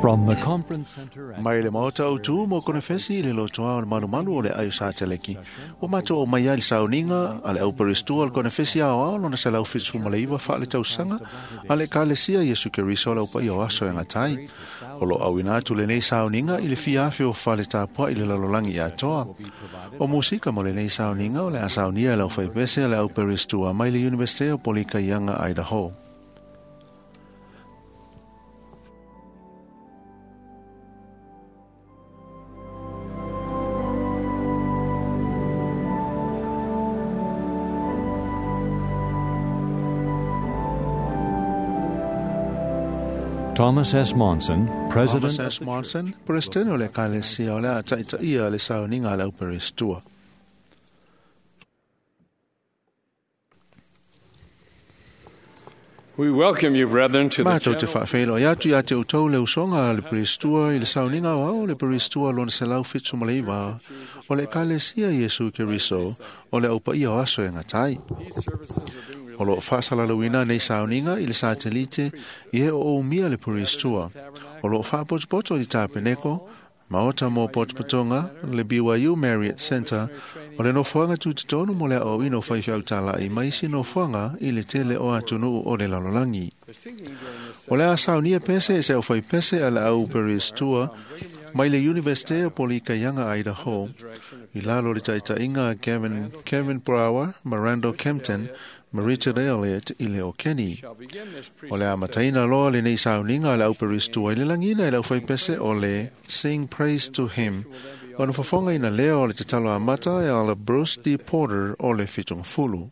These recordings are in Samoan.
From the conference center at Mai le maota o tū mo konefesi i le lotoa o le malumalu o le aio sa teleki. O mato o mai ai le sauniga a le auperistua o le konefesi ao ao lona 179 wha le tausanga a le kalesia Yesu Keriso o le upai o aso e ngatai. O lo au atu lenei sauniga i le fia afe o whale tāpua i le lalolangi atoa. O musika mo lenei sauniga o le a saunia e lau whaipese a le auperistua mai le Universite o Polikaianga Idaho. Thomas S. Monson, President Thomas S. Monson, President o le Ekalesia o le a taitaia le sauniga a le auperistua. We welcome you, brethren, to the Mātou te general whaawhelo i atu i a te utau le usonga a le peristua i le sauniga o ao le peristua lona 179 o le Ekalesia Iesu Keriso o le aupaia o aso e ngatai. These services are being O lo whaasalalauina nei sauniga i le satelite i he o umia le peristua. O lo whaapotopoto i tāpeneko, maota mō potopotonga, le BYU Marriott Center, o le nofoanga tūtotonu mo le au ino whaiwhiau tālai mai si nofoanga i le tele o atunu o le lalolangi. singing during this O le a saunia pese e se au whai pese a le au peristua mai le Universite o Polikaianga Idaho i lalo le taitainga a Kevin Brower, Miranda Kempton, ma Richard Elliott i le o Kenny. shall begin this O le amataina loa le nei sauniga a le au peristua i le langina i le au whaipese o le Sing Praise to Him. O na whafonga ina leo o le tatalo amata e ala Bruce D. Porter o le Fitungafulu.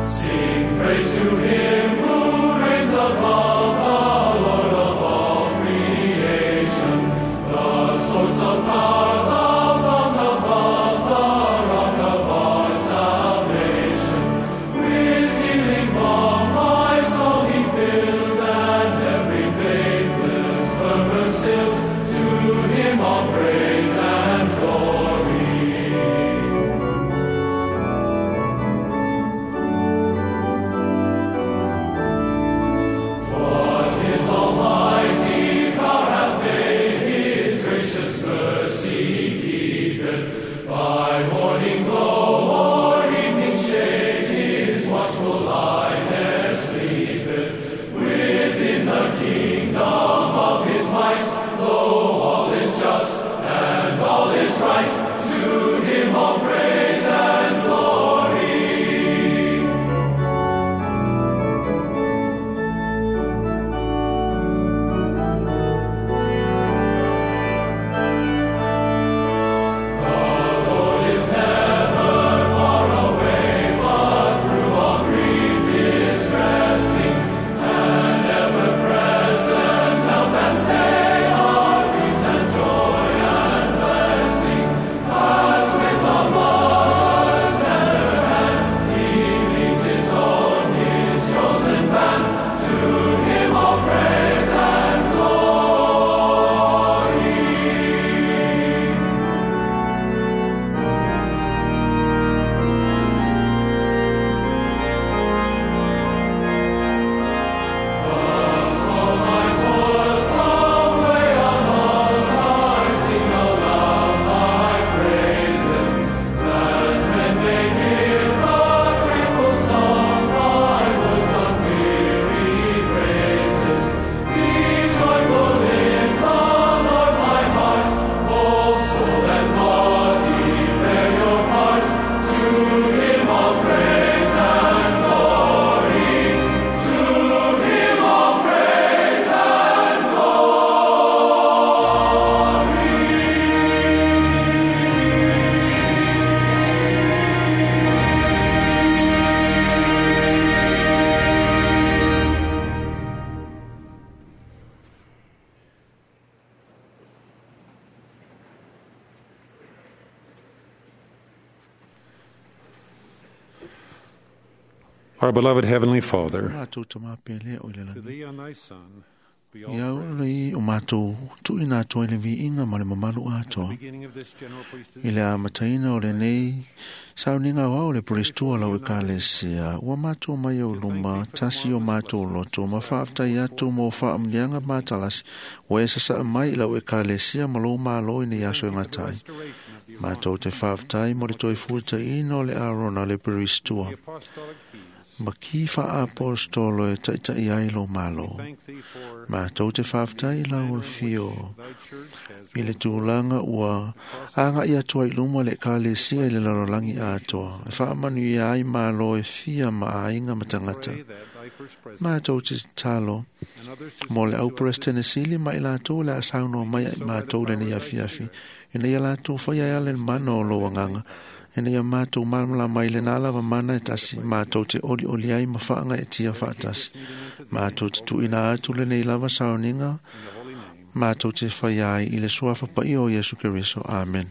Sing praise to him who reigns above, the Lord of all creation, the source of power, the fount of love, the rock of our salvation. With healing balm my soul he fills, and every faithless murmur stills. To him all praise and glory. Our beloved Heavenly Father, Mātou tamā pele o i le to langi. thee and thy Son be all Ia praise. ora o mātou tuina atoa i le viiga ma le mamalu atoa. Beginning of this general priesthood, I le amataina o lenei sauniga o au le peristua lau ekalesia, ua mātou mai au luma, tasi o mātou loto, ma whaaftai atu mō whaamlianga mātalasi, ua e sasaa mai i lau ekalesia ma lou malo i nei aso e ngatai. restoration of the Mātou te whaaftai mo le toi fuataina o le Arona le peristua. the apostolic keys. Ma ki whaapostolo e taitai ai lo malo. Thank thee for Mātou te whaaftai lau e whio. thy church has I le tūlanga ua anga i atua i luma le ekalesia i le lalolagi atoa. E whaamanu i ai malo e fia ma ainga matangata. pray that thy first president Mātou te talo and others who mo le speak au to us this presidente sili ma i lātou le asauno mai ai mātou le nei afiafi. Ina ia lātou whai ai ale mana o lo anganga. Ina ia mātou malamala mai le nā lava mana e tasi. Mātou te oli oli ai ma whaanga e tia whaatasi. Mātou te tuina atu le nei lava sauninga. in the holy name. Mātou te whai ai i le suafa pai o Yesu Keriso. Amen.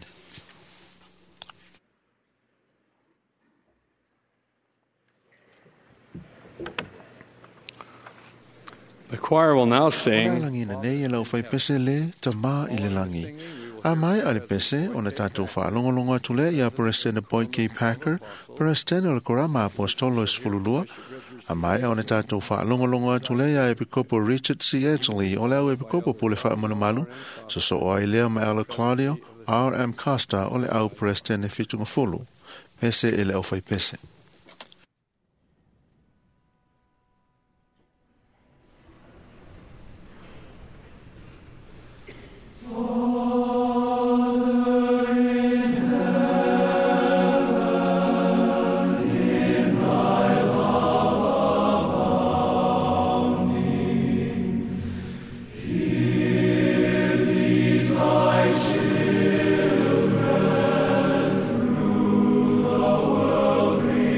The choir will now O sing langi na nei e lau whai pese le tamā i le langi. A mai a le pese o na tātou whaalongolongo atu le ia President Boyd K. Packer, President o le Korama Apostolo e Sefululua. A mai o na tātou whaalongolongo atu le ia Epikopo Richard C. Edgley o le au Epikopo Pule Whaamanumalu, so so o ai lea ma Ella Claudio, R. M. Costa o le au President e Whitungafulu. Pese e le au whai pese. Thee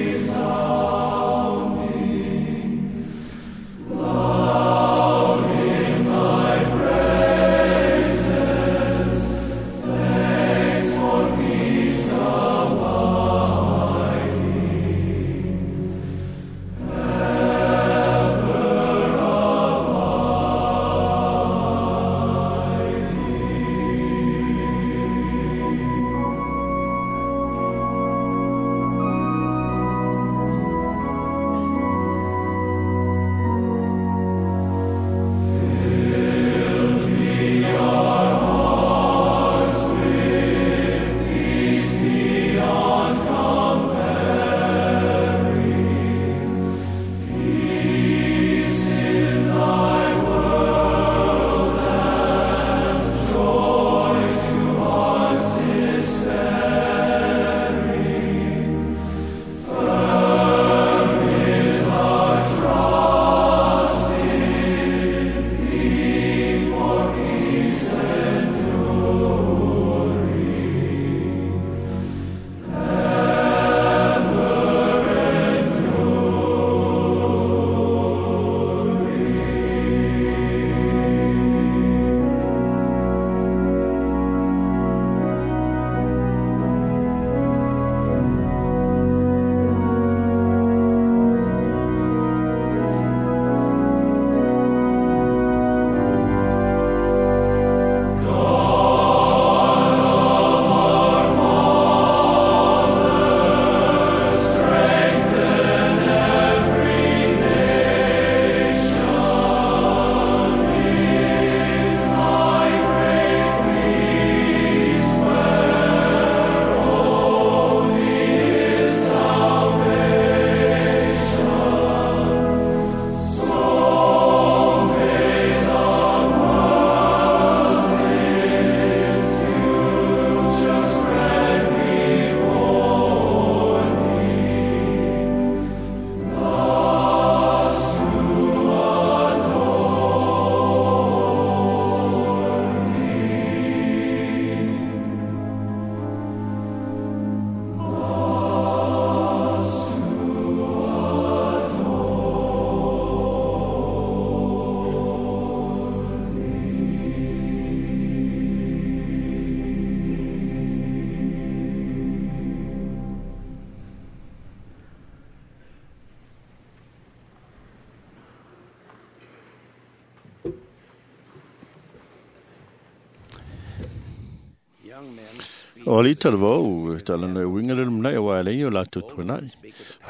O ali talavou, talanoa e uiga le lumanai auā e leai ni o latou tuanai.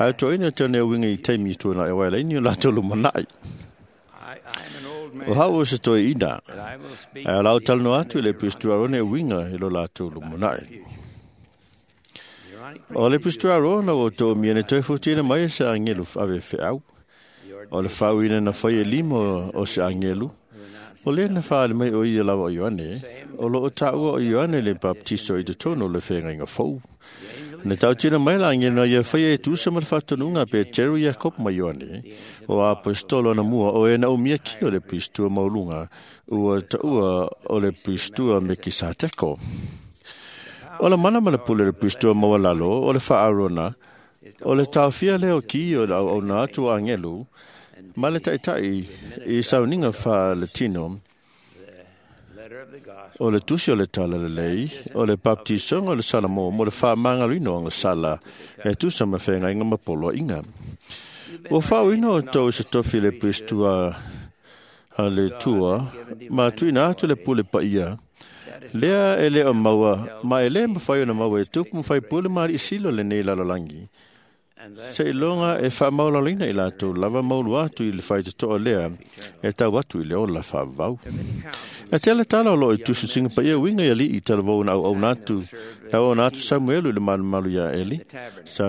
Ae toeaina e talanoa e uiga i taimi tuanai auā e leai ni o latou lumanai. O hau o se toeaina, ae o la o talanoa atu i le Peresetene Arone e uiga i lo latou lumanai. O le Peresetene Arone ua outou umia na toe futiina mai e se agelu ave feau. O le faauina na fai e lima o se agelu, o lea na faali mai o ia lava o Ioane, o lo o taua o Ioane le baptiso i totonu o le feagaiga fou. Na tautino mai la agelu na ia faia e tusa ma le faatonuga a Peteru, Iakopo ma Ioane, o aposetolo na mua o e na umia ki o le Peresetene maualuga, ua taua o le Peresetene Mekisateko. O le mana ma le pule o le Peresetene maualalo o le faa-Arona, o le taofia lea o ki o le auauna atu o agelu, ma le taitai i sauniga faaletino, o le tusi o le talalelei, o le baptisoga o le Salamo mo le faamagaloina o agasala e tusa ma feagaiga ma poloaiga. Ua faauuina outou i se tofi le Peresetene a le Atua ma tuuina atu le pule paia, lea e le o maua, ma e lē mafai ona maua e tupu ma faipule ma alii sili o lenei lalolagi, seiloga e faamaualaloina i latou lava maulu atu i le faitotoa lea e tau atu i le ola faavavau. E tele tala o loo i tusitusiga paia uiga i alii talavou na auauna atu na auauna atu Samuelu i le malumalu iā Eli sa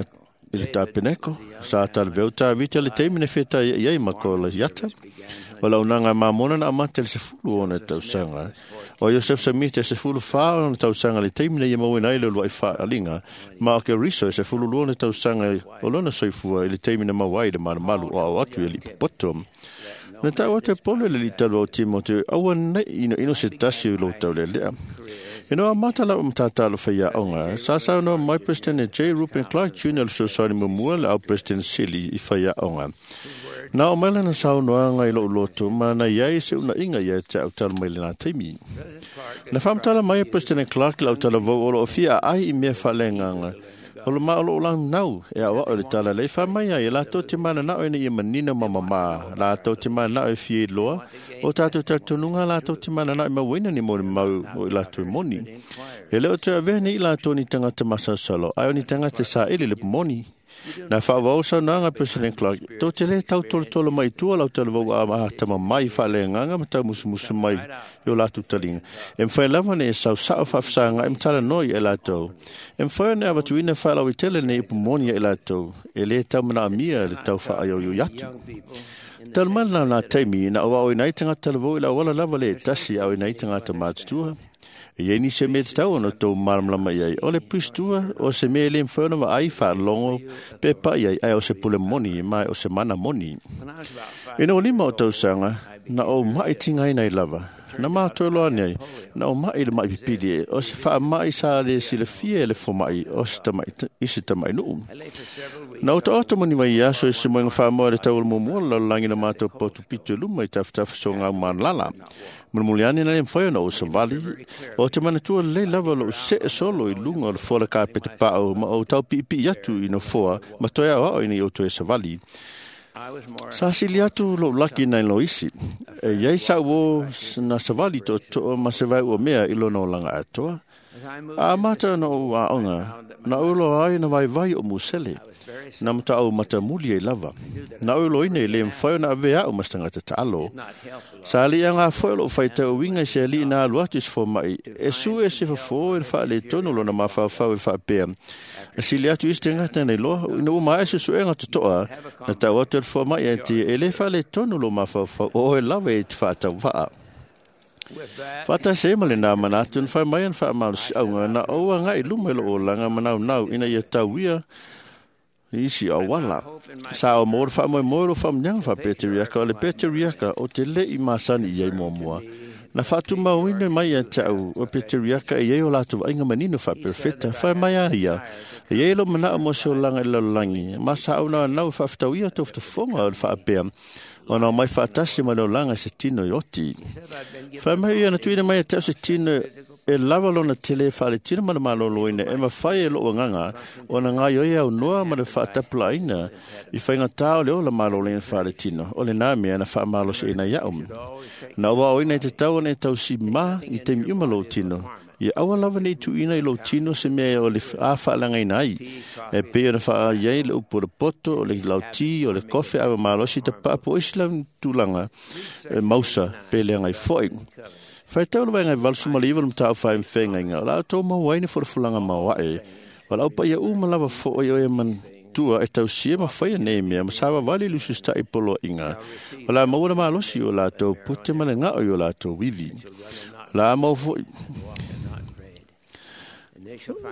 i le tapeneko sa talaveu Tavita le taimi na fetaia'i ai ma Koliata. O le auaunaga a Mamona na amata i le 16 tausaga. O Iosef Samita e 14 ona tausaga le taimi na ia mauaina ai le uluai faaliga, ma o Keriso e 12 tausaga o lona soifua i le taimi na maua ai le malumalu o ao atu i alii popoto. Na tau atu e Polo i le alii talua o Timote, aua nei inoino se tasi o lou taulelea. Ina ua amata lau matata faiaoga, sa saunoa mai Peresetene J. Reuben Clark Jr. le fesoasoani muamua le au Peresetene Sili i faiaoga. Na oo mai lana saunoaga i lou loto ma na i ai se unaiga ia te au talu mai lena taimi. Na faamatala mai e Peresetene Clark le au talavou o loo fia aai i mea faaleagaga, o le ma o loo launau e aoao i le tala lei faamai ai e latou te mananao ina ia manino ma mamā, latou te mananao e fia iloa, o tatou talitonuga latou te mananao e mauaina ni molimau o i latou e moni. E le o toe avea nei i latou ni tagata masalosalo, ae o ni tagata e saili le moni. Na faavao saunoaga President Clark, tou te lē tautolotolo mai i tua lau talavou a atamamai faaleagaga ma taumusumusu mai i o latou taliga. E mafai lava ona e sausao faafesagaai ma talanoa ia i latou. E mafai ona e avatuina faalauaitele nei upu moni ia i latou, e lē taumanaomia le tau faaioioi atu. Talu mai lena nā taimi na auaoina ai tagata talavou i le auala lava le tasi e aoina ai tagata matutua. E iai nisi o mea tatau ona outou malamalama i ai, o le Peresetene o se mea e lē mafai ona vaai faalogo pe pa'i ai, ae o se pule moni ma o se mana moni. Ina ua 5 o tausaga, na ou ma'i tigaina ai lava. Na matou loa ane ai, na ou ma'i i le ma'i pipili e, o se faama'i sa lē silafia e le foma'i o se tama'i i se tamainuu. Na ou taoto moni mai aso i se moega faamoa i le tau o le muamua o le lalolagi na matou potu pito i luma i tafatafa sogau manalala. Mulimuli ane na le mafai ona ou savali, o te manatua lelei lava lou see solo i luga o le fola kapeta paʻau ma ou taupiipii atu i nofoa ma toe aoao ina ia ou toe savali. Sa sili atu lou laki nai lo isi. E iai sa'u uō na savali toʻotoʻo ma se vaeua mea i lona olaga atoa. A amata ona ou aoga, na ou iloa ai na vaivai o musele, na mataʻau matamuli ai lava. Na ou iloaina e lē mafai ona avea a'u ma se tagata taalo. Sa alii agā foi o lou faitau uiga i se alii na alu atu i se fomaʻi, e sue se fofō i le faaletonu o lona mafaufau e faapea, na sili atu isi tagata na iloa, ina ua maea suesuega totoa, na tau atu e le fomaʻi ia te ia, e lē faaletonu lou mafaufau, o oe lava e te faatauvaa. Faatasi ai ma lenā manatu na fai mai ana faamalosiauga na ou agaʻi luma i lou olaga manaunau ina ia tauia i isi auala. Sa o mo le faamoemoe o lou faamuniaga faapeteriaka, o le peteriaka o te leʻi masani i ai muamua. Na faatumauina mai ia te au o peteriaka e iai o latou vaaiga manino faaperefeta, fai mai a ia, e iai lou manaʻo mo se olaga i le lalolagi, ma sa ou naunau e faafetauia tofatofoga o le faapea, ona o mai faatasi ma le olaga i se tino i oti. Fai mai ia na tuuina mai ia te au se tino e lava lona tele faaletino ma le malōlōina e mafai e lou agaga ona gaoioi aunoa ma le faatapulaaina i faigatā o le ola malōlōina faaletino, o lenā mea na faamalosiaina iaʻu. Na ou aoina i te tau ona e tausimā i taimi uma lou tino, Ia aua lava nei tuuina i lou tino se mea o le a faalagaina ai. E pei ona faaiai le upu o le poto, o le lauti, o le kofe ava malosi tapaa po o isi lava tulaga e mausa pe leaga ai foi. Faitau le Vaega 89 o le Mataupu Faafeagaiga, o le a outou maua ai ni folafolaga maoae, o le a paia uma lava foi o e manatua e tausia ma faia nei mea ma savavali i le usiusitai poloaiga, o le a maua le malosi o latou pute ma le gao i o latou ivi. O le a maua foi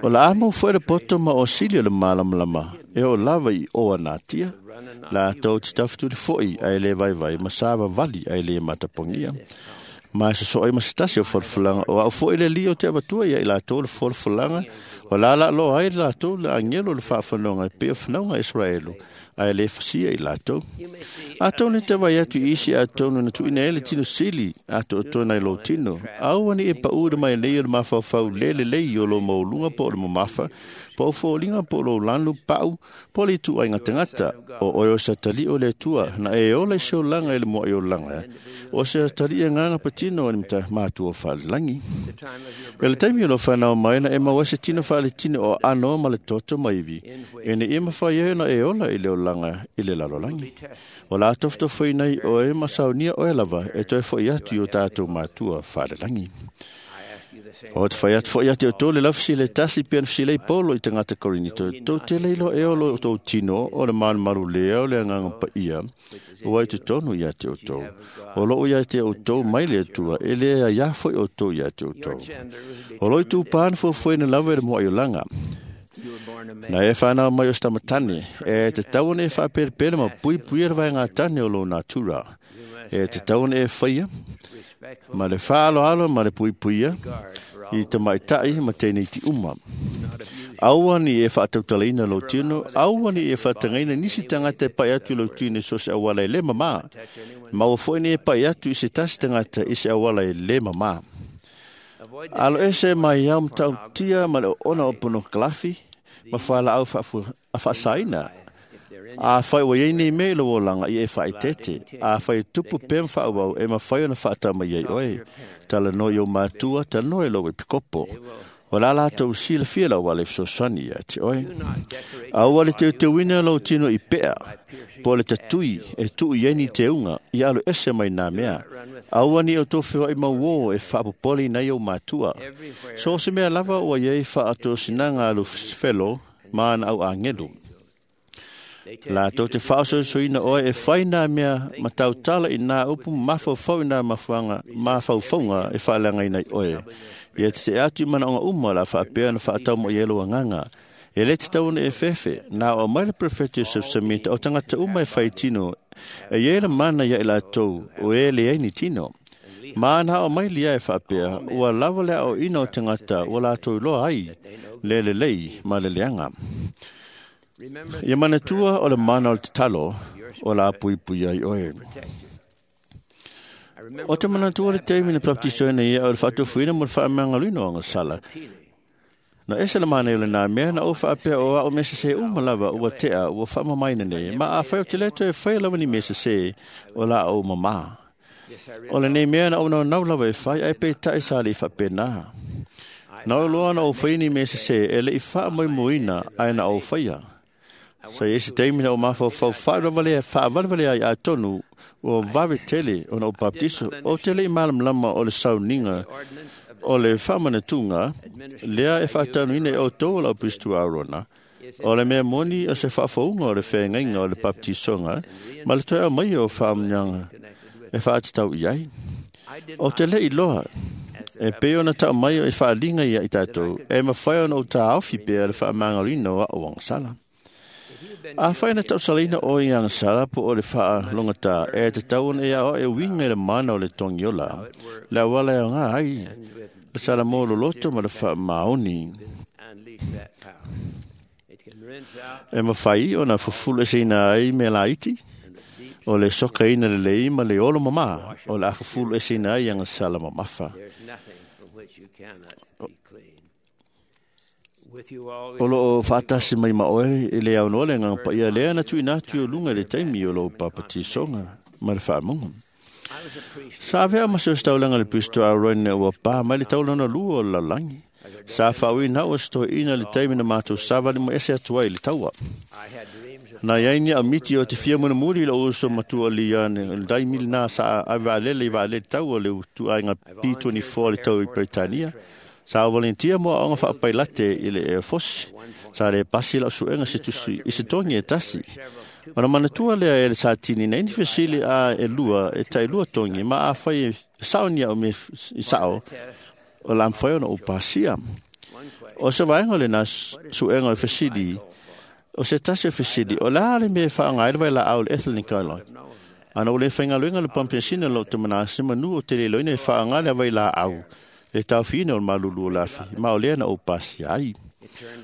O le a maua foi le poto ma osili o le malamalama e oo lava i o a natia. Latou te tafetuli foi ae le vaivai ma savavali ae le matapogia. Ma e sosoo ai ma se tasi o folafolaga o au foi le Alii o te avatua ia i latou le folafolaga o la laaloa ai latou le agelo o le faafanoga e pei o fanauga a Isaraelu ae le fasia i latou. Atonu e te vaai atu i isi atonu na tuuina ai le tino sili atoatoa nai lou tino. Aua ne i e pau i le mailei o le mafaufau le lelei o lou maualuga po o le mamafa, po o foliga po o lou lanu pau, po o le ituaiga tagata. O oe o se atalii o le Atua, na e ola i se olaga i le moaiolaga, o se atalii agaga patino o le matua faalelagi. I le taimi o lou fanau mai na e maua ai se tino faaletino o aano ma le toto ma ivi, ina ia mafai ai ona e ola i le olaga i le lalolagi. O le a tofotofoina ai oe ma saunia oe lava e toe foi atu i o tatou matua faalelagi. O te fai atu foi ia te outou le laufesili e tasi pei ona fesilei Paulo i tagata Korinito, tou te le iloa ea o lo outou tino o le malumalu lea o le agaga paia ua i totonu ia te outou. O loo ia te outou mai le Atua, e le aiā foi outou ia te outou. O lo itupa na fuafuaina lava e le moaiolaga. Na e whanau mai o se tamatane, e te tau ona e whaapelepele ma puipuia le vaega tane o lo natura. E te tau ona e whaia, ma le whaaloalo ma le puipuia, i te maitai ma tēnei ti uma. Aua ni e whaatautalaina lou tino, aua ni e whaatangaina nisi tangata e pai atu i lou tino i so se auala e le mamā. Maua foi ni e pai atu i se tasi tangata i se auala e le mamā. Alo ese mai au matautia ma le ona o pornogalafi ma whalaau whaasaina. A whai wa iei nei mea i lou olaga ia e faaeteete. A whai e tupu pea ma faauau e mafai ona faatama i ai oe. Talanoa i ou matua, talanoa i lou epikopo. O la latou silafia lau ale fesoasoani ia te oe. Aua le teuteuina lou tino i pea, po o le tatui e tuu i ai ni teuga, ia alo ese mai nā mea. Aua ni o outou feoai mauō e faapopole ina ai ou matua. So o se mea lava ua iai faatosinaga a Lusifelo ma ana au agelu. Latou te faaososoina oe e fai nā mea ma tautala i nā upu mafaufau i nā mafuanga, mafaufauga e faaleagaina ai oe. Ia te te atu i manaoga uma o le a faapea ona faatau mai ai lou agaga. E le tatau ona e fefe, na o mai le Perofeta Joseph Smith o tagata uma e fai tino, e iai le mana ia i latou o e leai ni tino. Ma na o mai lia e faapea, ua lava le aoaoina o tagata ua latou iloa ai le lelei ma le leaga. Ia manatua o le mana o le tatalo o le a puipui ai oe. O te manatua le taimi na baptisoina ia o le faatofuina mo le faamagaloina o agasala. Na ese le manaia o lenā mea na ou faapea o au mea sesē uma lava ua tea ua faamamaina nei, ma afai ou te le toe faia lava ni mea sesē o la ou mamā. O lenei mea na ou naunau lava e fai, ae peitai sa le i faapenā. Na ou iloa na ou faia ni mea sesē e le i faamoemoeina ae na ou faia. Sa i ai se taimi na ou mafaufau faavalevalea ai atonu ua vave tele ona ou baptiso, ou te le i malamalama o le sauniga o le faamanatuga lea e faatanuina e outou o lau Pirisito Aarona, o le mea moni o se faafouga o le feagaiga o le baptisoga ma le toe aumaia o faamuniaga e faatatau i ai. O te le iloa, e pei ona tau mai e faaliga ia i tatou, e mafai ona ou taofi pea le faamagaloina o au agasala. Afai na tausalaina oe i agasala po o le faalogata, e tatau ona e aoao e uiga i le mana o le togiola, le auala e aoga ai, le salamo loloto ma le faamaoni. E mafai ona fufulu eseina ai mea laiti, o le sokaina lelei ma le olo mamā, o le a fufulu eseina ai agasala mamafa. O loo faatasi mai ma oe i le aunoa le agaga paia lea na tuuina atu i o luga i le taimi o lou papatisoga ma le faamuga. Sa avea ma se ositaulaga le Pisto Aroine ua pā mai le taulana lua o le lalolagi. Sa faauina au e se toeaina i le taimi na matou savali ma ese atu ai i le taua. Na iai ni aumiti o te fia mulimuli i lou uso matua Leon i le taimi lena sa ave vaalele i vaalele taua le ituaiga B-24 le tau i Peretania. Sa valentia mo aoga faapailate i le Air Force. Sa le pasi lau suega se tusi i se togi e tasi. Ona manatua lea e le sa tini nei ni fesili a e lua e tai lua togi ma a fai e sao ni au me i sao o la mfai ona o pasia. O se vaenga le na suega o fesili o se tasi o fesili o la le me whaangai le vai la au le ethylene glycol. Ana o le whaingaluenga le pampesina lo te mana se manu o te leloina e whaangai le vai la au le taufiina o le malulu o lafi ma o lea na o pasi ai.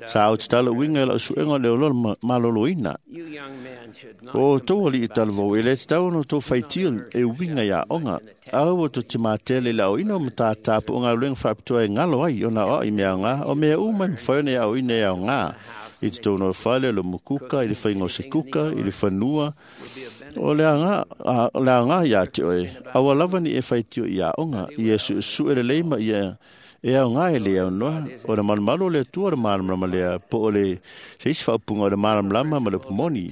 Sa au te tala uinga la suenga le olo maloloina. O tō ali i talavou, e le te tau ono tō whaitil e uinga ia onga. Au o tō te mātele la o ino mata tāpu o ngā luenga whapitoa e ngalo ai o nā o i mea ngā, o mea uma i mwhaone au ine au ngā. I te tōno whale o le mukuka, i le whainga o se kuka, i le whanua. O le anga ia te oe, awa lava ni e whaitio i a onga, i e su su e le leima i e e au ngā e le au noa, o le malumalu o le atua o le malamalama lea, po o le se isi whaupunga o le malamalama ma le pumoni.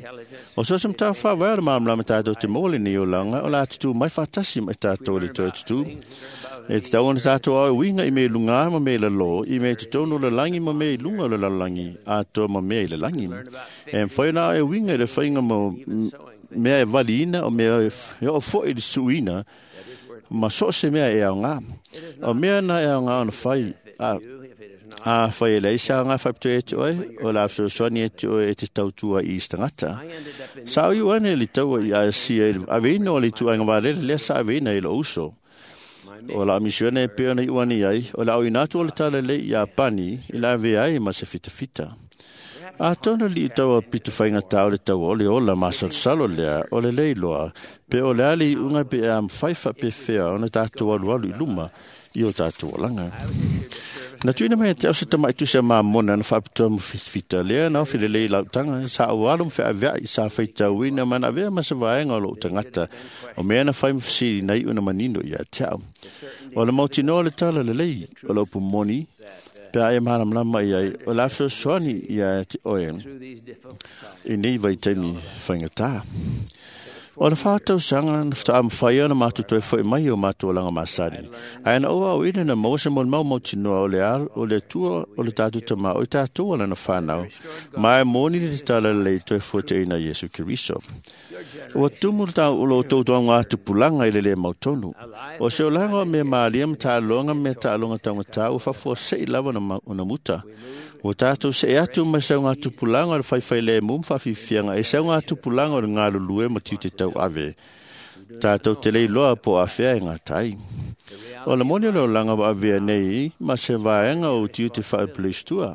O so sem tā whawai o le malamalama tātou te mōle ni o langa, o la atutu mai whātasi mai tātou le toi tutu. E te tau ona tātou au winga i me lunga ma me lalo, i me te tono le langi ma me lunga o le lalangi, a toa ma me i le langi. E mwhai nā e winga i le whainga mo mea e valiina o mea e o fo i le suina, ma so se mea e au ngā. O mea na e au ngā ona whai, a whai e leisa ngā whapito e te oe, o la afsosoani e te oe e te tautua i istangata. Sa o iuane le taua i a sia i aveina o le tuainga valele lea sa aveina i lo uso. O la misione e peo na iuane ai, o la oinatu o le tala le i a pani, i la ave ai ma se fitafita. A tona li taua pitu whainga tau le taua o le ola masalosalo lea o le leiloa, pe o le ali unga pe a mwhaifa pe whea o na tātou alu alu i luma i o tātou olanga. Na tuina mai te au se tamai tusi a mamona na whapitoa mo fitafita lea na ofi le lei lautanga sa au alu mwhea avea i sa whaitauina mana avea ma se vaenga o lo tangata o mea na whai mwhasiri nei una manino i a te au. O le mautinoa le tala le lei o le upu moni pe a e mahalamlama i ai o la fesoasoani ia te oe i nei vaitaimi faigata. O le whātausaga na whataamawhai ona mātou toe whai mai o mātou alanga masani. Ae na oa o ina na maua se mo le mau mautinoa o le al, o le tua o le tātou tamā o i tātou ala na whānau. Mai mōni le te tala lei toe fua te ina Iesu Keriso. Ua tumu le tau ulo o tau ngā tupulanga i le le mautonu. O se olanga o mea maalia ma tāloga mea tāloga taugata ua fafua sei lava ona muta. Ua tātou se e atu mai sau ngā tupulanga o le whaiwhai le mum whawhiwhianga e sau ngā tupulanga o le ngā lulue ma tiu te tau ave. Tātou te leiloa po a whea e ngā tai. O le moni o le olanga wa avea nei ma se vaenga o tiu te whaepulistua.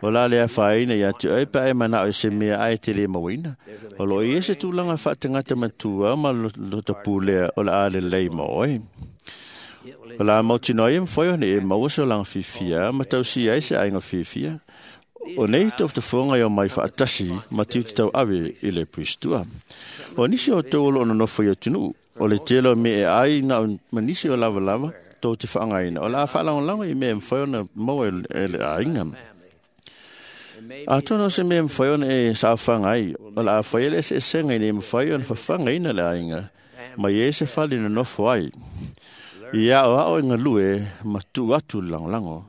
O la lea whaina ia te oe pa e mana o se mea ai te le mawina. O lo i ese tūlanga whaatangata matua ma lo tapu lea o la ale lei ma oe. O la mautinoa e mwhai one e maua se olanga whiwhia, ma tau si ai se ainga whiwhia. O nei toftofonga i o mai whaatasi, ma tiu te tau ave i le puistua. O nisi o tau olo ono nofo i o tunu, o le telo me e ai na ma nisi o lava lava, tō te whaangaina. O la whaalangolanga i mea mwhai ona maua e le ainga. A tono se mea mwhai ona e sa whangai, o la whai ele se senga i ne mwhai ona whawhangaina le ainga, ma i e se whali na nofo ai. I ao ao i ngalue ma tu atu le langolango.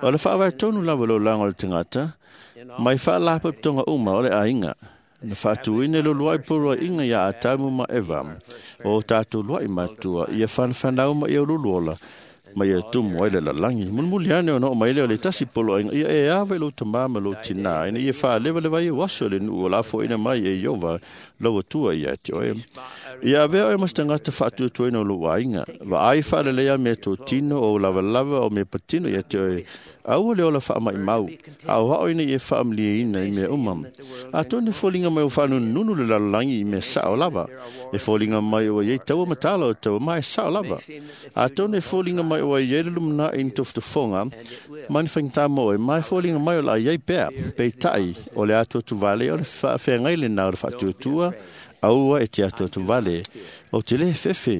O le whaawai tonu lava lo lango le tangata, mai whaalapa tonga uma o le ainga. Na whaatuine lo luai purua inga ia atamu ma Eva, o tātou luai matua, ia whanwhanau ma ia luluola, ma ia tumu ai le lalangi. Mulmuli ane o no mai leo le tasi polo ainga, ia e ave lo tamama lo tina, ina ia whaalewa lewa ia waso le nuu o la fo ina mai e iova, lau atua ia te oe. Ia avea oe mas tangata whaatuatuaina o lo ainga, wa ai whaalelea me tō tino o lava lava o me patino ia te oe, aua le ola wha mai mau, a o hao ina i e whaamlia ina i mea umam. A tōne fōlinga mai o whanununu le lalalangi i mea sao lava, e fōlinga mai o iei taua matala o taua mai sao lava. A tōne fōlinga mai o iei le lumna i ni toftofonga, mani whaingtā mo e mai fōlinga mai o la iei pea, pei tai o le atu atu vale o le whaafengai le nā o le whaatuatua, Aua e te atuatuvale o te lē fefe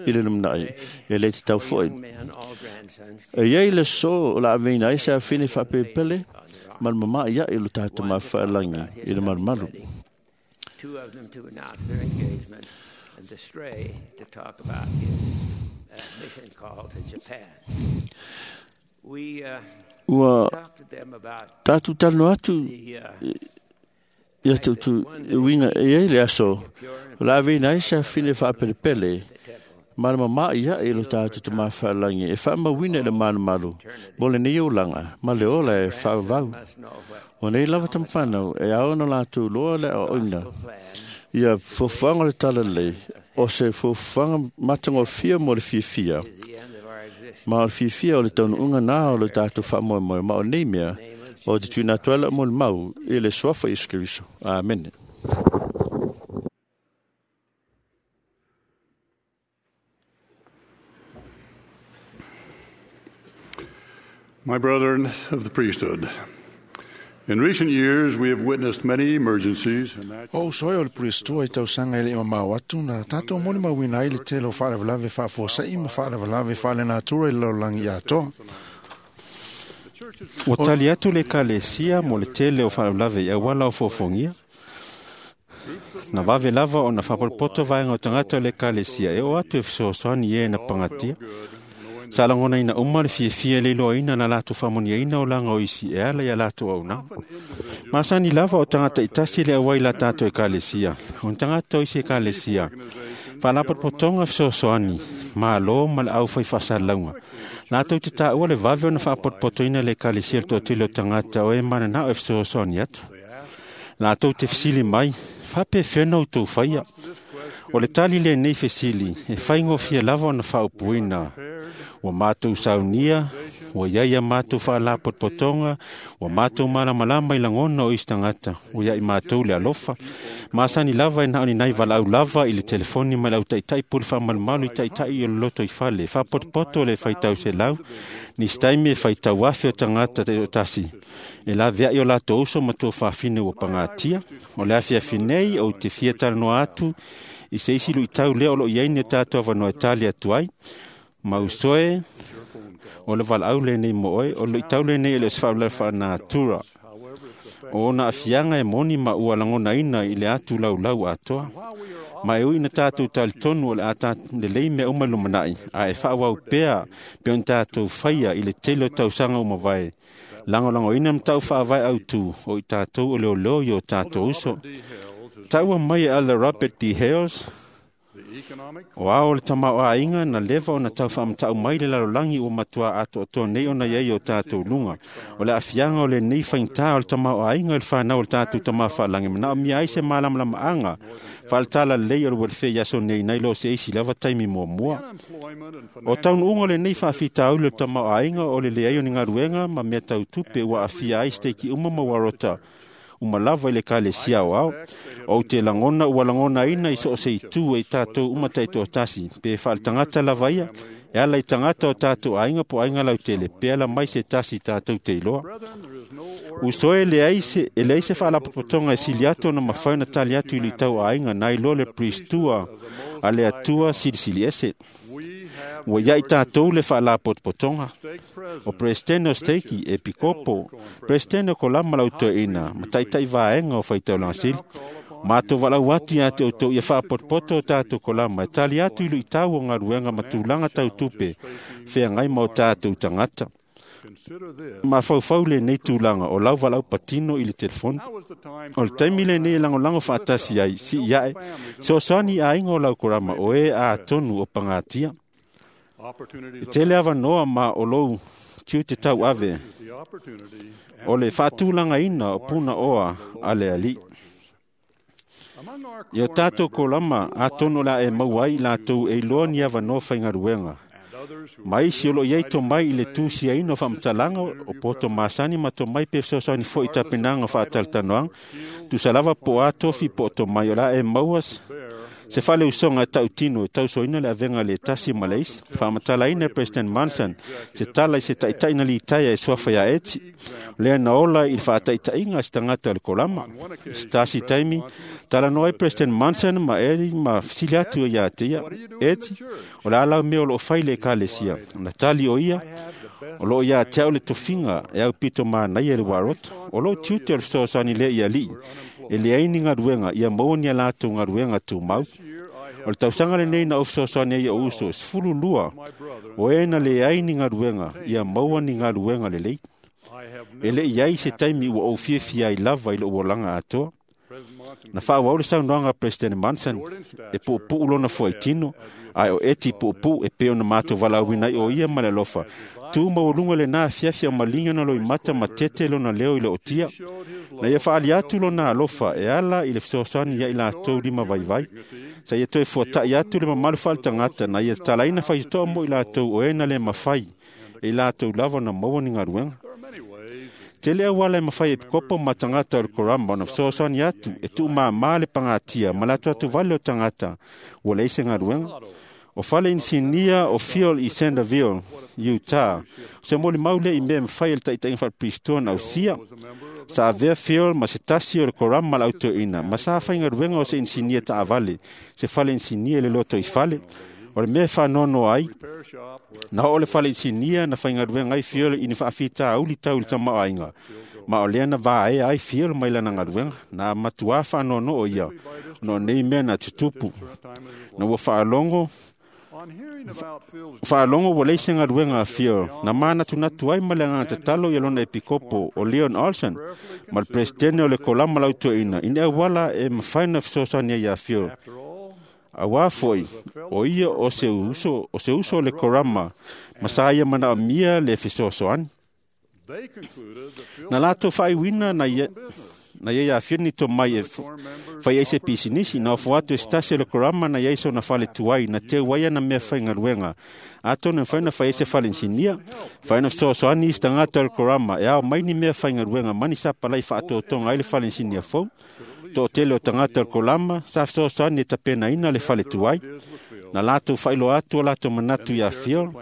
i le lumanai e lē tatau fo'i. E iai le aso o le a aveina ai se afine faapelepele ma le mama'i a'i o lo tatou mafaelagi i le malumalu. Two of them to announce their engagement, and the stray to talk about his mission call to Japan. We Ua talked to them about tatou talanoa atu the ia tutu uiga e iai le aso o le a aveina ai se afine faapelepele ma le mama'i a'i o lo tatou tamafaelagi e faamauina i le malumalu mo lenei olaga ma le ola e faavavau. must know what O nei lava tamafanau e ao ona latou loa le aoaoina plan ia fuafuaga o le talalelei o se fuafuaga matagofia mo le fiafia is the end of our existence. ma o le fiafia o le taunuuga na o le tatou faamoemoe ma o nei mea o te tuuina atu ai lau molimau i le suafa Iesu Keriso. Amene. My brethren of the priesthood, in recent years we have witnessed many emergencies and natural O uso e o le puristua i tausaga e le mamao atu na tātou molimauina ai le tele o faalavelave faafuasa'i ma faalavelave faalenatura i le lalolagi atoa. Ua tali atu le ekalesia mo le tele o faalavelave i auala o foafoagia. Na vave lava ona faapolopoto vaega o tagata o le ekalesia e oo atu e fesoasoani i e na pagatia. Sa lagonaina uma le fiafia e le iloaina na latou faamanuiaina olaga o isi e ala ia latou auaunaga. Masani lava o tagata itasi le auai la tatou ekalesia. O ni tagata o isi ekalesia. Faalapotopotoga fesoasoani, malo ma le aufai faasalalauga. Latou te taua le vave ona faapotopotoina le ekalesia i le toatele o tagata o e mananao e fesoasoani atu. Latou te fesili mai, faapefea ona outou faia. O le tali lenei fesili, e faigofie lava ona faaupuina. Ua matou saunia, ua iai a matou faalapotopotoga, ua matou malamalama i lagona o isi tagata, ua iai matou le alofa. Masani lava e na o ni nai valaau lava i le telefoni ma le autaitai pule faamalumalu i taitai o le loto i fale. Faapotopoto le faitau selau, nisi taimi e faitau afe o tagata tasi. E laveai o latou uso ma tuafafine ua pagatia. O le afiafi nei ou te fia talanoa atu i se isi luitau lea o loo i ai ni o tatou avanoa e tali atu ai. Ma usoe, o le valaau lenei mo oe, o le luitau lenei e le o se faalavelave faalenatura. O ona aafiaga e moni ma ua lagonaina i le atu laulau atoa. Ma e ui ina tatou talitonu o le a lelei mea uma i lumanai, ae faaauau pea pe ona tatou faia i le tele o tausaga ua mavae. Lagolagoina matau faavae autu o i tatou o leoleo i o tatou uso. Taua mai e Elder Robert D. Hales, the economic o ao o le tamaoaiga na leva ona tau faamatau mai le lalolagi ua matua atoatoa nei ona iai o tatou luga. O le aafiaga o lenei faigata o le tamaoaiga i le fanau o le tatou tama faalagi manaomia ai se malamalamaaga faale-talalelei o le welfare i aso nei nai lo se isi lava taimi muamua. unemployment and O taunuuga o lenei faafitauli o le tamaoaiga o le leai o ni galuega ma mea tau tupe ua aafia ai steiki uma ma uarota uma lava i le ekalesia aoao. Ou te lagona ua lagonaina i so o se itu e i tatou uma taitoatasi, pe faaletagata lava ia, e ala i tagata o tatou aiga po o aiga lautele, pe ala mai se tasi tatou te iloa. brethren, there is no Uso e leai se, e leai se faalapotopotoga e sili atu ona mafai ona tali atu i luitau aiga nai lo le puristua a le Atua silisili ese. we have Ua iai tatou le faalapotopotoga. stake O president, Presidente o Steiki, Epikopo, Presidente o Kolama Lautoeina, ma taitai vaega o faitaulaga sili. Matou valaau atu ia te outou ia faapotopoto o tatou kolama e tali atu i luitau o galuega ma tulaga tau tupe feagai ma o tatou tagata. consider this. Mafaufau lenei tulaga o lau valaau patino i le telefoni. Now is the time O to le taimi lenei e lagolago faatasi ai, sii ae, soasoani i aiga o lau korama o e atonu o pagatia. opportunities E tele avanoa ma o lou tiute tau ave, the opportunity and o le faatulagaina o puna oa a le alii. among our I o tātou kolama atonu o le a e maua ai latou e iloa ni avanoa faigaluega. and others who Ma isi o loo iai tomai i le tusiaina o faamatalaga o poto masani ma tomai pe fesoasoani foi i tapenaga o faatalatalanoaga. Tusa lava po o a tofi po o tomai o le a e maua Se faaleusoga e tautino e tausoaina le avega le tasi ma le isi. Faamatalaina e President Monson se tala i se taʻitaʻi na litaia e suafa iā Eti, lea na ola i le faataʻitaʻiga a se tagata o le kolama. I se tasi taimi, talanoa ai President Monson ma Edi ma fesili atu iā te ia, “Eti, o le a lau mea o loo fai i le ekalesia?” Na tali o ia, “O loo iā te au le tofiga e aupito manaia i le uaroto. O lou tiute o le fesoasoani lea i alii e leai ni galuega ia maua ni a latou galuega tumau. O le tausaga lenei na ou fesoasoani ai i ou uso e 12 o e na leai ni galuega ia maua ni galuega lelei. E le i ai se taimi ua ou fiafia ai lava i lou olaga atoa.” Na faaauau le saunoaga a Peresetene Monson e puupuu lona fuaitino, ae o Eti puupuu e pei ona matou valaauina ai o ia ma le alofa. Tu maualuga lenā afiafi a o maliga na loimata ma tete lona leo i le ootia. Na ia faaali atu lona alofa e ala i le fesoasoani ia i latou lima vaivai. Sa ia toe fuataʻi atu le mamalu faaletagata na ia tatalaina faitotoa mo i latou o e na le mafai e i latou lava ona maua ni galuega. Tele auala e mafai e pikopo ma tagata o le korama ona fesoasoani atu e tuumāmā le pagatia ma le atuatuvale o tagata ua leai se galuega. O fale inisinia o Field i Centerville, Utah, o se molimau lea i mea e mafai e le taʻitaʻiga faalepirisitoa na ausia. Sa avea Field ma se tasi o le korama le autoina ma sa faigaluega o se inisinia taavale, se fale inisinia i le lotoifale. O le mea e faanoanoa ai, na oo le fale inisinia na faigaluega ai Field i ni faafitauli tau i le tamaoaiga, ma o lea na vaea ai Field mai lana galuega. Na matuā faanoanoo ia ona o nei mea na tutupu. Na ua faalogo ua leai se galuega a Field, na manatunatu ai ma le agaga tatalo ia lona epikopo o Leon Olson ma le peresetene o le kolama lautoeina i ni auala e mafai ona fesoasoani ai iā Field. Auā foi, o ia o se uso o le korama ma sa ia manaomia le fesoasoani. Na latou faaiuina na ia iā Field ni tomai e fai ai se pisinisi. Na ofo atu e se tasi o le korama na iai sona fale tuai na teu ai ana mea faigaluega, atonu e mafai ona fai ai se fale inisinia. Fai ona fesoasoani isi tagata o le korama e ao mai ni mea faigaluega ma ni sapalai faatotoga ai le fale inisinia fou. Toatele o tagata o le kolama sa fesoasoani e tapenaina le fale tuai. Na latou faailoa atu o latou manatu iā Field,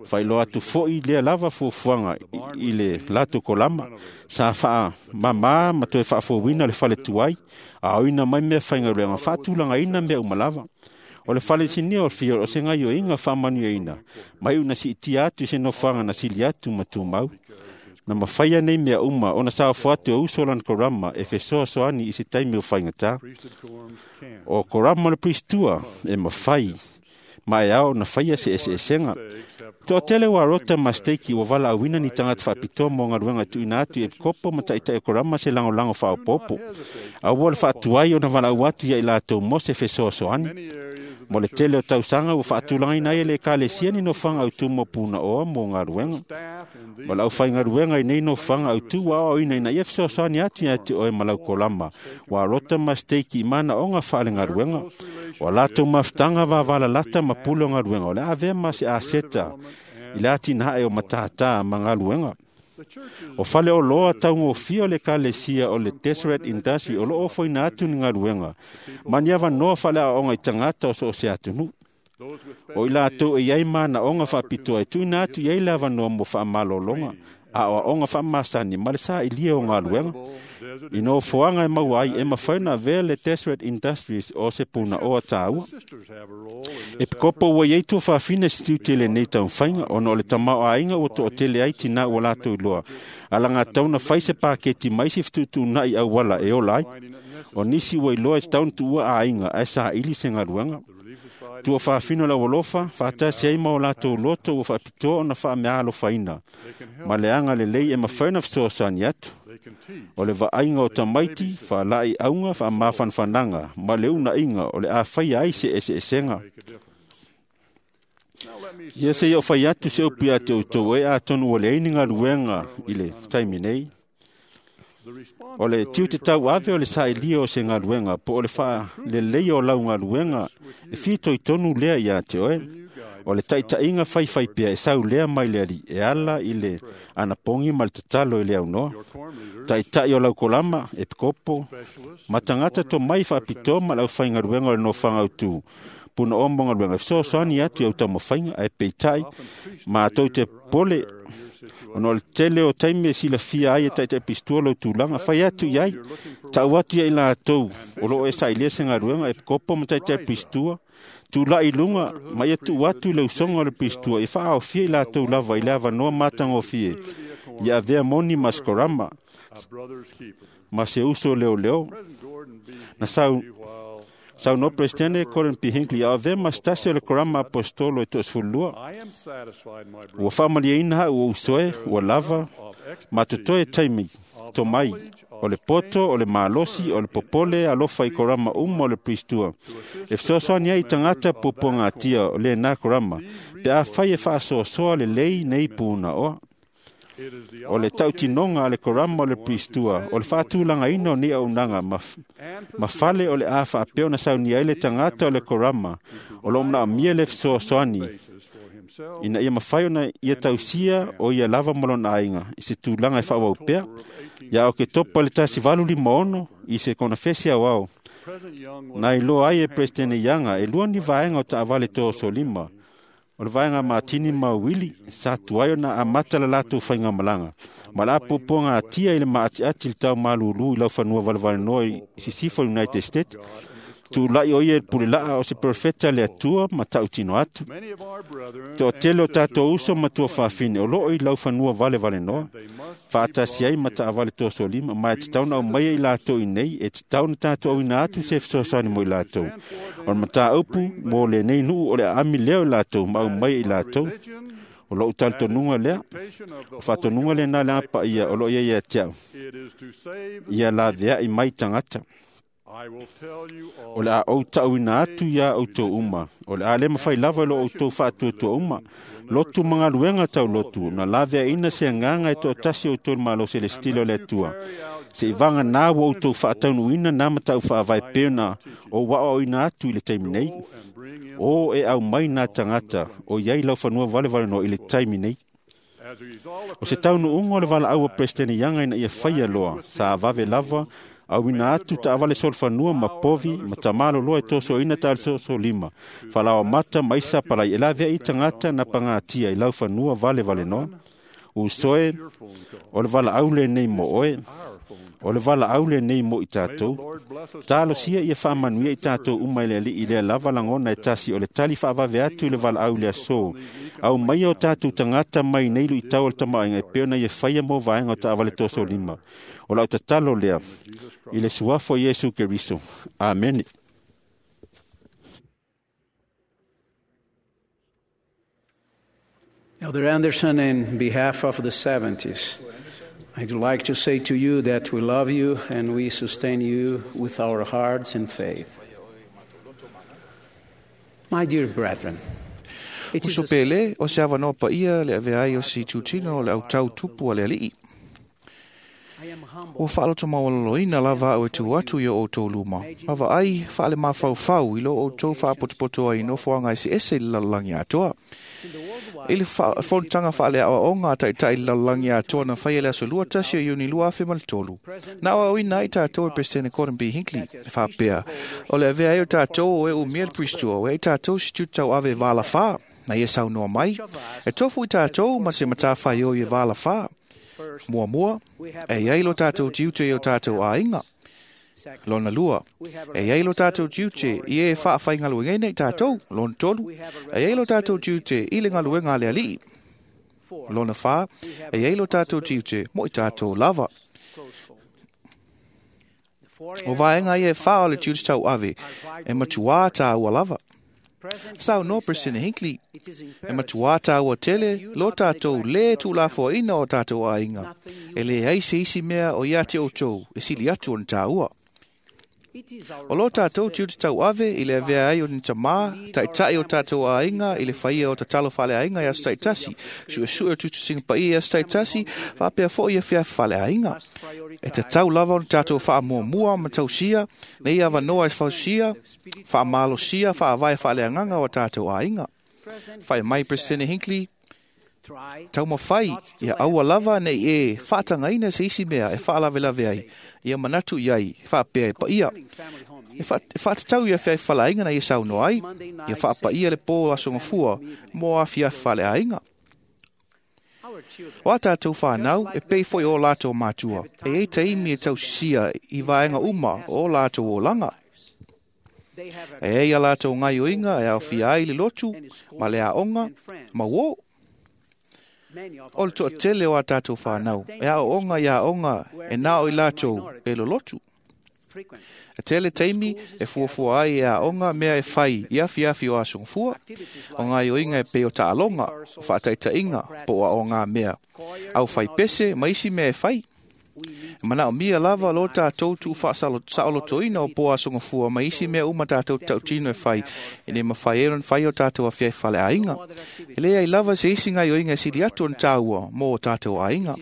faailoa atu foʻi lea lava fuafuaga i le latou kolama. Sa faamamā ma toe faafouina le fale tuai, aoina mai mea faigaluega faatulagaina mea uma lava. O le fale inisinia o Field o se gaioiga faamanuiaina mai una siitia atu i se nofoaga na sili atu ma tumau. Na mafaia nei mea uma ona saofo atu e uso lana korama e fesoasoani i se taimi o faigatā. O korama o le Piristua e mafai ma e ao ona faia se eseesega. Toatele ua rota ma steiki ua valaauina ni tagata faapitoa mo galuega e tuuina atu i epikopo ma taʻitaʻi o korama se lagolago faaopoopo. Aua le faatuai ona valaau atu ia i latou mo se fesoasoani. Mo le tele o tausaga ua faatulagaina ai e le ekalesia ni nofoaga autū mo punaoa mo galuega. O le aufaigaluega i nei nofoaga autū ua aoaoina ina ia fesoasoani atu ia te oe ma lau kolama ua rota ma steiki i manaoga faalegaluega. O a latou mafutaga vavalalata ma pule o galuega o le a avea ma se aseta i le atinae o matātā ma galuega. O fale oloa taugofia o le ekalesia o le Deseret Industry o loo ofoina atu ni galuega ma ni avanoa faaleaoaoga i tagata o so o se atunuu. O i latou e iai manaoga faapitoa e tuuina atu i ai le avanoa mo faamalologa, aoaoga faamasani ma le sailia o galuega. I nofoaga e maua ai e mafai ona avea le Deseret Industries o se punaoa tāua. E pikopo ua iai tuafafine se tiute i lenei taumafaiga ona o le tamaoaiga ua toatele ai tinā ua latou iloa alagatau na fai se paketi ma isi fetuutuunai auala e ola ai. O nisi ua iloa e tatau ona tuua aiga ae saili se galuega. Tuafafine o le aualofa faatasi ai ma o latou loto ua faapitoa ona faameaalofaina ma le agalelei e mafai ona fesoasoani atu. O le vaaiga o tamaiti, faalaeiauga, faamafanafanaga ma le uunaiga o le a faia ai se eseesega. Ia se i ou fai atu se upu ia te outou e atonu ua leai ni galuega i le taimi nei. O le tiute tauave o le sailia o se galuega po o le faaleleia o lau galuega e fitoitonu lea iā te oe. O le taʻitaʻiga faifaipea e saulea mai le Alii e ala i le anapogi ma le tatalo i le aunoa. Taʻitaʻi o laukolama, epikopo, ma tagata tomai faapitoa ma le aufaigaluega o le nofoaga autū punaoa mo galuega e fesoasoani atu i au taumafaiga, ae peitai matou te popole ona o le tele o taimi e silafia ai e taʻitaʻi pistua lou tulaga. Fai atu i ai, taʻu atu ia i latou o loo e sailia se galuega, epikopo ma taʻitaʻi pistua, tulaʻi i luga ma ia tuu atu i le usoga o le pistua e faaofia i latou lava i le avanoa matagofie ia avea moni ma sikorama ma se uso leoleo. Na saunoa Peresetene Gordon B. Hinckley a avea ma se tasi o le korama apostolo e 12. Ua faamalieina haʻu ou usoe ua lava ma totoe taimi tomai o le poto, o le malosi, o le popole alofa i korama uma o le pristua e fesoasoani ai i tagata puapuagatia o lenā korama pe afai e faasoasoa lelei nei punaoa. O le tautinoga a le korama o le pristua o le faatulagaina o nei auaunaga ma fale o le a faapea ona saunia ai le tagata o le korama o loo manaomia le fesoasoani ina ia mafai ona ia tausia o ia lava ma lona aiga i se tulaga e faaauau pea. Ia Oketopa i le 1856 i se konefesi aoao na iloa ai e Peresetene Iaga e lua ni vaega o taavale toasolima o le vaega Matini ma Uili sa tuai ona amata le latou faigamalaga ma le apuapuaga atia i le maatiati i le tau malūlū i laufanua valevalenoa i sisifo United States. Tulaʻi o ia i le pulelaa o se perofeta le Atua ma tautino atu. Toatele o tatou uso ma tuafafine o loo i laufanua valevalenoa faatasi ai ma taavale toasolima, ma e tatau ona aumaia i latou i nei e tatau ona tatou auina atu se fesoasoani mo i latou. O le mataupu mo lenei nuu o le aami lea o i latou ma aumaia i latou. O lou talitonuga lea, o faatonuga lenā le Aga Paia o loo ia ia te au, ia laveai mai tagata. O le a ou taʻuina atu iā ʻoutou uma, o le a lē mafai lava i lo outou faatuatua uma, lotu ma galuega taulotu, na laveaʻina se agaga e toatasi o outou i le Malo Selesitila o le Atua, seʻi vaganā ua outou faataunuuina na mataʻu faavae pei ona ou aoaoina atu i le taimi nei. O e aumai nā tagata o i ai laufanua valevalenoa i le taimi nei. O se taunuuga o le valaau a Peresetene Iaga ina ia faia loa, sa vave lava auina atu taavale solofanua ma povi ma tamaloloa e tosoina taalesosolima falaoamata ma isi sapalai e laveai tagata na pagatia i laufanua valevalenoa. Usoe, o le valaau lenei mo oe, o le valaau lenei mo i tatou. Talosia ia faamanuia i tatou uma i le Alii lea lava lagona e tasi o le tali faavave atu i le valaau le aso. Au maia o tatou tagata mai nei luitau o le tamaoaiga e pei ona ia faia mo vaega o taavale toasolima. O lau tatalo lea i le suafa o Iesu Keriso. Amene. Elder Anderson, in behalf of the 70s, I'd like to say to you that we love you and we sustain you with our hearts and faith. My dear brethren, it is Uso pele o se avanoa paia le avea ai o se itutino o le autau tupu a le alii. Ua faaloto maualaloina lava au e tu atu i o outou luma. Ma vaai faale mafaufau i lo outou faapotopoto ai nofoaga eseese i le lalolagi atoa. I le fonotaga faaleaoaoga a taʻitaʻi i le lalolagi atoa na faia le aso 21 o Iuni 2003. Na aoaoina ai tatou e Peresetene Gordon B. Hinckley e faapea, o le avea ai o tatou o e umia le pristua, o e ai tatou se tiute tauave e valafā, na ia saunoa mai, e tofu i tatou ma se matafaioi e valafā. Muamua, e iai lo tātou tiute i o tātou aiga. Lona lua, e iai lo tātou tiute i e faafaigaluegaina i tātou. Lona tolu, e iai lo tātou tiute i le galuega a le alii. Lona whā, e iai lo tātou tiute mo i tātou lava. O vaenga ia e whā o le tiute tau ave, e matuā tāua lava. Saunoa President Hinckley, e matuā tāua tele lo tātou le tūlafoaina o tātou aiga. E le ai se isi mea o ia te outou e sili atu ona tāua. O lo tātou tiute tauave i le avea ai o ni tamā, taʻitaʻi o tātou aiga i le faia o tatalo faaleaiga i aso taʻitasi, suʻesuʻe o tusitusiga paia i aso taʻitasi, faapea foʻi ia feafi faaleaiga. E tatau lava ona tatou faamuamua ma tausia, nei avanoa e fausia, faamalosia, faavae faaleagaga o tātou aiga. Faia mai Peresetene Hinckley, taumafai ia aua lava nei e faatagaina se isi mea e faalavelave ai, ia manatu i ai, faapea e paia. E faatatau ia fea i faleaiga na ia saunoa ai, ia faapaia le pō aso gafua mo afiafi faleaiga. O a tātou whānau, e pei foi o lātou mātua, e ei taimi e tausisia i vaenga uma o lātou olanga. E ei a lātou ngai oinga e awhia ai le lotu, ma le aonga, ma wō. O le toatele o a tātou whānau, e a onga i a onga e nao i lātou e lo lotu. E tele taimi e fuafua ai e a onga mea e whai i afiafi o asongfua, o ngai oinga e peo taaloga, o whaataitainga po a o ngā mea. Au whai pese ma isi mea e whai. Mana o mia lava lo tātou tu whasaolotoina o po asongafua ma isi mea uma tātou tautino e whai. E ne mawhai e ron whai o tātou awhia e whale ainga. E lea i lava se isi ngai oinga e siri atu on tāua mō o tātou ainga.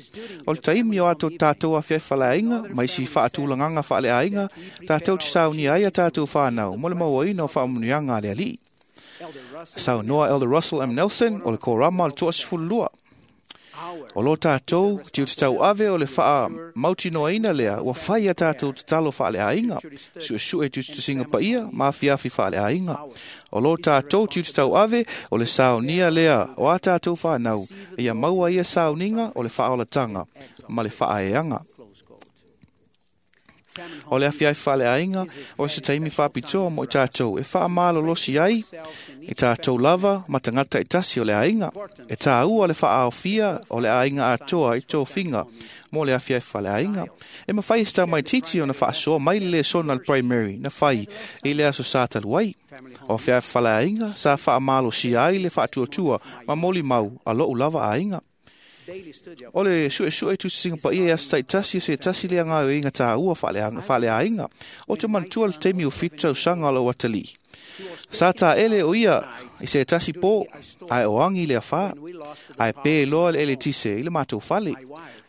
O le taimi o ato tātou awhia e whale ainga, ma isi whaatulanganga whale ainga, tātou te sauni ai a tātou whānau, mo le mauaina o whaamunianga a le alii. Sau noa Elder Russell M. Nelson o le korama o le 22. O lo tātou, tiu te tau ave o le whaa mautinoaina lea, ua whai a tātou te talo whaale ainga. Sue e tu te singa paia, ma fiafi whaale ainga. O lo tātou tiu te tau ave o le saunia lea, o a tātou whanau, ia maua ia sauninga o le whaolatanga, ma le whaaeanga. O le afiai whale ainga, o se taimi whapitoa mo i tātou, e wha malolosi ai, i tātou lava, matangata i tasi o le ainga, e tāua le whaaofia o le ainga atoa i tō finga, mo le afiai whale ainga. E mawhai sta mai titi o na whaasoa mai le sona le primary, na whai i le aso sa taluai. O afiai whale ainga, sa wha malosi ai le whaatuatua, ma moli mau a lou lava ainga. O le sue tu singa pa ia stai tasi se tasi le anga inga ta ua whale ainga. O te mantua le temi o whitau sanga lo watali. Sa ta ele o ia i se tasi po ai o angi le awha. Ai pe loa le ele tise i le mātou whale.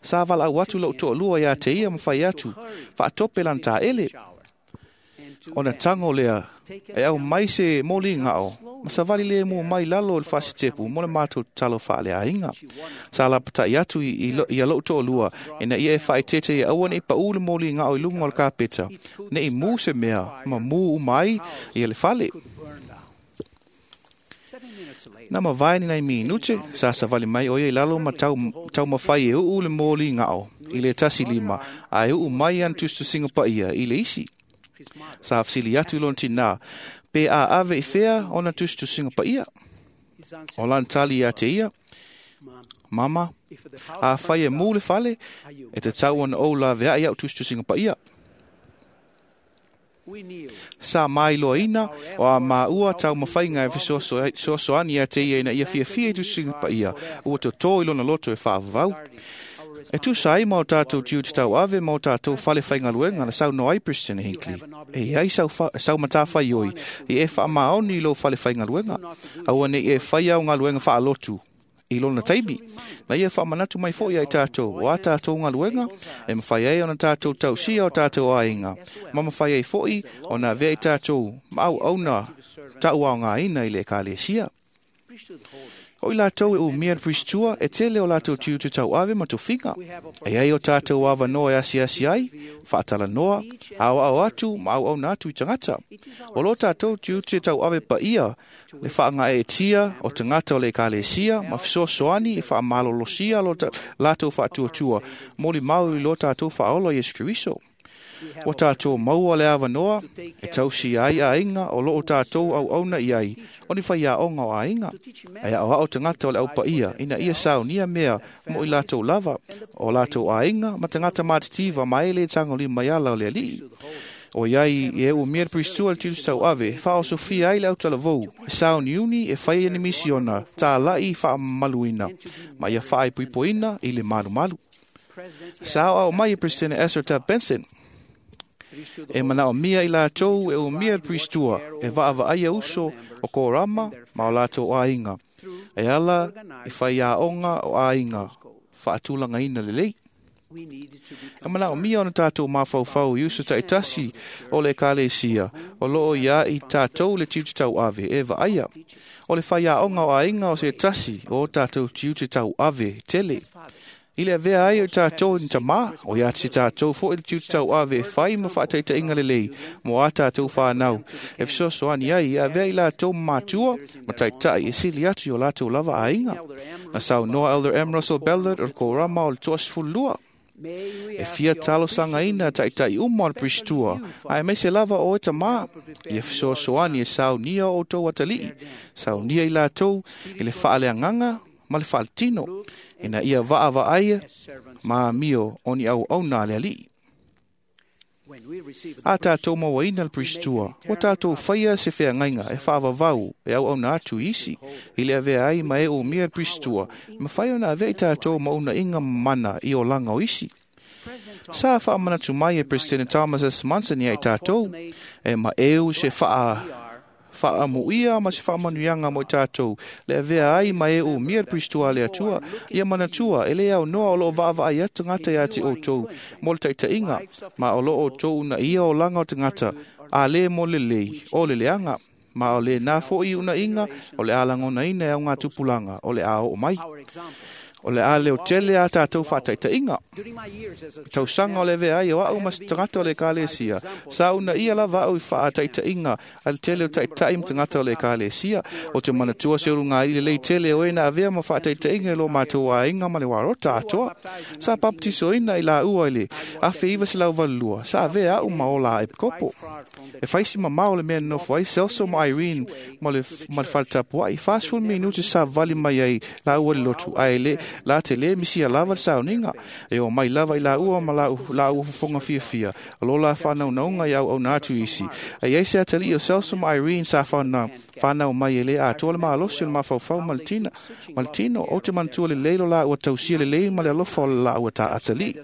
Sa wala au atu lau toa lua ia te ia mwhai atu. Whaatope lan ta ele. O na tango lea e au mai se moli ngao. Ma sa vali le mo mai lalo le whasitepu mo le mātou talo whaale ainga. Sa la patai atu i a lou toa lua e na ia e whaitete i aua nei pa ule moli ngao i lunga o le kapeta. Nei mū se mea ma mū umai i le whale. Na mawai ni nei minute, sa sa vali mai oia i lalo ma tau mawhai e uu le moli ngao i le tasi lima a e uu mai an tustusinga pa ia i le isi. Sa afsili atu lon tina, pe a ave i whea o na tustusinga pa ia. O lan tali ia te ia, mama, a whai e mū le whale, e te tau ana o la vea ia o tustusinga pa ia. Sa mai loaina o a maua tau mawhainga e fesoasoani ia te ia ina ia fiafia i tustusinga pa ia, ua tō i lona loto e whaavavau. E tusa ai mao tātou tiu te tau ave mao tātou whale whaingaluenga na sau no ai President Hinckley. E ai sau matawhai oi i e wha maoni lo whale whaingaluenga. Aua nei e whai au ngaluenga whaalotu i lona taimi. Na ia wha manatu mai foi ai tātou o a tātou ngaluenga e mawhai ai ona tātou tausia o tātou ainga. Ma mawhai ai foi o nā vea i tātou mau auna tau au ngā ina i le kalesia. O i lātou e o mea pristua e tele o lātou tiu te tau ave ma tō finga. E ai o tātou awa noa e asi asi ai, whaatala noa, au au atu, ma au au nātu i tangata. O lo tātou tiu te tau ave pa ia, le whaanga e tia o tangata o le kalesia, ma fesoasoani e whaamalolosia lo lātou whaatuatua, moli mau i lo tātou whaola Yesu Keriso. O tātou maua le awa noa, e tausi ai a inga o loo tātou au auna i ai, o ni whai a onga o a inga. E au au tangata o le au pa ia, ina ia sao nia mea mo i lātou lava, o lātou a inga, ma tangata mātitiva ma ele tango li maiala o le alii. O iai e u mea pristua le tilu tau ave, wha o Sofia ai le au talavou, sao ni uni e whai ni misiona, tā lai wha maluina, ma ia whaai puipoina i le malu malu. Sao au mai e President Ezra Taft Benson, e manao mia i lātou e o mia pristua e vaava aia uso o kōrama ma o lātou ainga. E ala i whai a onga o ainga, whaatulanga ina lelei. E manaomia ona tatou mafaufau i uso taitasi o le ekalesia o loo ia i tatou le tiute tauave e vaaia. O le faiaoga o aiga o se tasi o tatou tiute tauave tele. I le avea ai o tatou ni tamā, o ia te tatou fo'i le tiute tauave e fai ma faataitaiga lelei mo a tatou whānau. E fesoasoani ai ia avea i latou matua ma taitai e sili atu i o latou lava aiga. Na saunoa Elder M. Russell Ballard o le Korama o le 22. E fia talosaga taitai uma o le Pristua, ae maise lava o e tamā, ia fesoasoani e saunia o outou atalii, saunia i latou i le faaleagaga ma le faaletino, ina ia vaavaaia ma amio o ni auauna a le alii. A tatou mauaina le Pristua, ua tatou faia se feagaiga e faavavau e auauna atu i isi, i le avea ai ma e umia le Pristua, mafai ona avea i tatou maunaiga mana i olaga o isi. Sa faamanatu mai e President Thomas S. Monson ia i tatou, e maeu se faamuia ma se faamanuiaga mo i tatou, le avea ai ma e umia le Pristua a le Atua, ia manatua e le aunoa o loo vaavaai atu tagata ia te outou mo le taitaiga, ma o loo outou unaia olaga o tagata, a le mo le lelei o le leaga, ma o le nā fo'i unaiga o le a lagonaina e au ngā tupulaga o le a oo mai. O le a leo tele a tatou faataitaiga. Tausaga o le avea ai o au ma se tagata o le ekalesia. Sa unaia lava au i faataitaiga a le tele o taitai ma tagata o le ekalesia. O te manatua se uluga i lelei tele o e na avea ma faataitaiga i lo matou aiga ma le warota atoa. Sa baptisoina i laua i le 1982. Sa avea au ma ola a epikopo. E faisi mamao le mea nofo ai Celso ma Irene ma le faletapuai. 40 minuti sa vali mai ai laua le lotu. Ae le la te le misia lava le sauniga. E o mai lava i laua ma laua fofoga fiafia. O lo la whānaunaunga i au au nātu isi. E iai se atalii o Celso ma Irene sa whānau mai e le atoa le maalosi o le mafaufau ma le tina. Ma le tino, o te manatua le leilo la ua tausia le lei ma le alofa o le laua ta atalii.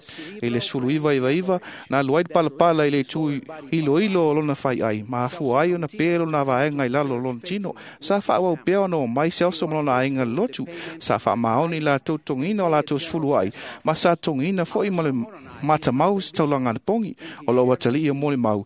E le 1999, na alu ai le palapala i le itu iloilo o lona fai ai. Ma afua ai ona pe lona vaega i lalo o lona tino. Sa whaawau pea ona o mai Celso ma lona aiga le lotu. Sa whaamaoni i latou tongina o latou sefulu ai. Ma sa tongina fo'i ma le matamau se taulaga na pongi. O lou atalii o molimau.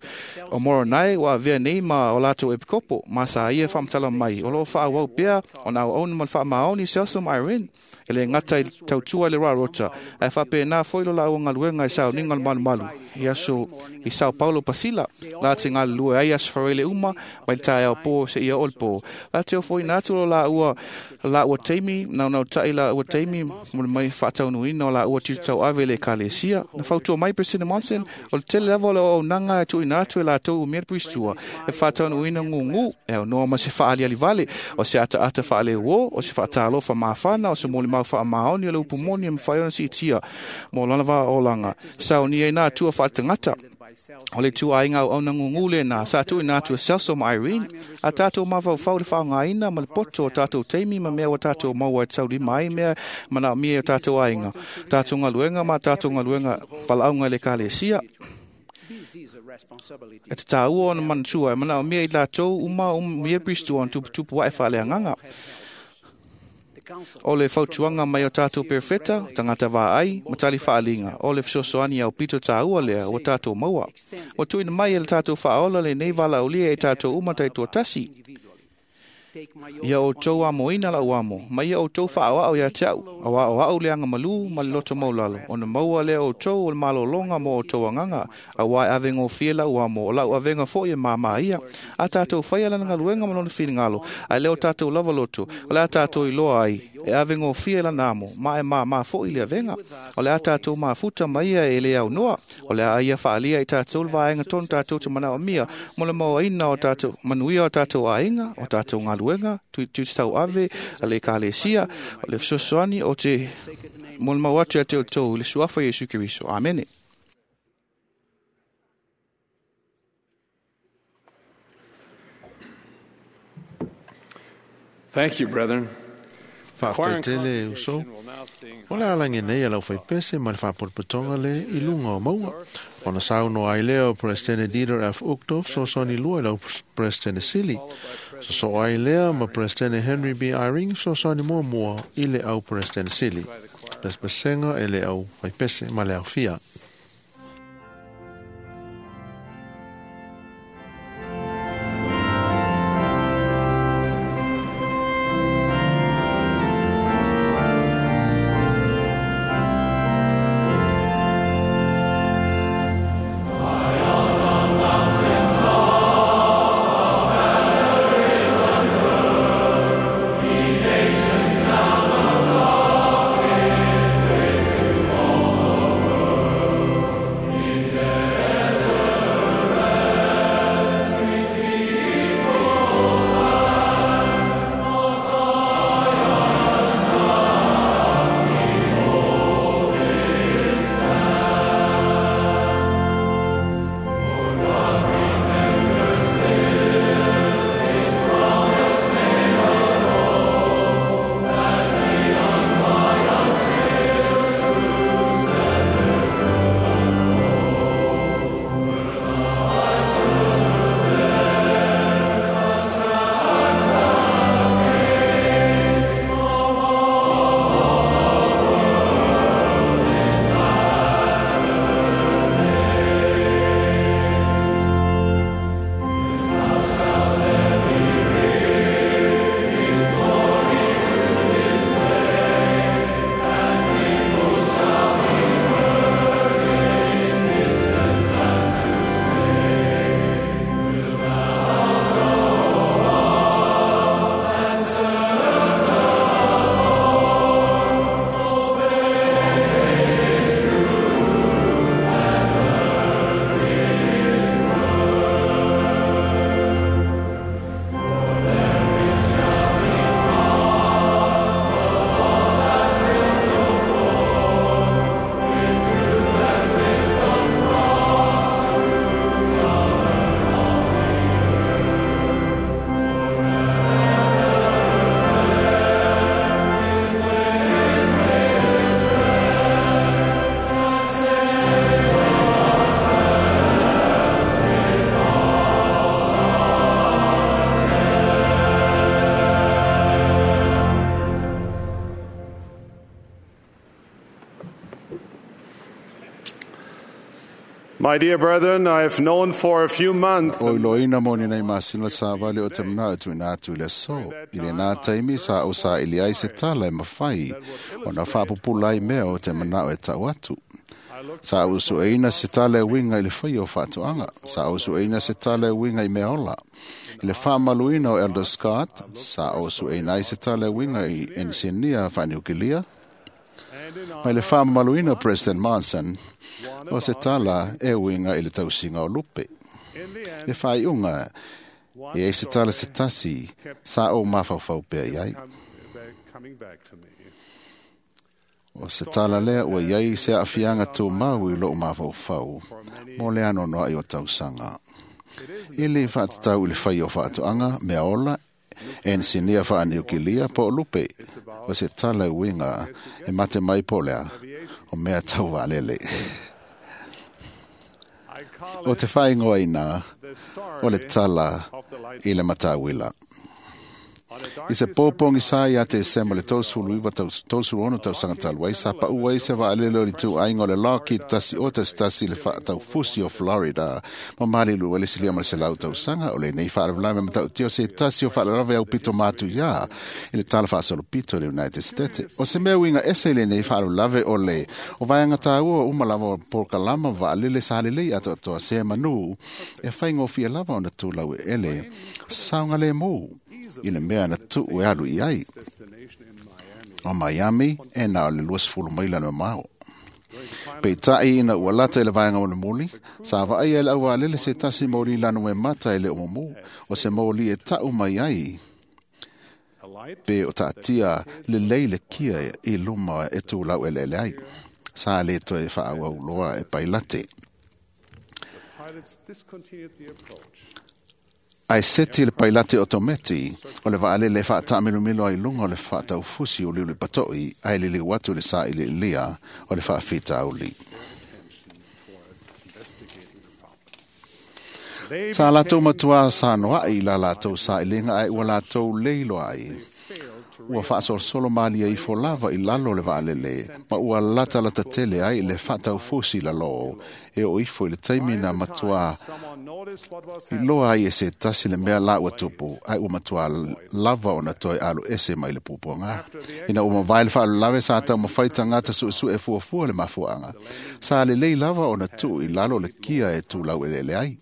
O Moronai ua avea nei ma o latou epikopo. Ma sa ia faamatala mai. O loo faaauau pea ona auauna ma le faamaoni Celso ma Irene. E le gata i tautua i le Rarota. Ae faapena fo'i lo laua galuega i sauniga o le malumalu. I aso i Sao Paulo Pasila. La te galulue ai aso Faraile uma mai le taeao po seia oo le po. La te ofoina atu lo laua taimi, naunautai laua taimi mo le mai faataunuina o laua tiute tauave i le ekalesia. Na fautua mai President Monson, o le tele lava o le auaunaga e tuuina atu e latou umia le Pristua, e faataunuina gugu, e aunoa ma se faaliali vale, o se ataata faaleuo, o se faatalofa mafana, o se molimau faamaoni o le upu moni e mafai ona siitia mo lona vaolaga. Saunia i nā atua faaletagata. O le tuaiga auauna gugu lena sa tuuina atu e Celso ma Irene, a tatou mafaufau le faaaogaina ma le poto o tatou taimi ma mea ua tatou maua e taulima ai mea manaomia e o tatou aiga, tatou galuega ma tatou galuega valaauga i le ekalesia. E te tāua ona manatua e manaomia i latou uma umia Pristua ona tuputupu ae faaleagaga. O le fautuaga mai o tatou perofeta, tagata vaai, ma tali faaliga, o le fesoasoani au pito tāua lea ua tatou maua. Ua tuuina mai e le tatou faaola lenei valaaulia e tatou uma taitoatasi. Ia outou amoina lau amo, ma ia outou faaoao ia te au, auā o au le agamalū ma le loto maulalo, ona maua lea outou o le malologa mo outou agaga, auā e avegofie lau amo, o lau avega fo'i e māmā ia. A tatou faia lana galuega ma lona finagalo, ae le o tatou lava loto, o le a tatou iloa ai, e avegofie lana amo, ma e māmā fo'i le avega. O le a tatou mafuta ma ia e le aunoa, o le a ia faalia i tatou le vaega tonu tatou te manaomia, mo le mauaina o tatou manuia o tatou aiga, o tatou galuega, tiute tauave a le ekalesia, o le fesoasoani o te molimau atu ia te outou i le suafa o Iesu Keriso. Amene. Thank you, brethren. Faafetai tele uso. O le alagi nei a lau faipese ma le faapotopotoga le i luga o mauga. Ona saunoa ai lea o Presidente Dieter F. Uchtdorf fesoasoani lua i lau Presidente Sili. Sosoo ai lea ma Presidente Henry B. Eyring fesoasoani muamua i le au Presidente Sili. pesepesega e le au faipese ma le aofia. My dear brethren, I have known for a few months O iloina mo ni nei masina sa vale o te mana atu ina atu i le so. I le nā taimi sa o sa ili ai se tala e mawhai. O na whaapupula ai mea o te mana e tau atu. Sa o sueina se tala e winga i le whai o whaatuanga. Sa o sueina se tala e winga i mea ola. I le whaamaluina o Elder Scott, sa o sueina ai se tala e winga i ensinia whaaniukilia. Mai le whaamaluina o President Monson, o se tala e winga i le tausinga o lupe. Le whaiunga, e ei se tala se tasi, sa o mawhauwhau pea iai. O se tala lea ua iai se afianga tū mau i loo mawhauwhau, mo le ano noa i o tausanga. I le whaatatau i le whai o whaatuanga, mea ola, ensinia whaaniukilia po o lupe, o se tala winga e mate mai po lea, o mea tau waalele. O te whaingoa ina, o le tala i le matawila. I se pōpongi sa i ate e sema le 39 tausaga talu ai, sa pa'u ai se vaalele o le ituaiga o le Lockheed tasi o tasi tasi le faataufusi o Florida. Ma malilu e le silia ma le 100 tausaga o lenei faalavelave matautia o se tasi o faalavelave au pito matu iā i le tala faasolopito i le United States. O se mea uiga ese i lenei faalavelave o le o vaega tāua uma lava o polokalama vaalele sa lelei atoatoa se manu e faigofie lava ona tulau ele saogalēmū i le mea na tuu e alu i ai. O Miami e na o le 20 maila no mao. Peitai ina ua lata i le vaega o le moli, sa vaai e le aualele se tasi mauli lanu e mata e le omomu, o se mauli e tau mai ai. Pe o taatia le lei le kia i luma e tūlau ele ele ai. Sa le toe whaawau loa e pailate. Ai seti le pailate otometi, o le vaalele e whaatamilomilo ai lunga o le whaataufusi o liuli patoi, ai lili watu le sa i le lia o le whaafita auli. Sa lātou matua sa noai la lātou sa i lenga ai ua lātou leiloa ai. Ua faasolosolo malie ifo lava i lalo o le vaalele ma ua latalata tele ai le faataufusi i lalō e oo ifo i le taimi na matuā iloa ai e se tasi le mea la ua tupu, ae ua matuā lava ona toe aluese mai le puapuaga. Ina ua mavae le faalavelave, sa taumafai tagata suesue e fuafua le mafuaaga. Sa lelei lava ona tuu i lalo le kia e tulau eleele ai.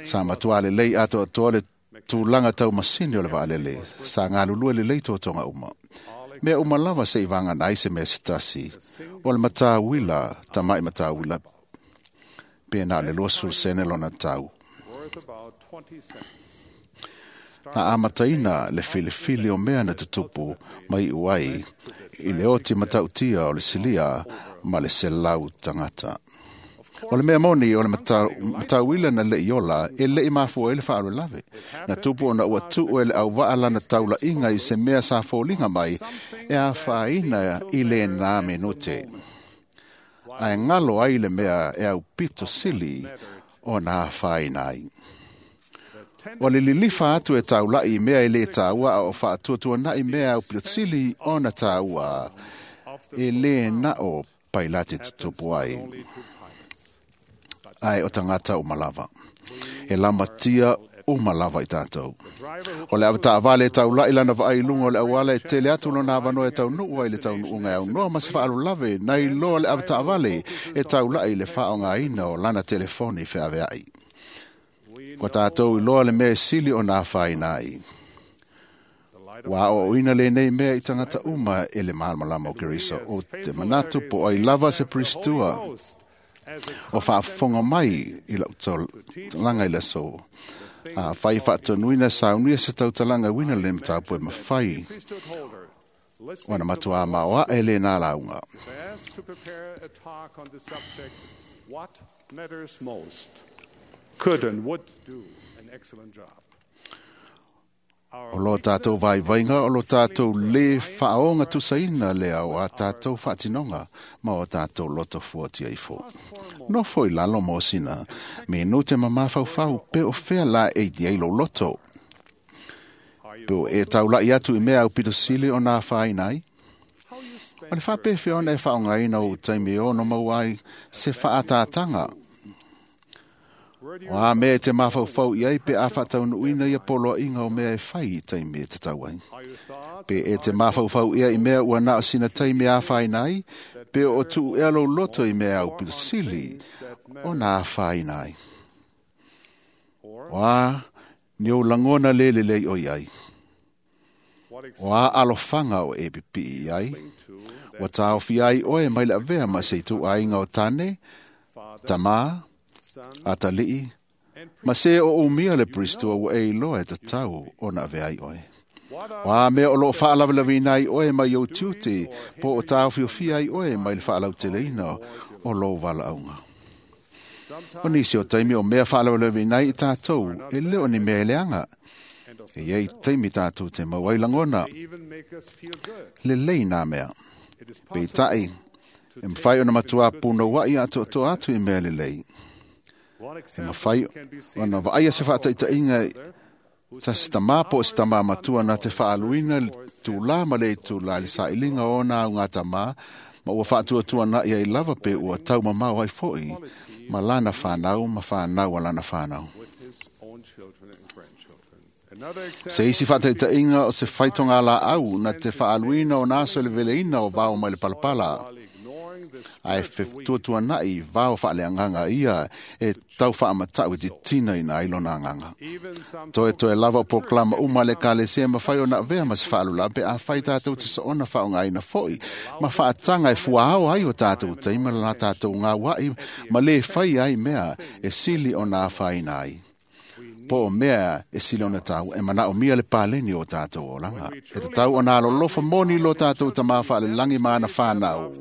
Sa matuā lelei atoatoa le tulaga taumasini o le vaalele, sa galulue lelei totoga uma. Mea uma lava seʻi vagana ai se mea se tasi, o le matauila, tamaʻi matauila, pe na o le 20 sene lona tau. Na amataina le filifili o mea na tutupu ma iʻu ai i le oti matautia o le silia ma le 100 tagata. O le mea moni o le matauila na leʻi ola e leʻi mafua ai le faalavelave. Na tupu ona ua tuu e le auvaa lana taulaʻiga i se mea sa foliga mai e afaina i lenā minute. Ae galo ai le mea e aupito sili ona afaina ai. Ua le lilifa atu e taulaʻi i mea e lē tāua a o faatuatuanaʻi mea e aupito sili ona tāua e lē na o pailate tutupu ai. Ae o tagata uma lava. E lamatia uma lava i tatou. O le avetaavale e taulaʻi lana vaai i luga o le auala e tele atu lona avanoa e taunuu ai le taunuuga e aunoa ma se faalolave nai loa le avetaavale e taulaʻi i le faaaogaina o lana telefoni feaveaʻi. Ua tatou iloa le mea e sili ona afaina ai. Ua aoaoina lenei mea i tagata uma e le malamalama o Keriso o te manatu po ai lava se Pristua o faafofoga mai i lau talaga i le aso. Afai faatonuina saunia se tautalaga uina le mataupu e mafai ona matuā maoaʻe lenā lauga. Asked to prepare a talk on the subject, What Matters Most, could and would do an excellent job. O lo tātou vaivaiga, o lo tātou lē faaoga tusaina lea o a tātou faatinoga ma o tātou loto fuatia ifo. Nofo i lalo mo sina, me no te mamafaufau pe o fea la e i ai lou loto. Pe o e taulaʻi atu i mea aupito sili ona afaina ai. O le faapefea ona e faaaogaina ou taimi e ono maua ai se faatātaga. O a mea e te mafaufau i ai pe a faataunuuina ia poloaiga o mea e fai i taimi e tatau ai. Pe e te mafaufau ia i mea ua na o sina taimi e afaina ai, pe o tuu ea lou loto i mea aupito sili ona afaina ai. O a ni ou lagona lē lelei o i ai. O a alofaga o e pipii i ai, ua taofi ai oe mai le avea ma se ituaiga o tane, tamā, atalii, ma se o umia le Pristua ua e iloa e tatau ona avea ai oe. O a mea o loo faalavelaveina ai oe mai ou tiute, po o taofiofia ai oe mai le faalauteleina o lou valaauga. O nisi o taimi o mea faalavelaveina ai i tatou, e le o ni mea e leaga. E iai taimi tatou te mau ai lagona, lelei nā mea. Peitai, e mafai ona matuā punouaʻi atoatoa atu i mea lelei. E mafai ona vaaia se faataitaiga tasi tamā po o se tamā matua na te faaluina le tulā ma le itulā i le sailiga o ona augatamā ma ua faatuatuanaʻi ai lava pe ua taumamao ai foʻi ma lana fanau ma fanau a lana fanau. Se isi faataitaiga o se faitoga laau na te faaluina o na aso i le veleina o vao mai le palapala. Ae fetuatuanaʻi vao faaleagaga ia e tau faamatau e titinaina ai lona agaga. Toetoe lava o polokalama uma a le ekalesia e mafai ona avea ma se faalula pe afai tatou te soona faaaogaina foʻi ma faataga e fuaao ai o tatou taimi ma la tatou gauaʻi ma lē fai ai mea e sili ona afaina ai. Po o mea e sili ona tau e manaomia le paleni o tatou olaga. E tatau ona alolofa moni lo tatou tamā faalelagi ma ana fanau.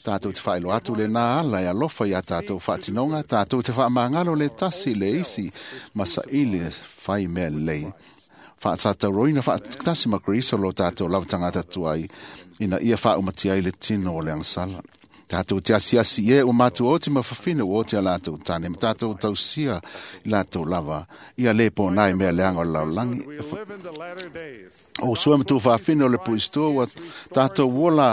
Tatou te faailoa atu lenā ala e alofa iā tatou faatinoga, tatou te faamagalo le tasi le isi ma saili e fai mea lelei. Faasatauroina faatasi ma Keriso lo tatou lava tagata tuai ina ia faaumatia ai le tino o le agasala. Tātou te asiasi e o mātou oti ma whawhina o oti a lātou tāne, ma tātou tausia i lātou lava, ia le pō nai mea leanga o le laulangi. O sua ma tū whawhina o le puistua, ua tātou wola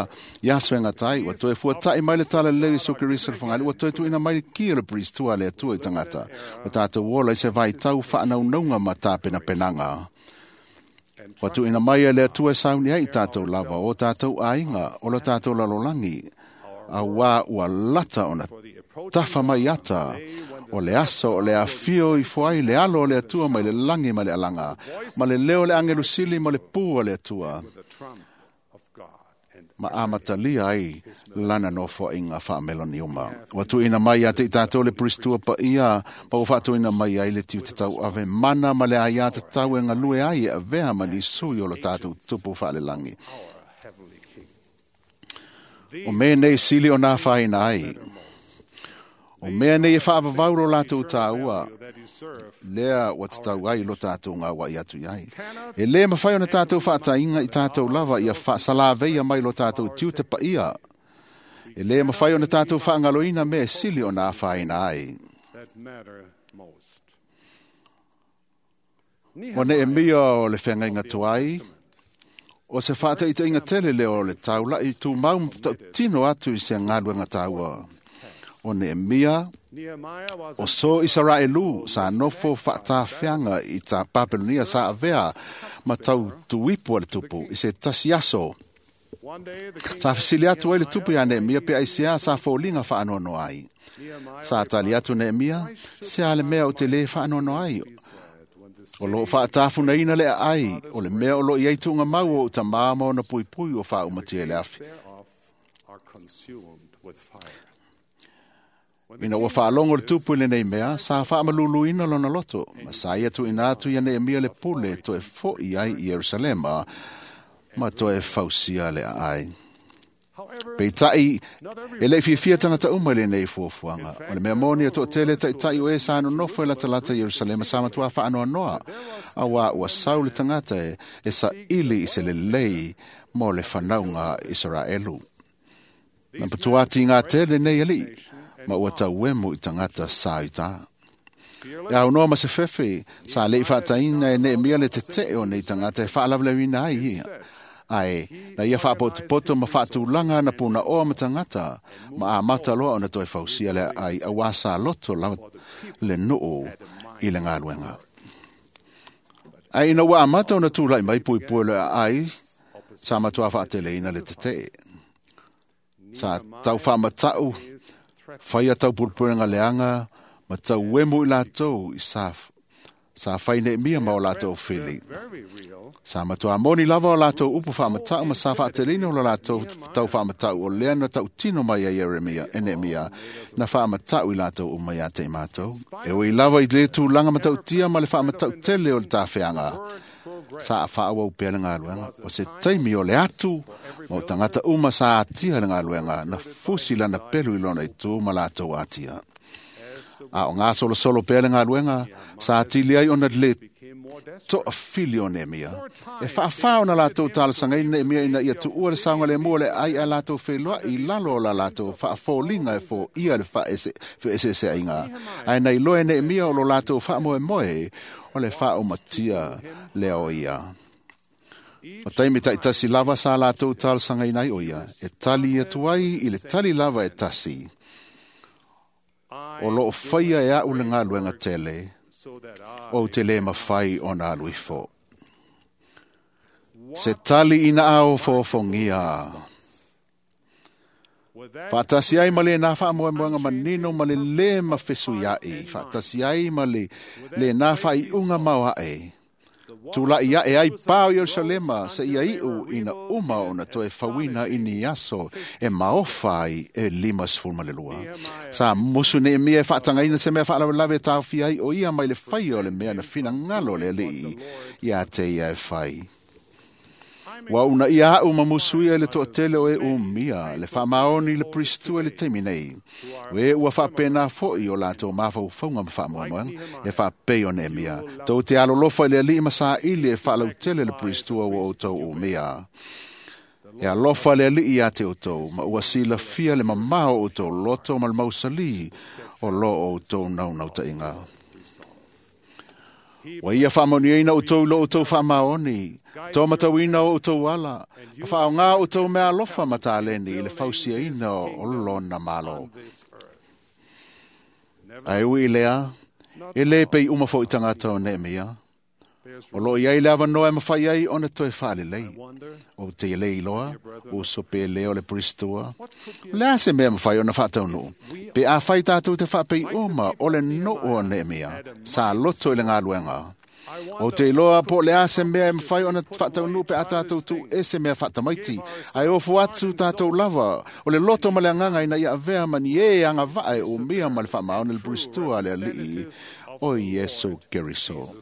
i aso e ngatai, ua toe fuatai mai le tala lele i soke risa le whangali, ua toe tuina mai le ki o le puistua le atua i tangata. Ua tātou wola i se vai tau whaanaunauga ma tāpena penanga. Ua tuina mai e le atua e sauni ai i tātou lava, o tātou ainga, o lo tātou lalolangi, a wā ua lata ona tafa mai ata, o le aso o le afio i fuai le alo o le atua mai le langi ma le alanga, ma le leo le angelu sili ma le pū o le atua. Ma amatalia ai lana nofo inga whaameloni uma. Ua tuina mai a te i tātou le puristua pa ia, pa ua whaatuina mai ai le tiu te tau ave mana ma le aia te tau e ngalue ai e avea ma ni sui o lo tātou tupu whaalelangi. O mea nei sili o nā whaina ai. O mea nei e whaavavau ro lātou tāua, lea ua te tau ai lo tātou ngā wai atu i ai. E le mawhai o na tātou whaatainga i tātou lava ia whaasalaveia mai lo tātou tiu te paia. E le mawhai o na tātou whaangaloina mea sili o nā whaina ai. O ne e mia o le whengainga tuai, o se whaataitainga tele leo o le taula i tū mau tino atu i se ngaluenga tāua. O Nehemia, o so Israelu sa nofo whaatawhianga i tā Papelonia sa avea ma tau tuipu a le tupu i se tasi aso. Sa whasili atu ai le tupu ia Nehemia pe aisea sa fōlinga whaanono ai. Sa tali atu Nehemia, se ale mea o te le whaanono ai. O lo whaatafuna ina le ai, o le mea o lo i aitunga mau o uta māma o na pui pui o whaaumatia le afi. Ina ua whaalongo le tupu i lenei mea, sa whaamaluluina lona loto, ma sa ia tu ina atu ia Nehemia le pule toe foi ai i Yerusalema, ma toe fausia le ai. Peitai, e le fiafia tangata uma i lenei fuafuaga. O le mea moni a toatele taitai o e sa nonofo e latalata i Ierusalema sa matua faanoanoa, auā ua sau le tagata e saili i se lelei mo le fanauga Isaraelu. Na patuati ngā tele nei alii, ma ua tauemu i tagata sa i tā. E au noa ma se fefe, sa lei whaataina e Nehemia le tetee o nei tagata e whaalavalaina ai ia. Ai, na ia whaapotopoto ma whaatulanga na puna oa ma tangata, ma a mata loa ona toe fausia le ai awa sa loto la le nuu i le ngaluenga. Ai ina ua amata ona tūlai mai pui pui le ai, sa matua whaateleina le tetee. Sa tau whaamatau, whaia tau purupurenga leanga, ma tau wemu i lātou i sa whai Nehemia ma o lātou whili. Sa matua moni lava o lātou upu whaamatau ma sa whaatelina o lātou tau whaamatau o lea na tau tino mai a Jeremia, e Nehemia, na whaamatau i lātou o mai a te mātou. E oi lava i le tūlanga matautia ma le whaamatau tele o le tāwheanga. Sa a whaawau pea le ngaluenga. O se taimi o le atu, ma o tangata uma sa atia le ngaluenga, na fusi lana pelu i lona i tū ma lātou atia. A o ngā solo solo pea le ngaluenga, sa atili ai ona le toa fili o Nehemia. E whaawhao na lātou talosaga i Nehemia ina ia tuua le saoga le mua le ai a lātou wheloa i lalo o la lātou whaafōlinga e fō ia le whaeseeseaiga. Ae nei loe Nehemia o lo lātou whaamoemoe o le whaaumatia lea o ia. O taimi taitasi lava sa lātou talosaga ina ai o ia, e tali atu ai i le tali lava e tasi. O loo whaia e au le ngaluenga tele, o te le mawhai o nā luifo. Se tali ina ao fōfongia. Whaatasi ai ma le nā whaamoemoenga manino ma le le mawhesu iai. Whaatasi ai ma le nā whaiunga mauae. Tūlai iae ai pāo Yerusalema se ia iu ina uma ona toe fauina i ni aso e maofa ai e 52. Sa musu Nehemia e whaatangaina se mea whaalawelawe e tāwhi ai o ia mai le whai o le mea na whina ngalo le alii ia te ia e whai. Wa una ia au ma musuia i le toatele o e umia, le whaamaoni le pristua le taimi nei. We ua whaapena foi o lātou mawhaufaunga ma whaamoemoenga, e whaapei o Nehemia. Tau te alolofa i le alii ma sa ili e whaalautele le pristua ua o tau umia. E alofa le alii ia te outou, ma ua silafia le mamao o outou loto ma le mausali o lo o outou naunautaiga. Ua ia faamanuiaina outou i lo outou faamaoni, tomatauina o outou ala, ma faaaoga outou mea alofa ma taleni i le fausiaina o lona malo. Ae ui i lea, e lē pei uma foi tagata o Neemia. O loo iai le avanoa e mafai ai ona toe faalelei. Ou te lē iloa, uso pe lē o le Pristua. O le a se mea mafai ona faataunuu? Pe afai tatou te faapeiuma o le nuu o Neemia, sa loto i le galuega. Ou te iloa po o le a se mea e mafai ona faataunuu pe a tatou tuuese mea faatamaiti, ae ofo atu tatou lava o le loto ma le agaga ina ia avea ma ni ē agavaa e umia ma le faamaoni le Pristua a le Alii o Iesu Keriso.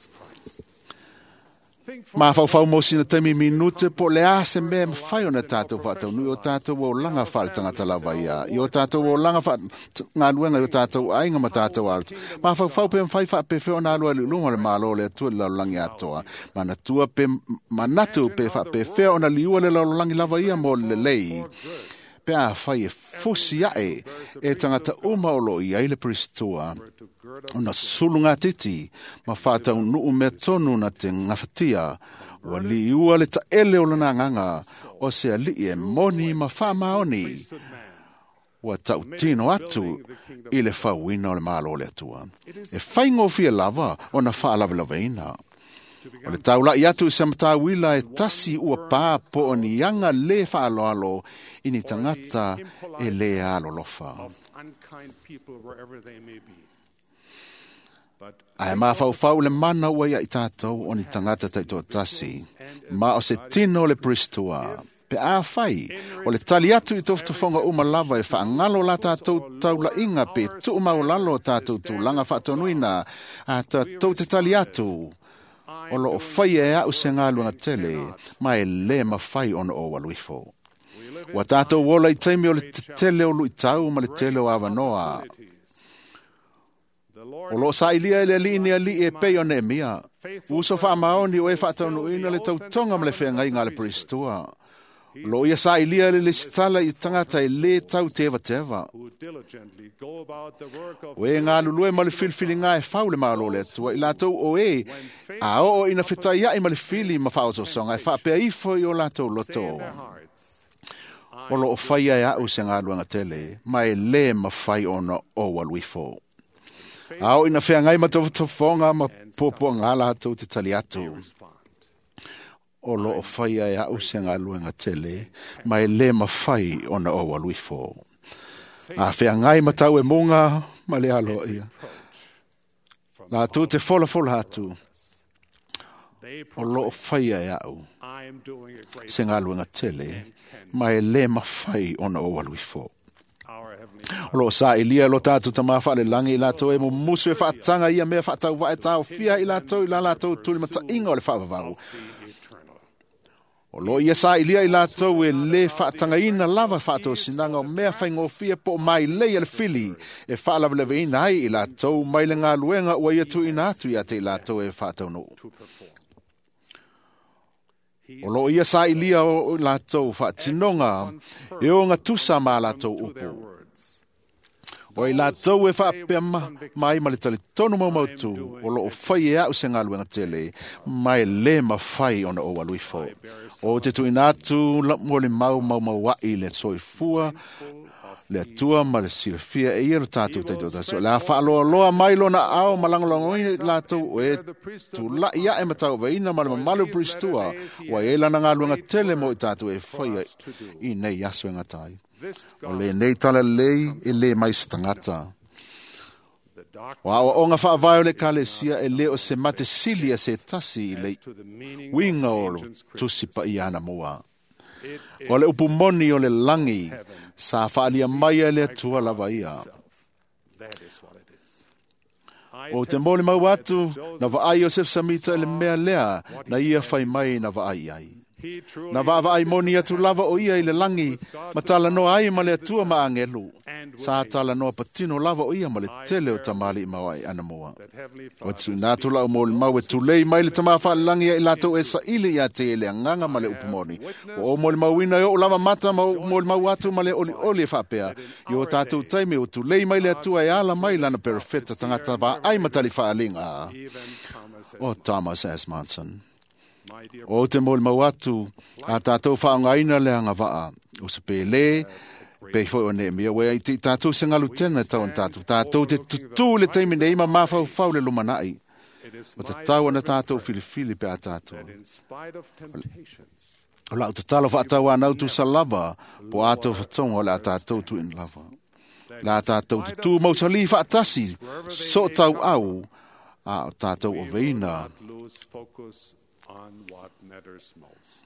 Mafaufau mo sina taimi minute po o le a se mea e mafai ona tatou faataunuu i o tatou olaga faaletagata lava ia, i o tatou olaga faagaluega i o tatou aiga ma tatou aloto. Mafaufau pe mafai faapefea ona alu ai i luma o le Malo o le Atua i le lalolagi atoa. Manatua pe manatu pe faapefea ona liua le lalolagi lava ia mo le lelei. Pe afai e fusi ae e tagata uma o loo i ai le Pristua, ona sulugatiti ma faataunuu mea tonu na te gafatia, ua liua le taele o lona agaga o se alii e moni ma faamaoni, ua tautino atu i le fauina o le Malo o le Atua. E faigofie lava ona faalavelaveina. O le taulai atu i se matauila e tasi ua pā po o ni aga lē faaaloalo i ni tagata e lē alolofa. Ae mafaufau le mana ua ia i tatou o ni tagata taitoatasi, ma o se tino o le Pristua. Pe afai, o le tali atu i tofotofoga uma lava e faagalo la tatou taulaiga pe tuumaulalo o tatou tulaga faatonuina, a tatou te tali atu, o loo faia e au se galuega tele, ma e lē mafai ona ou alu ifo. Ua tatou ola i taimi o le tetele o luitau ma le tele o avanoa. O loo sailia e le alii ni alii e pei o Neemia. Uso faamaoni o e faataunuuina le tautoga ma le feagaiga a le Pristua. O loo ia sailia le lesitala i tagata e lē tau tevateva. O e galulue ma le filifiliga e fau le Malo o le Atua i latou o e a oo ina fetaiai ma le fili ma faaososoga e faapea ifo i o latou loto. O loo faia e au se galuega tele, ma e lē mafai ona ou alu ifo. A oo ina feagai ma tofotofoga ma puapuaga latou te tali atu. O loo faia e au se galuega tele, ma e lē mafai ona ou alu ifo. A feagai ma tau e muga ma le aloaia. Latou te folafola atu, o loo faia e au se galuega tele, ma e lē mafai ona ou alu ifo. O loo sailia lo tatou Tamā faalelagi i latou e mumusu e faataga ia mea faatauvae taofia i latou i la latou tulimataiga o le faavavau. O loo ia sailia i latou e lē faatagaina lava faatosinaga o mea faigofie po o mailei a le fili e faalavelaveina ai i latou mai le galuega ua ia tuuina atu ia te i latou e faataunuu. O loo ia sailia o latou faatinoga e ogatusa ma latou upu. O i latou e faapea mai ma le talitonu maumautu, o loo fai e au se galuega tele, ma e lē mafai ona ou alu ifo. O te tuuina atu mo le mau maumauai le soifua, le Atua ma le silafia e ia lo tatou taitoatasi. O le a faaloaloa mai lona ao ma lagolagoina i latou o e tulai ae ma tauavaina ma le mamalu o Pristua, ua i ai lana galuega tele mo i tatou e faia i nei aso e gata ai. O lenei talalelei e lē mai se tagata. O aoaoga faavae o le Ekalesia e lē o se mate sili a se tasi i le uiga o le Tusi Paia anamua. O le upu moni o le lagi sa faalia mai e le Atua lava ia. O te molimau atu na vaai Iosef Samita i le mea lea na ia fai mai na vaai ai. Na vaavaai moni atu lava o ia i le lagi, ma talanoa ai ma le Atua ma agelu. Sa talanoa patino lava o ia ma le tele o tamalii ma o ai anamua. O tuuina atu lau molimau e tulei mai le Tama Faalelagi ia i latou e saili ia te ia le agaga ma le upu moni. Ua ou molimauina e oo lava mata ma ou molimau atu ma le olioli e faapea, i o tatou taimi ua tulei mai le Atua e ala mai lana perofeta tagata vaai ma talifaaliga. O Thomas S. Monson. O te molimau atu, a tatou faaaogaina le agavaa o se pele, pei foi o Neemia, ua i te tatou se galu tena e tau ona tatou. Tatou te tutū le taimi nei ma mafaufau le lumanai. O tatau ona tatou filifili pe a tatou. O lau tatalo faatauanau tusa lava, po o atou fatoga o le a tatou tuuina lava. Le a tatou tutū mausali faatasi, so tau au, a o tatou oveina. Lose focus on what matters most.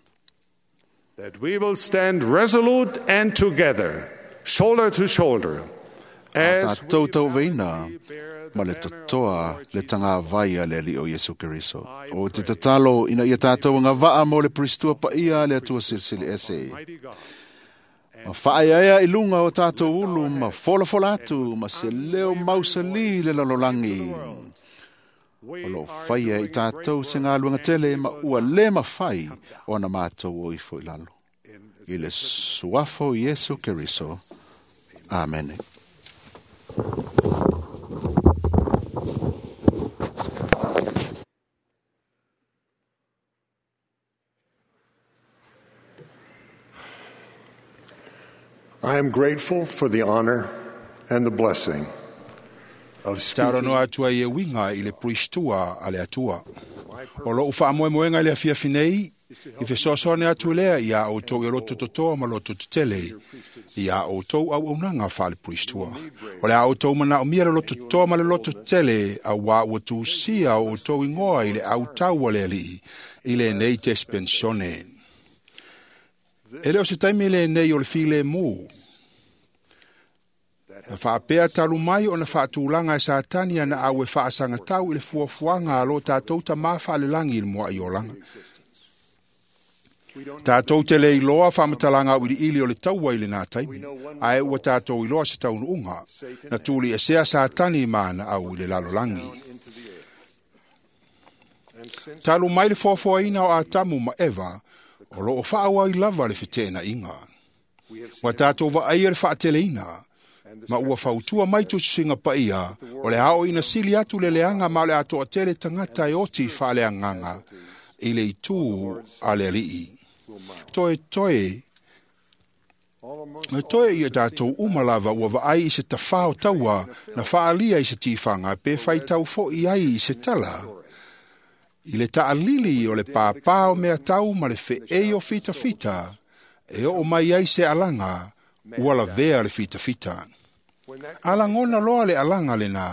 That we will stand resolute and together, shoulder to shoulder, A as tatou tauveina ma le totoa le tagavai a le Alii o Iesu Keriso. O te tatalo ina ia tatou agavaa mo le Pristua paia a le Atua Silisili Ese. Ma faaeaea i luga o tatou ulu ma folafola atu ma se leo mausali le lalolagi. O loo faia i tatou se galuega tele ma ua le mafai ona matou o ifo i lalo. I le suafa o Iesu Keriso. Amene. I am grateful for the honor and the blessing of Taro speaking noa atua i e winga i le puistua a le atua. O lou faamoemoega i le afiafi nei, i fesoasoani atu lea ia outou i loto totoa ma loto tetele, ia outou auaunaga faale-puistua. O le a outou manaomia le loto totoa ma le loto tetele, auā ua tusia o outou igoa i le autau a le Alii, i lenei tespensione. E le o se taimi lenei o le filemu. Na faapea talu mai ona faatulaga e Satani ana au e faasagatau i le fuafuaga a lo tatou Tamā faalelagi i le mua'i olaga. Tatou te le iloa faamatalaga auiliili o le taua i lenā taimi, ae ua tatou iloa se taunuuga, na tuliesea Satani ma ana au i le lalolagi. Talu mai le foafoaina o Atamu ma Eva, o loo faaauau lava le feteenaiga. Ua tatou vaaia le faateleina, ma ua fautua mai tusitusiga paia, o le a oo ina sili atu le leaga ma o le a toatele tagata e oti faaleagaga i le itū a le Alii. Toe toe, ma toe ia tatou uma lava ua vaai i se tafā o taua na faalia i se tifaga pe faitau fo'i ai i se tala. I le taalili o le pāpā o mea tau ma le feei o fitafita, e oo mai ai se alaga, ua lavea le fitafita. Alagona loa le alaga lenā,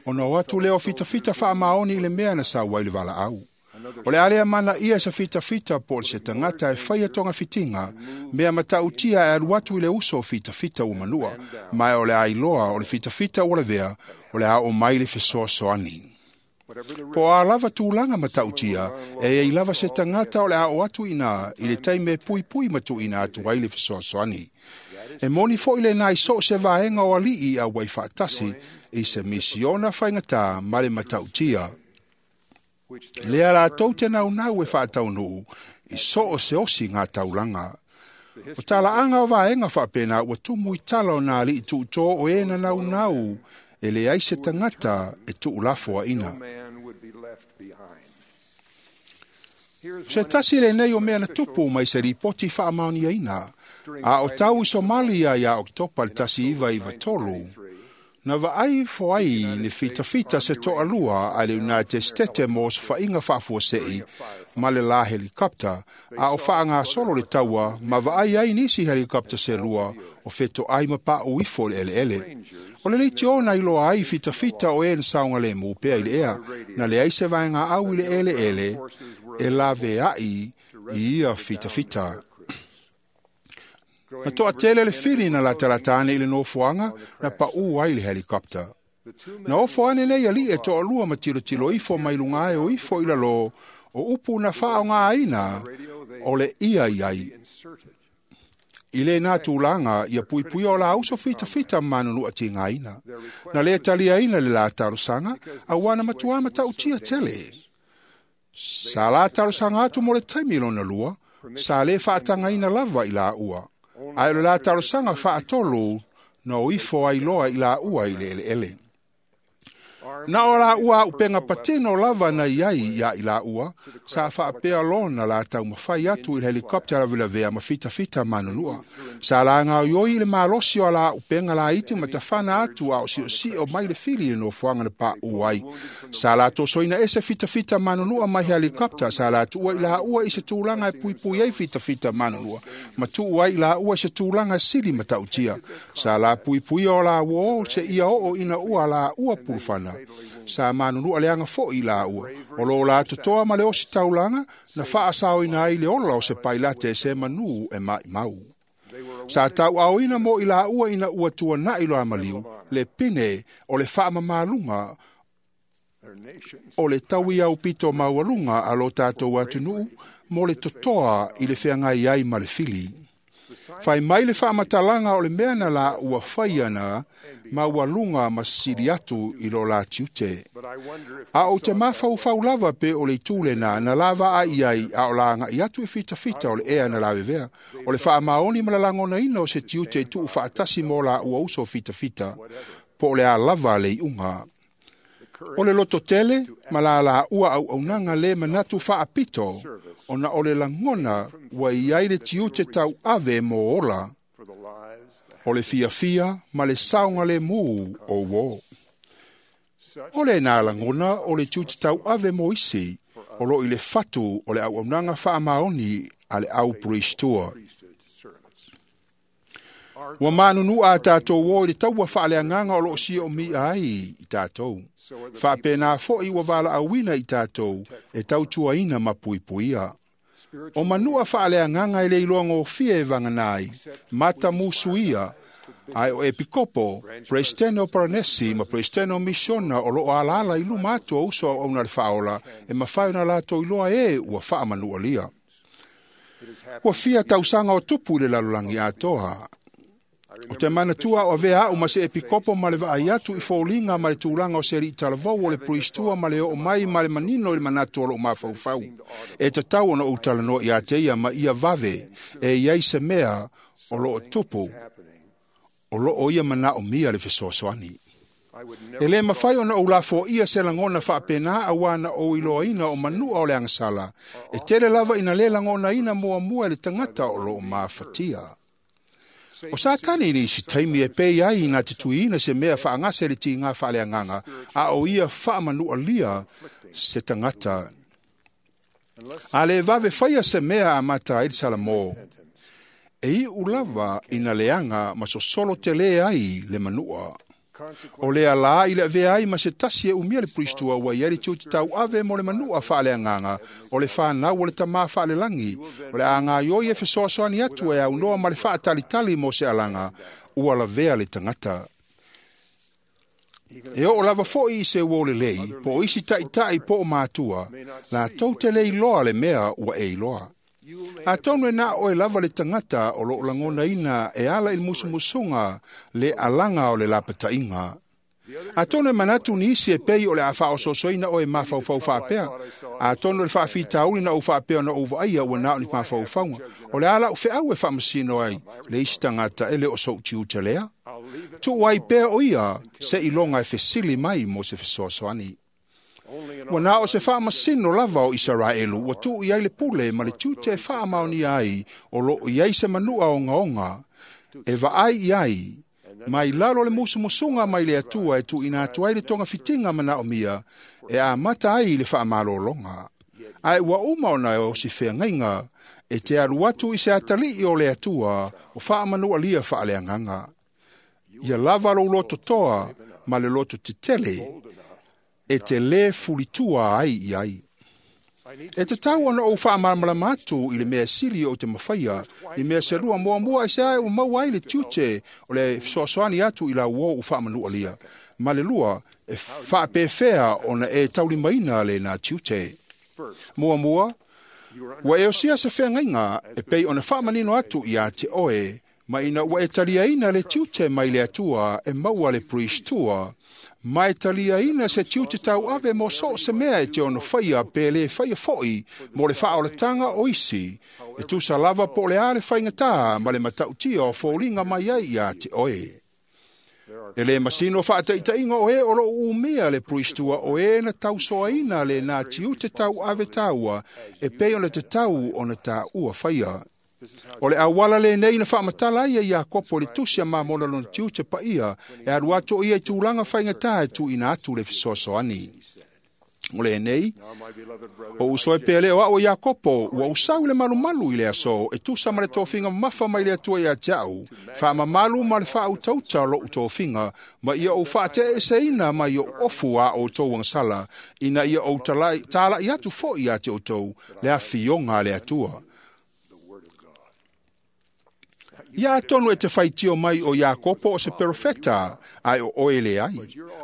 ona o atu lea o fitafita faamaoni i le mea na sau ai le valaau. O le a lea manaia se fitafita po o se tagata e faia togafitiga, mea matautia e alu atu i le uso o fitafita ua manua, ma e o le a iloa o le fitafita ua lavea, o le a oo mai le fesoasoani. Po o a lava tulaga matautia, e iai lava se tagata o le a oo atu iinā i le taimi e puipui ma tuuina atu ai le fesoasoani. E moni fo'i lenā i so o se vaega o alii auai faatasi i se misiona faigatā ma le matautia. Lea latou te naunau e faataunuu i so o se osi ngā taulaga. O talaaga o vaega faapena ua tumu i tala o nā alii tuutō o e na naunau e leai se tagata e tuulafoaina. man would be left behind. Se tasi lenei o mea na tupu mai se ripoti faamaoniaina, a o tau i Somalia ia Oketopa le 1993, na vaai foai ni fitafita se toalua a le United States mo se faiga faafuasei ma le la helikopta, a o faagasolo le taua ma vaai ai nisi helikopta se lua o fetoai ma paʻu ifo i le eleele. O le leitio na iloa ai fitafita o e na saogalemu pea i le ea, na leai se vaegaau i le eleele e laveai i ia fitafita. Na toatele le fili na latalata ane i le nofoaga na paʻū ai le helikopta. Na ofo ane nei alii e toalua ma tilotilo ifo mai luga ae o ifo i lalō O upu na faaaogāina o le ia i ai. I lēnā tulaga ia puipuia o la uso fitafita manunua tigaina. Na lē taliaina le la talosaga auā na matuā matautia tele. Sa la talosaga atu mo le taimi lona lua, sa lē faatagaina lava i laua. Ae o le la talosaga faatolu na o ifo ai loa i laua i le eleele. Na o laua auupega patino lava na i ai iā i laua, sa faapea lona la taumafai atu i le helikopta lavelavea ma fitafita manunua. Sa lagaoioi i le malosi o la auupega laiti ma tafana atu a o siosio mai le fili i le nofoaga na paʻu ai. Sa la tosoina ese fitafita manunua mai helikopta, sa la tuua i laua i se tulaga e puipui ai fitafita manunua, ma tuu ai i laua i se tulaga sili matautia. Sa la puipuia o la uo se ia oo ina ua laua pulufana. Sa manunua leaga foʻi i laua. O lō la totoa ma le osi taulaga na faasaoina ai le ola o se pailate e se manū e maʻimau. Sa tauaoina mo i laua ina ua tuanaʻi loa maliu le pine o le faamamaluga o le tauiaupito maualuga a lo tatou atunuu mo le totoa i le feagai ai ma le fili. Fai mai le faamatalaga o le mea na la ua faia na maualuga ma sili atu i lo la tiute. A o te mafaufau lava pe o le itu lena na lava ai ai a o la agai atu i fitafita o le ea na lavevea. O le faamaoni ma le lagonaina o se tiute i tuu faatasi mo la ua uso fitafita, po o le a lava le iuga. O le loto tele ma la la ua auaunaga lē manatu faapito, ona o le lagona ua i ai le tiute tauave mo ola, o le fiafia ma le saogalēmū o uō. O lēnā lagona o le tiute tauave mo isi, o loo i le fatu o le auaunaga faamaoni a le au priestua. Ua manunua a tatou o i le taua faaleagaga o loo siomia ai i tatou. Faapena foʻi ua valaauina i tatou e tautuaina ma puipuia. O manua faaleagaga e le iloagofie e vagana ai, matamusuia, ae o epikopo, Peresetene o Paranesi ma Peresetene o Misiona o loo alaala i luma atu o uso auauna le faaola e mafai ona latou iloa e ua faamanualia. Ua fia tausaga o tupu i le lalolagi atoa. O te manatua o avea au ma se epikopo ma le vaai atu i foliga ma le tulaga o se alii talavou o le priestua ma le oo mai ma le manino i le manatu o loo mafaufau. E tatau ona ou talanoa iā te ia ma ia vave e i ai se mea o loo tupu o loo ia manaomia le fesoasoani. E lē mafai ona ou lafoia se lagona faapena auā na ou iloaina o manua o le agasala e tele lava ina lē lagonaina muamua e le tagata o loo mafatia. O Satani ni isi taimi e pei ai ina te tuiina se mea faagase le tigā faaleagaga, a o ia faamanualia se tagata. A lē vave faia se mea amata ai le Salamō, e iʻu lava ina leaga ma sosolo telē ai le manua. O lea lā i le avea ai ma se tasi e umia le priestua ua i ai le tiute tauave mo le manua faaleagaga o le fanau o le tamā faalelagi, o le agaioi e fesoasoani atu e aunoa ma le faatalitali mo se alaga, ua lavea le tagata. E oo lava foʻi i se uō lelei, po o isi taʻitaʻi po o matua, latou te lē iloa le mea ua e iloa. Atonu e na oe lava le tagata o loo lagonaina e ala i le musumusuga le alaga o le lapataiga. Atonu e manatu nisi e pei o le a faaosoosoina oe mafaufau faapea. Atonu o le faafitauli na ou faapea ona ou vaaia ua na o ni mafaufauga. O le a lau feau e faamasino ai le isi tagata e le o sou tiute lea. Tuu ai pea o ia se iloga e fesili mai mo se fesoasoani. Ua na o se faamasino lava o Isaraelu ua tuu i ai le pule ma le tiute e faamaonia ai o loo i ai se manua ogaoga e vaai i ai mai lalo le musumusuga mai le Atua e tuuina atu ai le togafitiga manaomia e amata ai le faamalologa. Ae ua uma ona o si feagaiga e te alu atu i se atalii o le Atua o faamanualia faaleagaga. Ia lava lou lototoa ma le loto tetele e te lē fulitua ai i ai. E tatau ona ou faamalamalama atu i le mea sili o te mafaia, i mea selua muamua e se ae ua maua ai le tiute o le fesoasoani atu i lau o u faamanualia. Ma le lua, e faapefea ona e taulimaina lēnā tiute. Muamua, ua e osia se feagaiga e pei ona faamanino atu iā te oe, ma ina ua e taliaina le tiute mai le Atua e maua le puristua, ma e taliaina se tiute tauave mo so o se mea e te ono faia pe lē faia foʻi mo le faaolataga o isi, e tusa lava po o le a le faigatā ma le matautia o foliga mai ai iā te oe. E lē masino faataʻitaʻiga o e o loo umia le puristua o e na tausoaina lenā tiute tauave taua e pei ona tatau ona tāua faia. O le auala lenei na faamatala ai e Iakopo le tusi a Mamona lona tiute paia e alu atu o ia i tulaga faigatā e tuuina atu le fesoasoani. O lenei, o uso e pea lea o au e Iakopo, ua usau i le malumalu i le aso, e tusa ma le tofiga mamafa mai le Atua ia te au, faamamalu ma le faautauta o lou tofiga, ma ia ou faateeseina mai ou ofu a outou agasala, ina ia ou tala'i atu foʻi ia te outou le afioga a le Atua. Ia atonu e te faitio mai o Iakopo o se perofeta, ae o oe leai.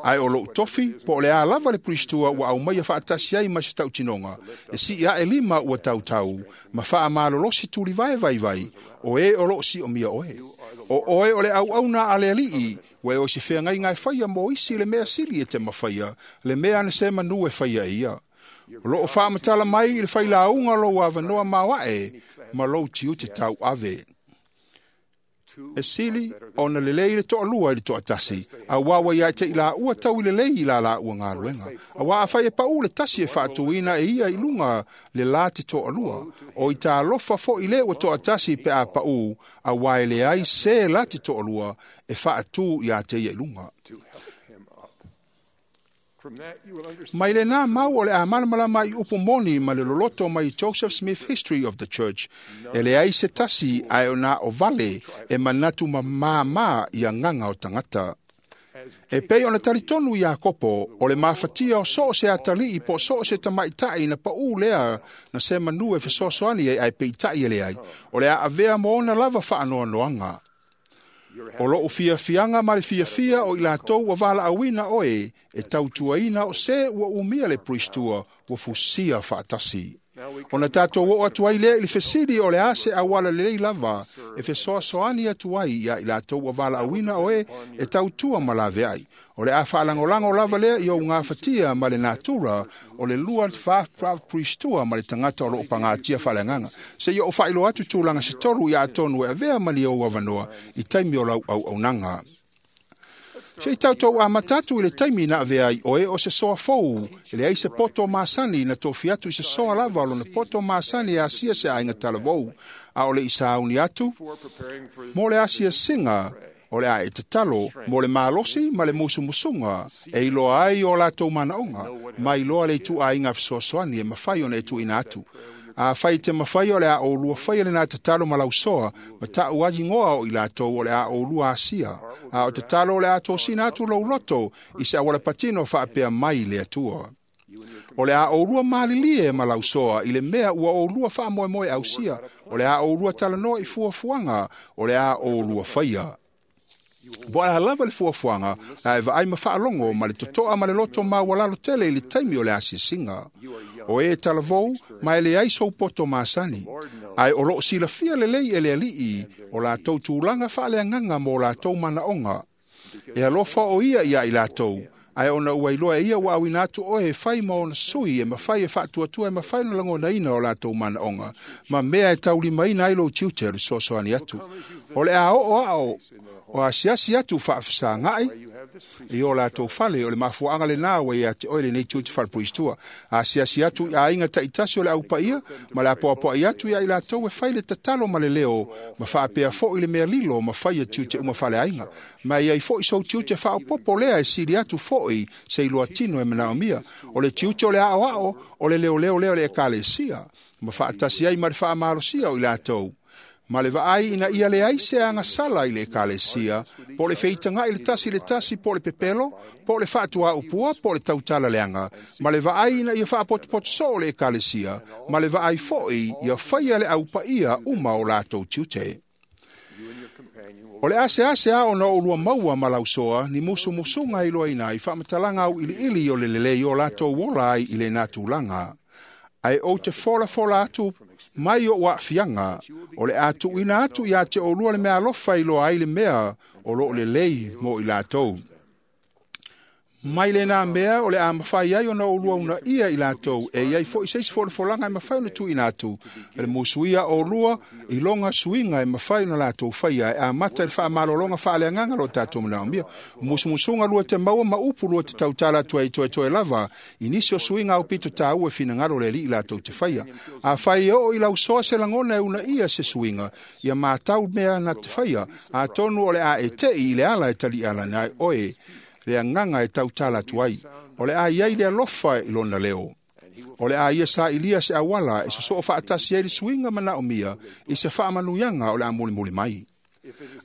Ae o lou tofi, po o le a lava le puristua ua aumaia faatasi ai ma se tautinoga, e sii ae lima ua tautau, ma faamalolosi tulivae vaivai, o e o loo siomia oe. O oe o le auauna a le alii, ua e o se feagaiga e faia mo isi le mea sili e te mafaia, le mea na se manu e faia e ia. O loo faamatala mai i le failauga lou avanoa maoae, ma lou tiute tauave. E sili ona lelei le toalua i le toatasi, auā ua ia te i laua tau i lelei i la laua galuega. Auā afai e paʻū le tasi e faatuina e ia i luga le lā te toalua, o i talofa foʻi lē ua toatasi pe a paʻū, auā e leai se la te toalua e faatū iā te ia i luga. Mai lenā mau o le a malamalama i upu moni ma le loloto mai Joseph Smith History of the Church, e leai se tasi ae o nā o vale e manatu mamāmā i agaga o tagata. E pei ona talitonu Iakopo o le mafatia o so o se atalii po o so o se tamaʻitaʻi na paʻū lea na se manu e fesoasoani ai ae peitaʻi e leai, o le a avea mo ona lava faanoanoaga. O loo fiafiaga ma le fiafia o i latou ua valaauina oe e tautuaina o se ua umia le puristua ua fusia faatasi. Ona tatou oo atu ai lea i le fesili o le a se auala lelei lava e fesoasoani atu ai iā i latou ua valaauina oe e tautua ma laveai. O le a faalagolago lava lea i ou gafatia ma le natura o le lua puristua ma le tagata o loo pagatia faaleagaga. Seia ou faailoa atu tulaga se tolu ia atonu e avea ma ni ou avanoa i taimi o lau auaunaga. Se i tautou amata atu i le taimi na avea ai oe o se soa fou, e leai se poto masani na tofi atu i se soa lava o lona poto masani e asia se aiga talavou, a o le i sauni atu, mo le asiasiga, o le a e tatalo mo le malosi ma le musumusuga e iloa ai o latou manaoga, ma iloa le ituaiga fesoasoani e mafai ona e tuuina atu. Afai te mafai o le a oulua faia lenā tatalo ma lausoa, ma taʻu agigoa o i latou o le a oulua asia. A o tatalo o le a tosina atu lou loto i se auala patino faapea mai le Atua. O le a oulua malilie ma lausoa i le mea ua oulua faamoemoe ausia, o le a oulua talanoa i fuafuaga, o le a oulua faia. Po o le a lava le fuafuaga, ae vaai ma faalogo ma le totoa ma le loto maualalo tele i le taimi o le asiasiga. O e talavou ma e leai sou poto masani, ae o loo silafia lelei e le alii o latou tulaga faaleagaga mo latou manaoga. E alofa o ia iā i latou, ae ona ua iloa e ia ua auina atu oe e fai ma ona sui e mafai e faatuatua e mafai ona lagonaina o latou manaoga, ma mea e taulimaina ai lou tiute o le fesoasoani atu. O le a oo ao o asiasi atu faafesagaʻi i o latou fale, o le mafuaaga lenā ua ia te oe lenei tiute faalepuristua. Asiasi atu i aiga taitasi o le aupaia ma le apoapoai atu iā i latou e fai le tatalo ma le leo, ma faapea foʻi le mea lilo ma faia tiute uma faleaiga. Ma e iai foʻi sou tiute faaopopo lea e sili atu foʻi se iloa tino e manaomia. O le tiute o le aoao, o le leoleo lea o le ekalesia, ma faatasi ai ma le faamalosia o i latou. Ma le vaai ina ia leai se agasala i le ekalesia, po o le feitagaʻi le tasi le tasi, po o le pepelo, po o le faatuaupua, po o le tautala leaga, ma le vaai ina ia faapotopoto soo le ekalesia, ma le vaai foʻi ia faia le aupaia uma o latou tiute. O le asease a ona oulua maua ma lausoa ni musumusuga e iloaina ai faamatalaga auiliili o le lelei o latou ola ai i lenā tulaga. Ae ou te folafola atu mai o aafiaga o le a tuuina atu ia te oulua le meaalofa i loa ai le mea o loo lelei mo i latou. Mai lena mea o le a mafai ai ona oulua unaia i latou e iai fo'i se isi folafolaga e mafai ona tuuina atu e le musuia oulua i loga suiga e mafai ona latou faia e amata i le faamalologa faaleagaga lo tatou manaomia. Musumusuga lua te maua ma upu lua te tautala atu ai toetoe lava i nisi o suiga aupito tāua e finagalo le Alii latou te faia. Afai e oo i lausoa se lagona e unaia se suiga, ia matau mea na te faia, atonu o le a e te'i i le ala e taliʻala ai oe le agaga e tautala atu ai. O le a iai le alofa i lona leo. O le a ia sa'ilia se auala e sosoo faatasi ai le suiga manaomia i se faamanuiaga o le a mulimuli mai.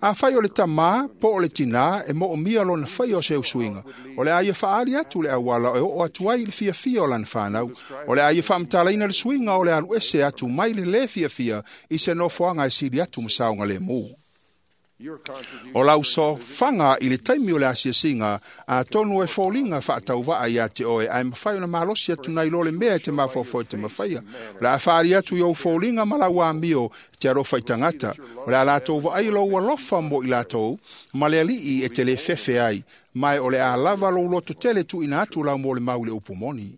Afai o le tamā po o le tinā e moomia lona faia o se usuiga, o le a ia faaali atu le auala e oo atu ai i le fiafia o lana fanau. O le a ia faamatalaina le suiga o le alu ese atu mai le lē fiafia i se nofoaga e sili atu ma saogalēmū. O lau sofaga i le taimi o le asiasiga, atonu e foliga faatauvaa iā te oe, ae mafai ona malosi atu nai lo le mea e te mafaufau e te mafaia. O le a faali atu i ou foliga ma lau amio te alofa i tagata. O le a latou vaai lou alofa mo i latou, ma le Alii e te lē fefe ai, mae o le a lava lou loto tele tuuina atu lau molimau i le upu moni.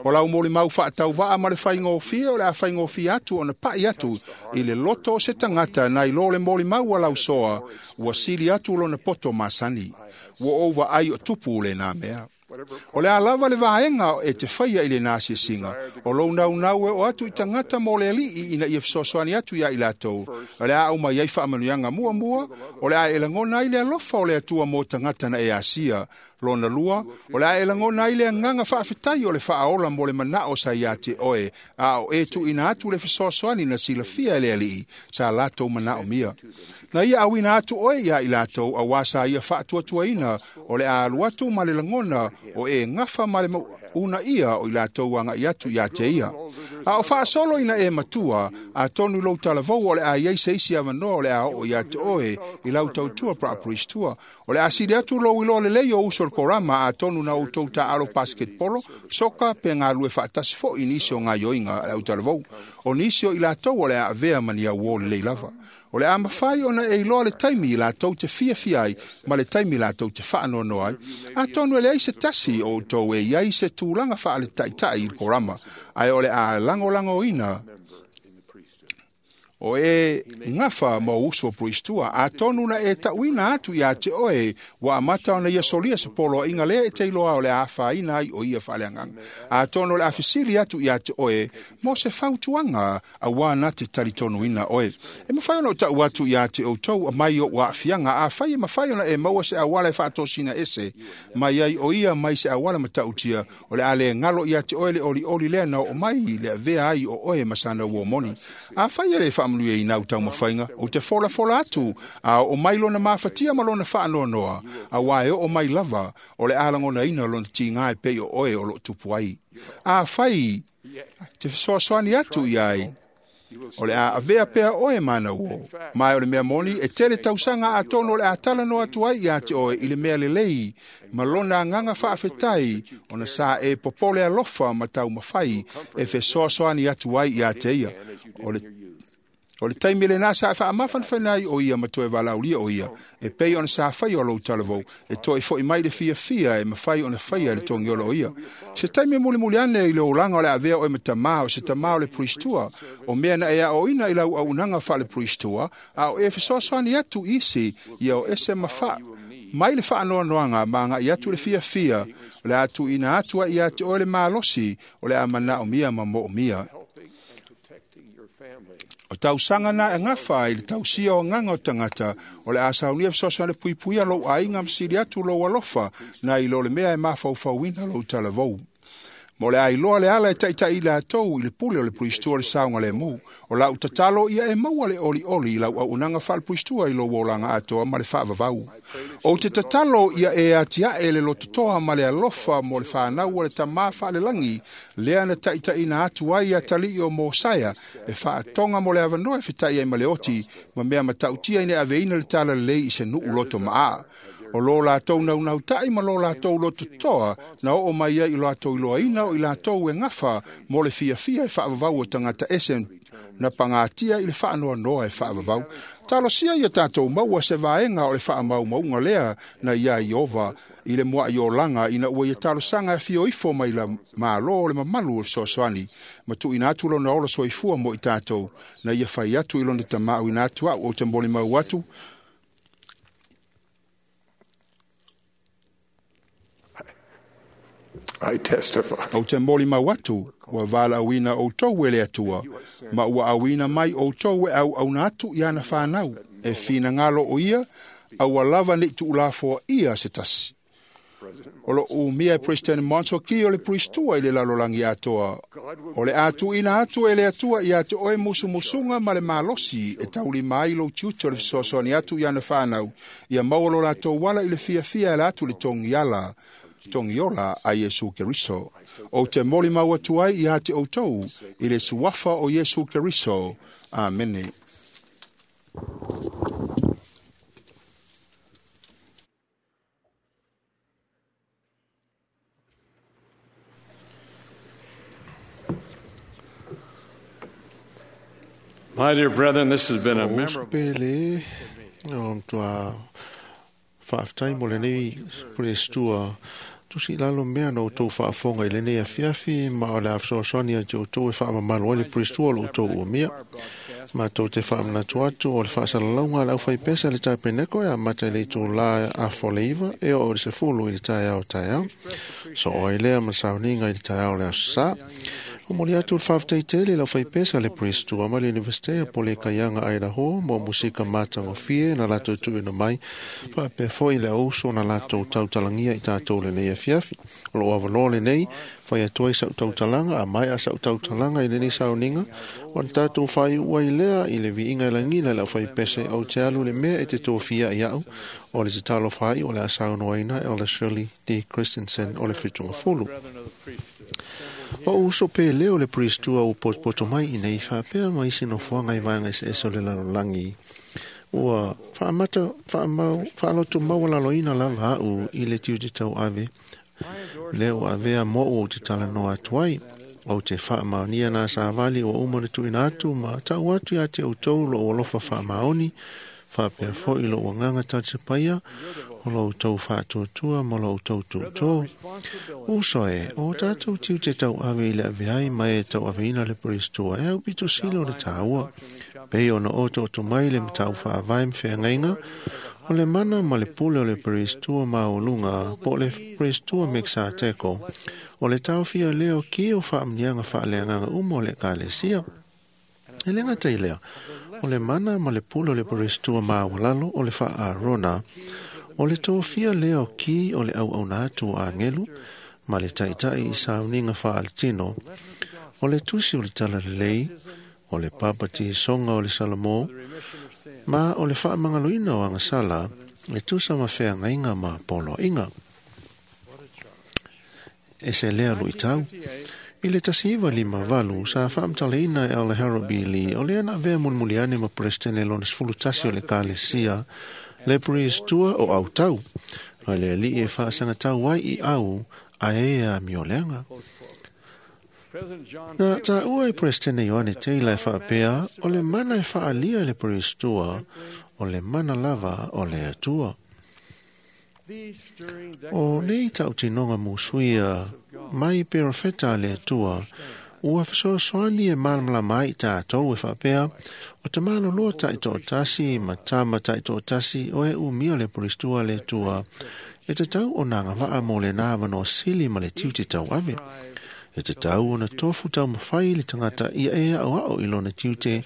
O lau molimau faatauvaa ma le faigofie o le a faigofie atu ona pa'i atu i le loto o se tagata nai lo le molimau a lausoa ua sili atu lona poto masani. Ua ou vaai o tupu lenā mea. O le a lava le vaega e te faia i lenā asiasiga, o lou naunau e oo atu i tagata mo le Alii ina ia fesoasoani atu iā i latou. O le a aumai ai faamanuiaga muamua, o le a e lagona ai le alofa o le Atua mo tagata na e asia. Lona lua, o le a e lagona ai le agaga faafetai o le faaola mo le manao sa iā te oe, a o e tuuina atu le fesoasoani na silafia e le Alii sa latou manaomia. Na ia auina atu oe iā i latou auā sa ia faatuatuaina o le a alu atu ma le lagona o e gafa ma le unaia o i latou aga'i atu iā te ia. A o faasolo ina e matua, atonu i lou talavou o le a iai se isi avanoa o le a oo iā te oe i lau tautua praapuristua. O le a sili atu lou iloa lelei o uso o le korama atonu na outou taalo basketbolo, soka pe galue faatasi fo'i i nisi o gaioiga a le autalavou. O nisi o i latou o le a avea ma ni auō lelei lava. O le a mafai ona e iloa le taimi i latou te fiafia ai ma le taimi latou te faanoanoa ai. Atonu e leai se tasi o outou e iai se tulaga faaleta'ita'i i le korama, ae o le a lagolagoina o e gafa ma ou uso puristua. Atonu na e ta'uina atu iā te oe ua amata ona ia solia se poloaiga lea e te iloa o le a afaina ai o ia faaleagaga. Atonu o le a fesili atu iā te oe mo se fautuaga auā na te talitonuina oe. E mafai ona ou ta'u atu iā te outou mai o'u aafiaga, afai e mafai ona e maua se auala e faatosina ese mai ai o ia mai se auala matautia, o le a lē galo iā te oe le olioli lea na oo mai i le avea ai o oe ma sana uō moni. Afai e lē faamanuiaina au taumafaiga, ou te folafola atu a oo mai lona mafatia ma lona faanoanoa, auā e oo mai lava o le a lagonaina lona tigā e pei o oe o loo tupu ai. Afai te fesoasoani atu ia ai, o le a avea pea oe manauō, mae o le mea moni e tele tausaga atonu o le a talanoa atu ai iā te oe i le mea lelei ma lona agaga faafetai ona sa e popole alofa ma taumafai e fesoasoani atu ai iā te ia. O le taimi lenā sa e faamafanafana ai o ia ma toe valaaulia o ia, e pei ona sa faia o lou talavou, e toe fo'i mai le fiafia e mafai ona faia e le togiola o ia. Se taimi e mulimuli ane i le olaga o le avea oe ma tamā o se tamā o le puristua, o mea na e aoaoina i lau auaunaga faalepuristua, a o e fesoasoani atu isi ia o ese ma mai le faanoanoaga ma aga'i atu le fiafia, o le a tuuina atu ai iā te oe le malosi o le a manaomia ma moomia. O tausaga na e gafa i le tausia o agaga o tagata, o le a saunia fesoasoani puipuia lou aiga ma sili atu lou alofa nai lo le mea e mafaufauina lou talavou. Mo le a iloa le ala e ta'ita'i latou i le pule o le puristua o le saogalēmū. O la'u tatalo ia e maua le olioli i lau auaunaga faalepuristua i lou olaga atoa ma le faavavau. Ou te tatalo ia e atia'e le lototoa ma le alofa mo le fanau o le tamā faalelagi lea na ta'itaʻina atu ai atalii o Mosaia e faatoga mo le avanoa e feta'i ai ma le oti ma mea matautia ina aveina le talalelei i se nuu loto ma'a. O lo lātou naunautai ma lo lātou lototoa na oo mai ai i lātou iloaina o i lātou e gafa mo le fiafia e faavavau o tagata ese na pagatia i le faanoanoa e faavavau. Talosia ia tātou maua se vaega o le faamaumauga lea na iā Iova i le mua'i olaga ina ua ia talosaga e fio ifo mai la Mālō o le mamalu o le fesoasoani ma tuuina atu lona ola soifua mo i tātou na ia fai atu i lona tamāuina atu a'u ou te molimau atu. I testify. Ou te molimau atu, ua valaauina outou e le Atua, ma ua auina mai outou e auauna atu i ana whānau, e finagalo o ia, aua lava nei tuulafoa ia se tasi. O lo umia e President Monso ki o le priestua i le lalolagi atoa. O le atuina atu e le Atua ia te oe musumusuga ma le malosi e taulima ai lou tiute o le fesoasoani atu i ana whānau, ia maua lo latou ala i le fiafia e la atu le togiala togiola a Iesu Keriso. O te molimau atu ai ia te outou i le suafa o Iesu Keriso. Amene. My dear brethren, this has been a memorable. Pele, o tua faafetai mo lenei prestua tusi lalo mea na outou faafofoga i lenei afiafi ma o le a fesoasoani atu outou e faamamalu ai le prestua o lo outou umia. Matou te faamanatu atu o le faasalalauga a le aufaipesa le tapeneko e amata i le itulā afa o le 9 e oo i le 10 i le taeao taeao. Soo ai lea ma sauniga i le taeao o le aso Sā. O moli atu le faafetai tele i le aufaipesa le prestua ma le Universite o Polekaiaga Idaho mo musika matagofie na latou tuuina mai faapea foi le auso na latou tautalagia i tatou lenei afiafi. O loo avanoa lenei fai atu ai sau tautalaga a maea sau tautalaga i lenei sauniga ona tatou faaiu ai lea i le viiga e lagina i le aufaipese ou te alu le mea e te tofia i au o le tatalo faai o le a saunoaina e o le Shirley D. Christensen o le Fitungafulu. O uso pe leo le priestua o potopoto mai i nei faapea ma isi nofoaga i vaega eseese o le lalolagi. Ua faamata faaloto maualaloina lava a'u i le tiute tauave lea ua avea mo'u ou te talanoa atu ai. Ou te faamaonia nā savali ua uma ona tuuina atu ma ta'u atu iā te outou lou alofa faamaoni faapea foi lou agaga talisapaia o lo outou faatuatua ma lo outou tuutō. Uso e, o tātou tiute tauave i le ave ai ma e tauaveina le prestua e au pito sili o le tāua. Pei ona otooto mai le matau faavae ma feagaiga, o le mana ma le pule o le prestua maualuga po o le prestua Mekisateko, o le taofia lea o ki o faamuniaga faaleagaga uma o le ekalesia. E le gata i lea, o le mana ma le pule o le prestua maualalo o le faa-Arona, o le tofia lea o ki o le auauna atu o agelu ma le taitai i sauniga faaletino, o le tusi o le talalelei, o le papatisoga o le Salomō, ma o le faamagaloina o agasala e tusa ma feagaiga ma poloaiga. E se lea luitau. I le 1958 sa faamatalaina e Elder Harold B. Lee o lea na avea mulimuliane ma Peresetene lona 11 o le Ekalesia le priestua o autau a le alii e faasagatau ai i au a e amioleaga. Na tāua e Peresetene Ioane Taylor e faapea o le mana e faalia i le priestua o le mana lava o le Atua. O nei tautinoga musuia mai perofeta a le Atua ua fesoasoani e malamalama ai i tātou e faapea o te maloloa taitoatasi ma tama taitoatasi o e umia le prestua a le Atua e tatau ona agavaa mo lena avanoa sili ma le tiute tauave. E tatau ona tofu taumafai le tagata ia e aʻoaʻo i lona tiute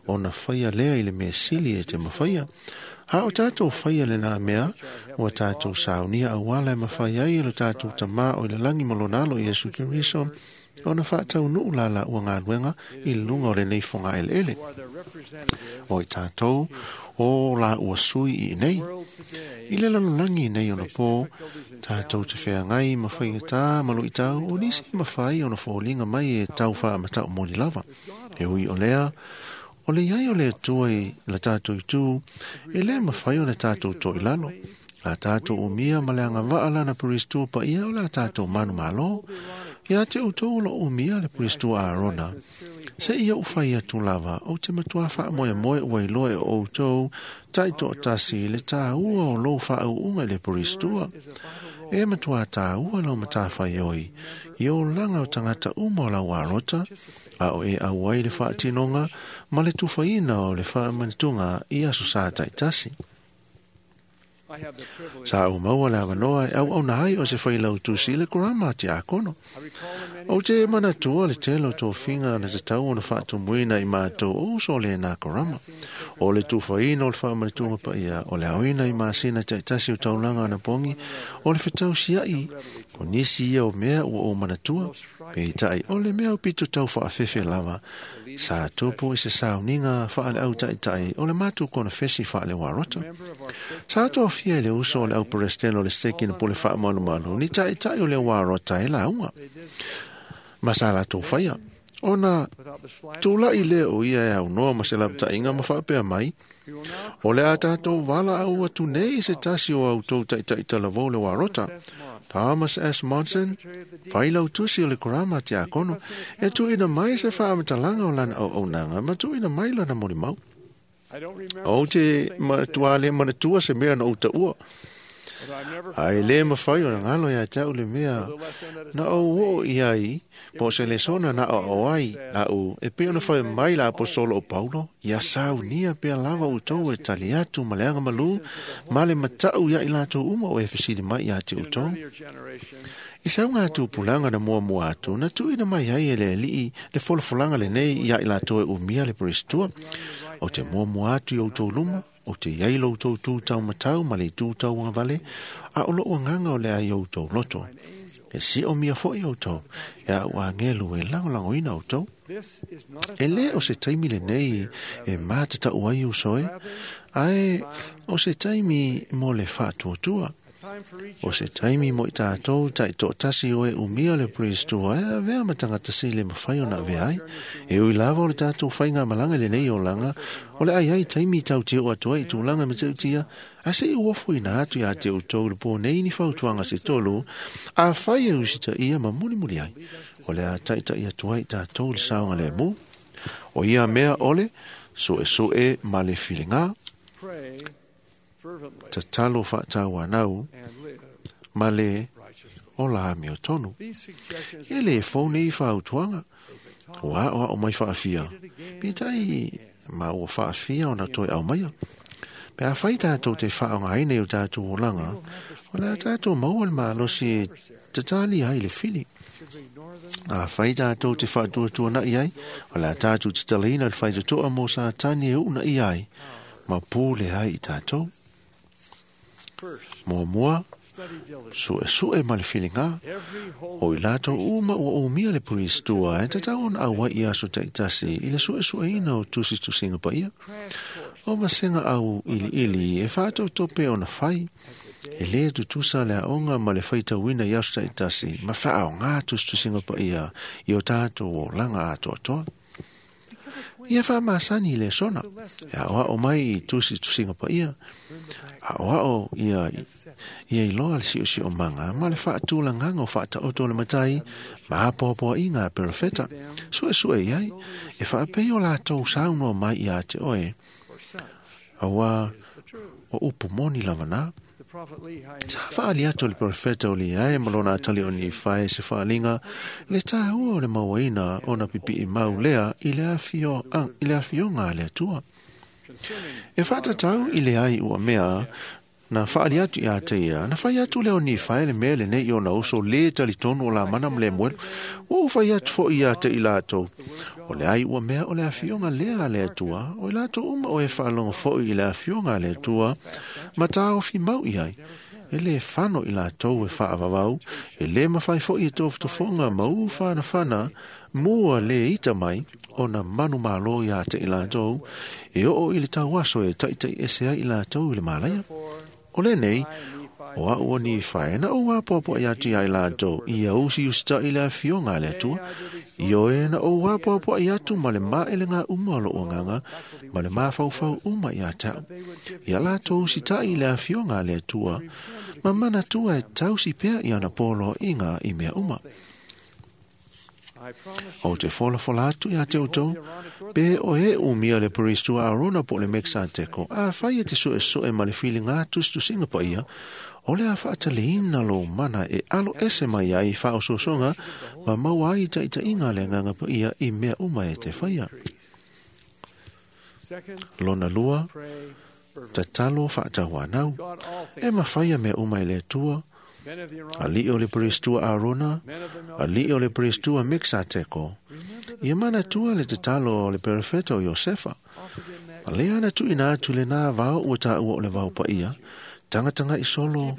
ona faia lea i le mea sili e te mafaia. A o tātou faia lenā mea, ua tātou saunia auala e mafai ai e lo tātou tamā o i le lagi ma lona alo Iesu Keriso, ona faataunuu la laua galuega i luga o lenei fogaeleele. O i tātou o laua sui i nei. I le lalolagi nei ona pō, tātou te feagai ma faigatā ma luitau o nisi mafai ona foliga mai e tau faamatau moni lava. E ui o lea, o le iai o le Atua i la tātou itu, e le mafai ona tātou toilalo. La tātou umia ma le agava'a lana peristua paia o le a tātou manumālō. Ia te outou o loo umia le peristua Arona. Se ia u fai atu lava, ou te matua faamoemoe ua iloa e outou taitoatasi le tāua o lou faauuga i le peristua. E matua tāua lau matafaioi, i olaga o tagata uma o lau alota, a o e auai le faatinoga ma le tufaina o le faamanatuga i aso sa taitasi. Sa ou maua le avanoa e auauna ai o se failautusi i le korama a tiakono. Ou te manatua le tele o tofiga na tatau ona faatumuina i matou o uso o lenā korama. O le tufaina o le faamanatuga paia, o le aoina i masina taitasi o taulaga anapogi, o le fetausiai, o nisi ia o mea ua ou manatua, peitai o le mea aupito tau faafefe lava, sa tupu i se sauniga faaleau taitai o le matou konefesi faaleuarota. Sa tofia i le uso o le auperesetene o le steki na pule faamalumalu ni taitai o le uarota e lauga. Ma sa latou faia. Ona tula'i lea o ia e aunoa ma se lapataiga ma faapea mai, o le a tatou valaau atu nei i se tasi o autou taita'i talavou le uarota, Thomas S. Monson, failautusi o le korama a tiakono, e tuuina mai se faamatalaga o lana auaunaga ma tuuina mai lana molimau. Ou te matuā le manatua se mea na ou taua. Ae lē mafai ona galo iā te a'u le mea na ou oo i ai po o se lesona na aoao ai a'u e pei ona fai mai la aposolo o Paulo, ia saunia pea lava outou e tali atu ma le agamalū ma le mata'u iā i latou uma o e fesili mai iā te outou. I se auga tupulaga na muamua atu, na tuuina mai ai e le Alii le folafolaga lenei iā i latou e umia le peristua. Ou te muamua atu i outou luma, ou te iai lo outou tu taumatau ma le itu tauagavale, a o lou agaga o le a i outou loto. E siomia foi outou, e a'u agelu e lagolagoina outou. E lē o se taimi lenei e matata'u ai uso e, ae o se taimi mo le faatuatua. O se taimi mo i tātou taitoatasi o e umia le peristua e avea ma tagata sili e mafai ona avea ai. E ui lava o le tātou faigamalaga i lenei olaga, o le ai ai taimi tau te oo atu ai i tulaga matautia, ae seʻi ua ofoina atu iā te outou i le pō nei ni fautuaga se tolu, afai e usitaia ma mulimuli ai, o le a taitaʻi atu ai i tātou i le saogalemu. O ia mea o le suʻesuʻe ma le filigā, tatalo faatauanau ma le ola amiotonu. E lē fou nei fautuaga, ua aʻoaʻo mai faafia, peitai ma ua faafia ona toe aumaia. Pe afai tātou te faaaogaina i o tātou olaga, o le a tātou maua le malosi e tatali ai le fili. Afai tātou te faatuatuanaʻi ai, o le a tātou tatalaina le faitotoa mo Satani e uunaia ai, ma pule ai i tātou. Muamua, suʻesuʻe ma le filigā, o i latou uma ua umia le peristua e tatau ona auai i aso taitasi i le suʻesuʻeina o tusitusiga paia. O vasega au iliili e faatautope ona fai, e lē tutusa le aoga ma le faitauina i aso taitasi ma faaogā tusitusiga paia i o tatou olaga atoatoa. Ia faamasani i le sona, e aʻoaʻo mai i tusitusiga paia, aʻoaʻo ia ia iloa le siosiomaga ma le faatulagaga o faataoto o le matai ma apoapoaʻiga a perofeta. Suʻesuʻe i ai, e faapei o latou saunoa mai iā te oe, auā o upu moni lava Sa faali atu le perofeta o Lehi ma lona atali o Nifae se faaliga le tāua o le mauaina ona pipiʻi mau lea i le afioga a le Atua. E faatatau i le ai ua mea na faali atu iā te ia, na fai atu lea o Nifae le mea lenei i ona uso lē talitonu o Lamana ma Lemuelu, ua ou fai atu foʻi iā te i latou. O le ai ua mea o le afioga lea a le Atua, o i latou uma o e faalogo foʻi i le afioga a le Atua, ma taofi mau i ai. E lē fano i latou e faavavau, e lē mafai foʻi e tofotofoga ma ufanafana mua lē ita mai ona manumālō iā te i latou, e oo i le tauaso e taʻitaʻi ese ai i latou i le malaia. O lenei, O au o ni whae na o apoapo i atu ai lātou ia usi usita i le afioga a le Atua. Ioe na o apoapo i atu ma le maele ngā uma o loo nganga ma le mafaufau uma i a tau. Ia lātou usita i le afioga a le Atua ma manatua e tausi pea i ana polo i ngā i mea uma. O te folafola atu ia te outou, pe o e umia le peristua Arona po le Mexateko, a whai e te soe soe ma le whilinga tustusinga pa ia, o le a whaataleina lo mana e alo ese mai ai whaososonga, ma maua ai taitainga le nganga pa ia i mea uma e te whaia. Lona lua, tatalo whaatawanau, e mawhaia mea uma i le Atua, Ali o le peristua Arona, ali o le peristua Mexateko. Ia manatua le tatalo o le perefeta o Iosefa. A lea ana tuuina atu le nā vao ua tāua o le vao paia, tangatanga i solo,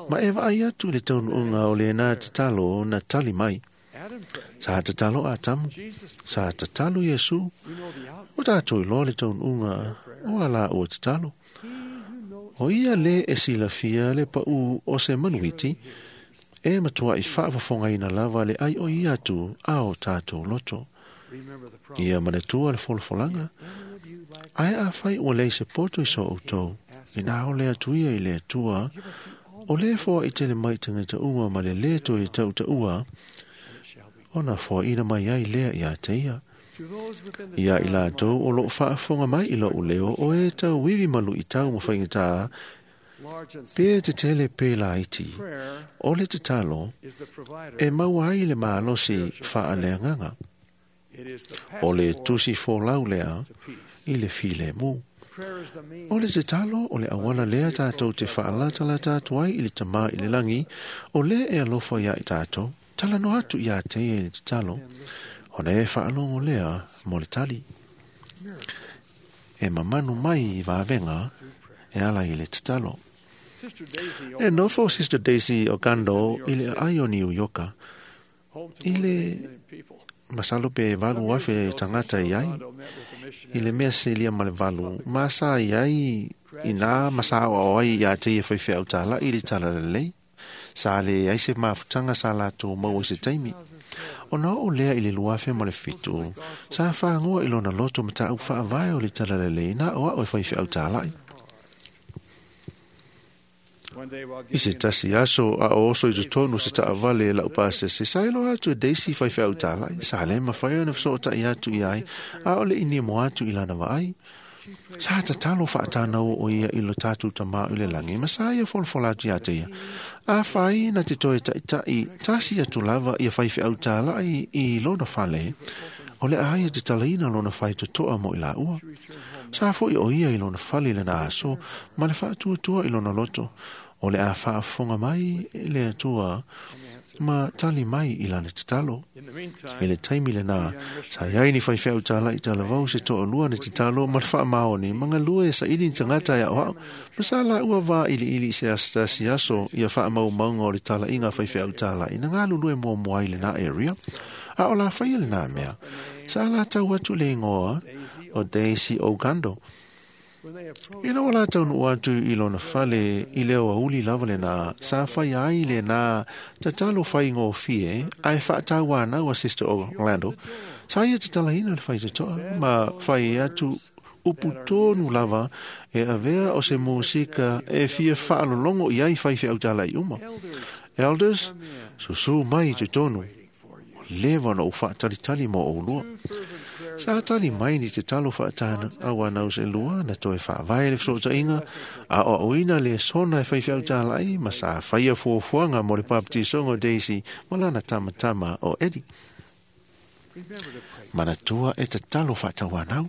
ma e vaai atu le taunuuga o lenā tatalo na tali mai. Sa tatalo Atamu, sa tatalo Iesu, o tātou iloa le taunuuga o a la ua tatalo. O ia le e silafia le pau o se manuiti, e matua i whaafafongaina lava le ai o ia atu a o tātou loto. Ia manatua le folafolanga, ai a whai o lei se poto i so outou, i nā o le atu ia i le atua, o le foa i tele mai tangata uma ma le le toe tau taua, ona foa ina mai ai lea ia te ia. Ia i lātou o loo whaafonga mai i loo leo o e tau wiwi malu i tau mawhainga pe te tele pe la iti, o le tatalo e maua ai le maalosi whaaleanganga. O le tusi fōlau lea i le file mū. O le tatalo o le awala lea tātou te whaalatala tātou ai i le tamā i le langi, o le e alofa ia i tātou, tala no atu ia te ia i le tatalo, ona e whaalongo lea mo le tali. E mamanu mai i vāvenga e ala i le tatalo. E nofo Sister Daisy Ogando i le ai o New Yorka, i le masalo pe valu afe tangata i ai, i le mea selia ma le valu, ma sa i ai i nā masa o ai ia te ia whaiwhea au tāla i le tala lelei, sa le ai se mafutanga sa lātou maua i se taimi. Ona o lea i le luafe ma le fitu, sa whaangoa i lona loto ma tāu whaavae o le tala lelei nā o ao e whaiwhea au tālai. I se tasi aso a o oso i totonu se taavale e lau pasese, sa ilo atu e Daisy whaiwhea au tālai, sa le mawhai ona whasotai atu i ai, a o le ini mo atu i lana vaai. Sa tatalo whaatānau o ia i lo tātou tamā i le langi, ma sa ia folafola atu ia te ia. A whai na te toe ta'itai, tasi atu lava ia whaiwhea au tālai i lona whale, o le aia te talaina lona whai totoa mo i la ua. Sa foi o ia i lona fale le na aso, ma le whaatuatua i lona loto, o le a whaafonga mai le atua, ma tali mai i lana tatalo. I le taimi le nā, sa iai ni whaiwhea au tāla i tala vau se toa lua ni tatalo ma le whaamaoni, ma ngā lua e sa ili ni tangata ia oau, ma sa la ua vā ili ili se astasi aso ia whaamau maunga o le tala i ngā whaiwhea au tāla i na ngā lulue mua mua i le nā area, a o la whaia le nā mea. Sa la tau atu le ingoa o Daisy Ogando. I ina o la tau nuu atu i lona fale i leo auli lava le nā, sa whai ai le nā tatalo whai ngō fie, ai whaatau anau a Sister Orlando, sa ia tatalaina le whai tatoa, ma whai atu upu tonu lava e avea o se musika e fia whaalolongo i ai whai whiau tala i uma. Elders, susu mai te tonu, lewa na o whaatalitali mo o lua. Sa tali mai ni te talo whaatana au anau se lua na toe whaavae le whasotainga a o oina le sona e whaiwhiau tālai ma sa whaia fuafuanga mo le paptisongo Daisy ma lana tamatama o Eddie. Manatua e te talo whaatawanau.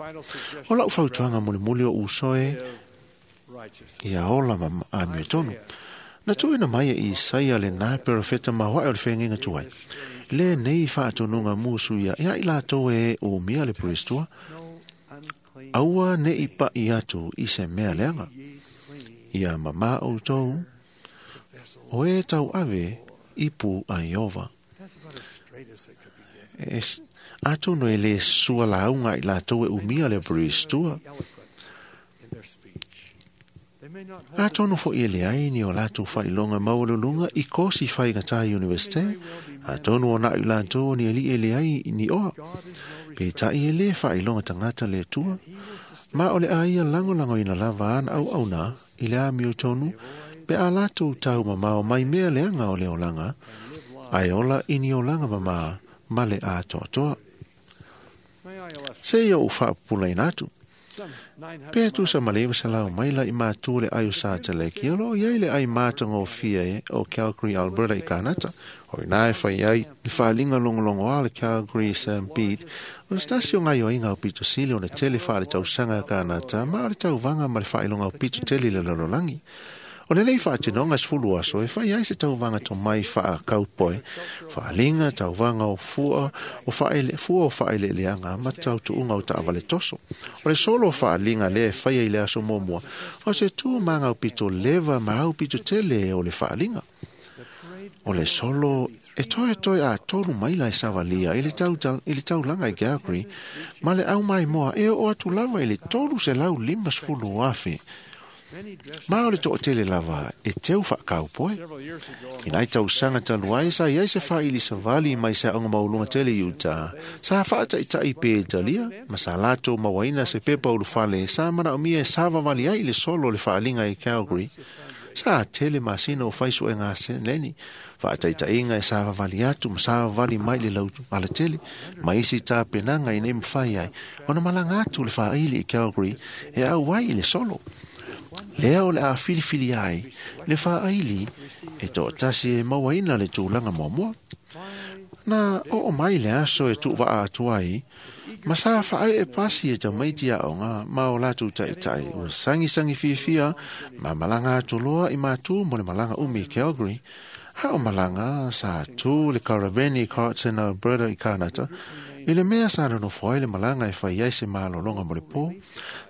O lau whautuanga mo le muli o usoe ia ola ma a mea tonu. Na tuina mai e Isaia le nā perofeta mahoa o le whengenga tuai. Le nei whaatonunga musu ia, ia i lātou e o mea le peristua, aua ne i pa i atu i se mea leanga. Ia mama o tau, o e tau ave i pu a Iova. Atono e le sua launga i lātou e umia le peristua. Atonu fo'i e leai ni o latou faailoga maualuluga i kosi faigatā Universite, atonu o naʻu i latou o ni aliʻi e leai ni oa. Peitai e lē faailoga tagata le Atua, ma o le a ia lagolagoina lava ana auauna i le amiotonu pe a latou taumamao mai mea leaga o le olaga, ae ola i ni olaga mamā ma le atoatoa. Se i ou faapupulaina atu. Pe tusa ma le 900 maila i matu le ai o Sateleki, o loo iai le ai matagofie e o Calgary, Alberta i Kanata. O ina e fai ai le faaliga logologoa le Calgary Stampede, o se tasi o gaioiga o pito sili ona tele faaletausaga a Kanata ma o le tauvaga ma le faailoga o pito tele i le lalolagi. O lenei faatinoga 10 aso e fai ai se tauvaga tomai faakaupoe, faaliga, tauvaga o fua o faaele, fua o faaeleeleaga ma tautuuga o taavale toso. O le solo o faaliga lea e faia i le aso muamua, o se tu maga o pito leva ma au pito tele o le faaliga. O le solo e toe toe a 3 maila e savalia i le, tau, i le taulaga i Calgary, ma le au maimoa e oo atu lava i le 350,000. Ma o le toatele lava e teu faakaupoe. I nai tausaga talu ai sa iai se faaili savali mai se aoga maualuga tele i Utah. Sa faataitai pe Italia ma sa latou mauaina se pepa ulufale sa manaomia e savavali ai i le solo o le faaliga i Calgary. Sa tele masina o fai suega seleni, faataitaiga e savavali atu ma savavali mai le lau alatele, ma isi tapenaga ina ia mafai ai ona malaga atu le faaili i Calgary e auai i le solo. Lea o le a filifili ai le faaili e toatasi e mauaina le tulaga muamua. Na oo mai le aso e tuuvaa atu ai, ma sa faaee pasi e tamaiti aoga ma o latou taitai ua sagisagi fiafia ma malaga atu loa i matu mo le malaga umi i Calgary. A o malaga sa tu le karaveni i Carlton, Alberta i Kanata, i le mea sa nonofo ai le malaga e fai ai se malologa mo le pō.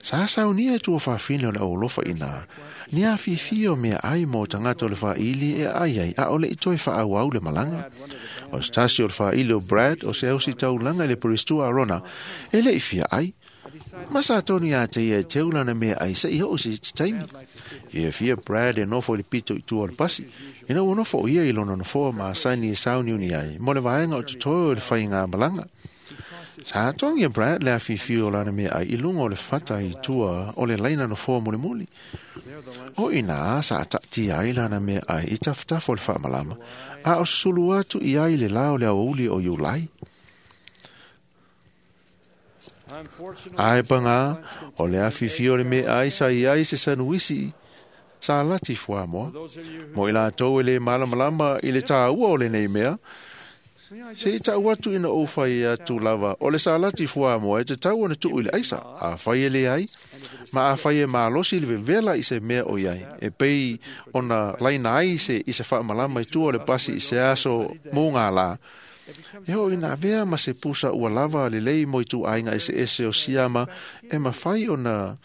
Sa saunia e tuafafine o le aualofa ina, ni afifi o mea ai mo tagata o le faaili e ai ai a o le i toe faaauau le malaga. O se tasi o le faaili o Brad o se ausitaulaga i le Peristua Arona e le i fia ai. Ma sa tonu ia te ia e teu lana mea ai se i oo se iti taimi. Fiafia Brad e nofo i le pito i tua o le pasi. Ina ua nofo o ia i lona nofoa ma asani e sauniuni ai mo le vaega o totoe o le faiga malaga. Sa togi e Brad le afifi o lana mea ai i luga o le fata i tua o le laina nofoa mulimuli. O ina sa taatia ai lana mea ai i tafatafa o le faamalama, a o susulu atu i ai le la o le aoauli o Iulai. Ae pagā, o le afifi o le mea ai sa i ai se sanuisi sa lati fuamoa. Mo i latou e le malamalama i le tāua o lenei mea, se i tau atu ina ou fai atu lava, o le salati fuamoa e tatau ona tuu i le aisa, a fai e leai, ma a fai e malosi le vevela i se mea o iai, e pei ona laina ai se i se faamalama i tua o le pasi i se aso mugālā. E oo ina avea ma se pusa ua lava lelei mo ituaiga eseese o siama e mafai ona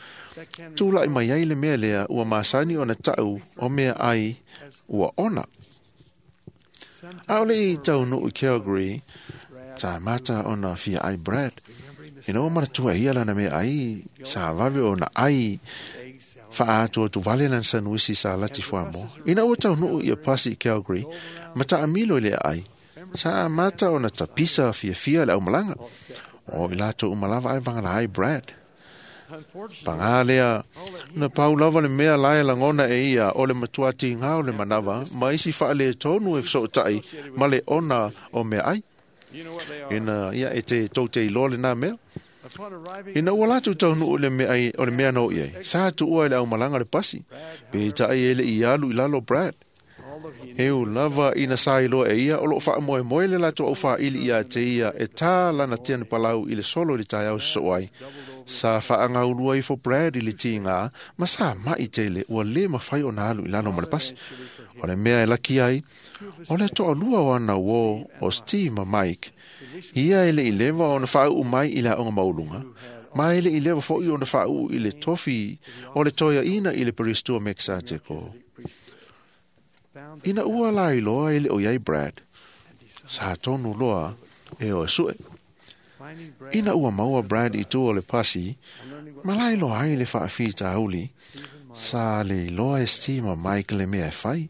tula'i mai ai le mea lea ua masani ona ta'u o mea ai ua ona. A o le i taunuu i Calgary, sa mata ona fia ai Brad. Ina ua manatua e ia lana mea ai, sa vave ona ai faaatuatu vale lana sanuisi sa lati fuamoa. Ina ua taunuu ia pasi i Calgary, ma taamilo i le aai, sa amata ona tapisa fiafia le aumalaga. O i latou uma lava ae vagala ai Brad. Pagā lea, na pau lava le mea la e lagona e ia o le matua tigā o le manava ma isi faaletonu e fesootai ma le ona o mea ai. Ina ia e te tou te iloa lenā mea. Ina ua latou taunuu i le mea ai, o le mea na oo i ai, sa tuua i le aumalaga le pasi, peitai e le i alu i lalo Brad. E ui lava ina sa iloa e ia o loo faamoemoe le latou aufaaili ia te ia e tā lana tianipalau i le solo i le taeao sosoo ai. Sa faagaulua ifo Brad i le tigā ma sa ma'i tele ua lē mafai ona alu i lalo ma le pasi. O le mea e laki ai, o le toalua o ana uō o Steve ma Mike, ia e le i leva ona faauu mai i le aoga maualuga, ma e le i leva fo'i ona faauu i le tofi o le toeaina i le Peristua Mekisateko. Ina ua lailoa e le o iai Brad, sa tonu loa e o e su'e. Ina ua maua Brad i tua o le pasi, ma lailoa ai le faafitauli, Sa le iloa e Steve ma Mike le mea e fai.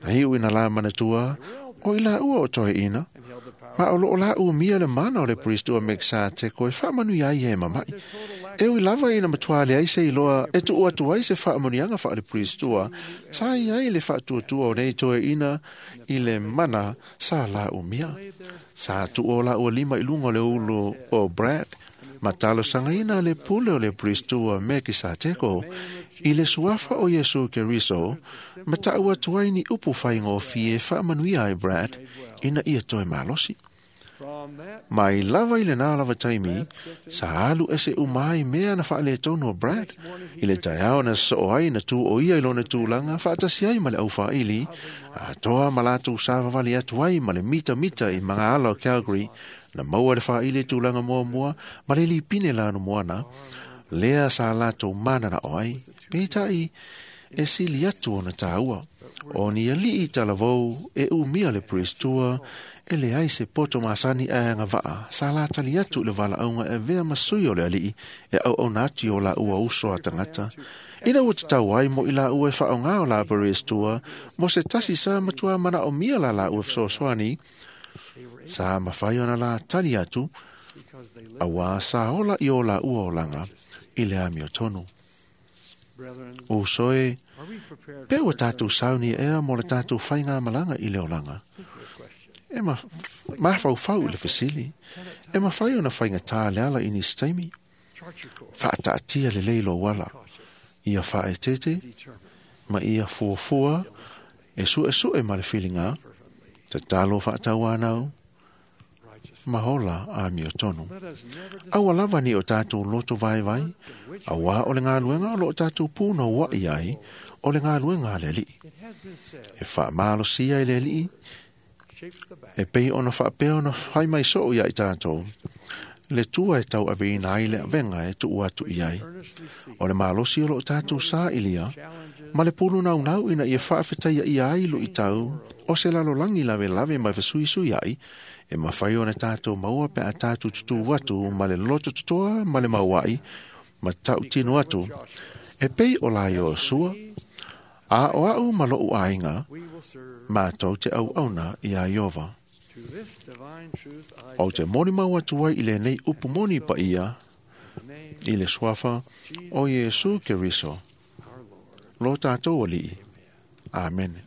Na iu ina la manatua, o i la ua o toe ina, ma o loo la umia le mana o le Priestua Mekisateko e whaamanui ai e mamai. E ui lava ina matua le ai se iloa e tuu atu ai se whaamunianga wha le Priestua, sa i ai le whaatuatua o nei toe ina i le mana sa la umia. Sa tuu o la ua lima i lunga o le ulu o Brad, ma talosangaina le pule o le Priestua Mekisateko i le suafa o Iesu Keriso, ma ta'u atu ai ni upu whaingofie e whaamanuia ai Brad ina ia toe malosi. Mai lava i le nā lava taimi, sa alu ese umai mea na whaale tonu o Brad, i le taeao na so ai na tū o ia i lona tūlanga, whaatasi ai ma le au whaili, a toa ma lātou sāwawali atu ai ma le mita mita i mga ala o Calgary, na maua le whaili tūlanga mua mua, ma le lipine lānu moana, lea sa lātou mana na oai, peitai e sili atu ona tāua. O ni alii talavou e umia le Priestua, e le ai se poto masani a anga vaa, sa la tali atu le vala aunga e vea masui o le alii, e au au nati o la ua uso a tangata. Ina ua te tau ai mo i la ua e whaonga o la Priestua, mo se tasi sa matua mana o mia la la ua fesoasoani, sa mawhai ona la tali atu, awa sa ola i o la ua olanga, i le amio tonu. O soe, pe ua tātou sauni ea mo le tātou whainga malanga i le olanga. E ma, mawhau i le fesili, e mawhai ona whainga tā le ala i ni steimi. Whaataatia le leilo wala, ia whaetete, ma ia fuafua, e sue sue ma le whilinga, te talo whaatau anau, mahola a mio tonu. Aua lava ni o tātou loto vai vai, aua o le ngā luenga o lo tātou pūna wa i ai, o le ngā luenga a le alii. E whaamalosia i le alii, e pei ona whaapea ona whai mai soo ia i tātou. Le tua e tau aveina ai le avenga e tuu atu i ai. O le malosi o lo tātou sa ilia, ma le pulu nau nau ina ia whaawhetaia i ai lo i tau, o se lalo langi lave lave mai whasui ai, e mawhai ona tātou maua pe a tātou tutu atu ma le loto tutoa ma le mauai, ma tau tino atu, e pei o lai o sua, a o au ma lou ainga, mātou te au auna i a Iova. O te moni mau atu ai i le nei upu moni pa ia, i le suafa o Iesu Keriso. Lo tātou alii. Amen.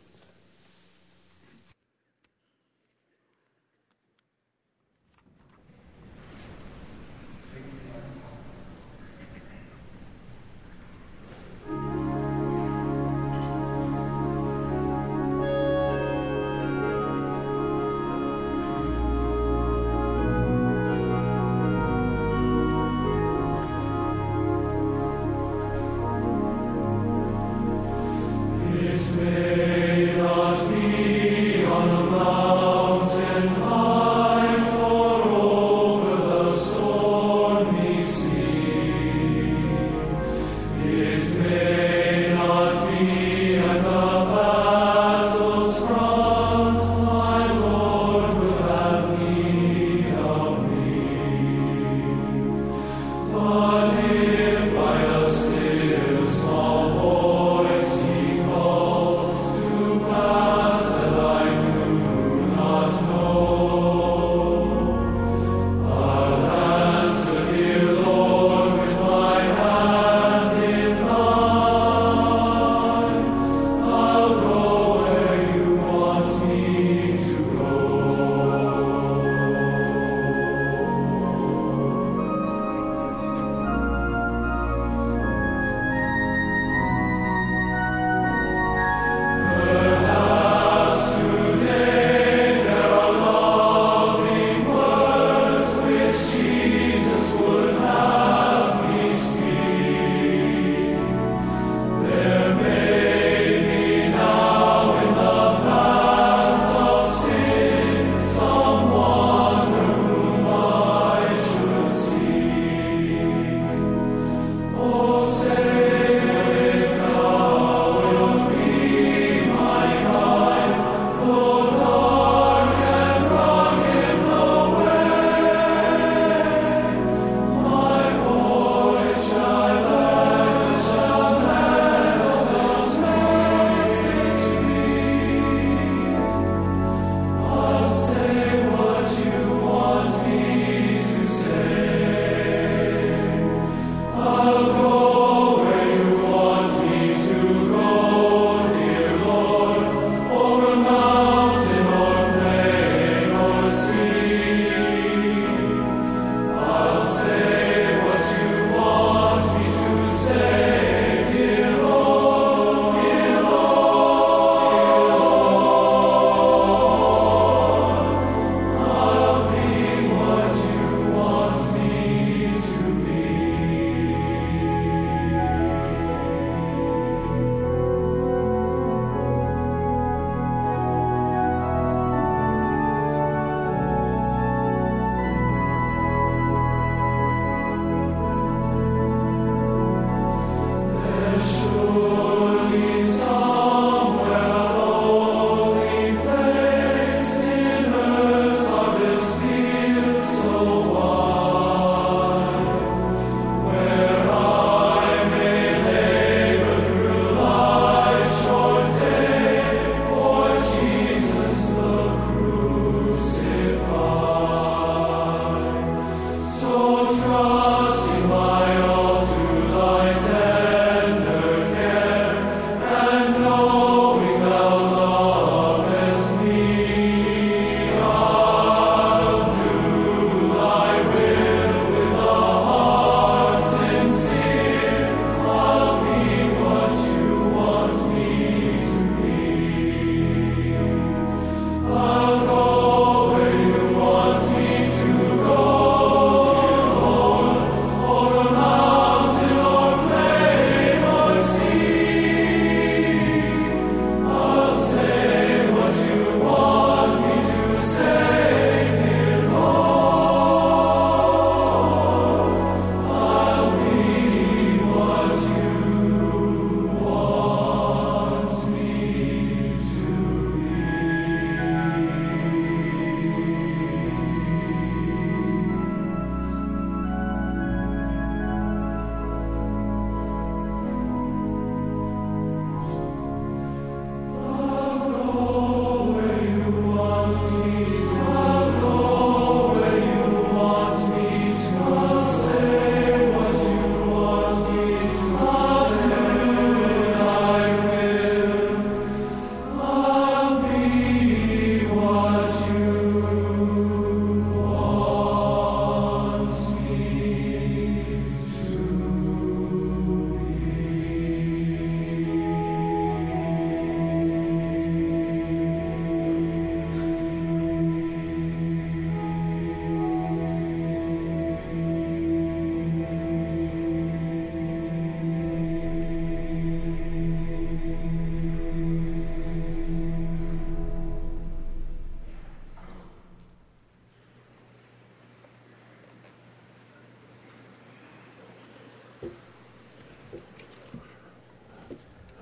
His name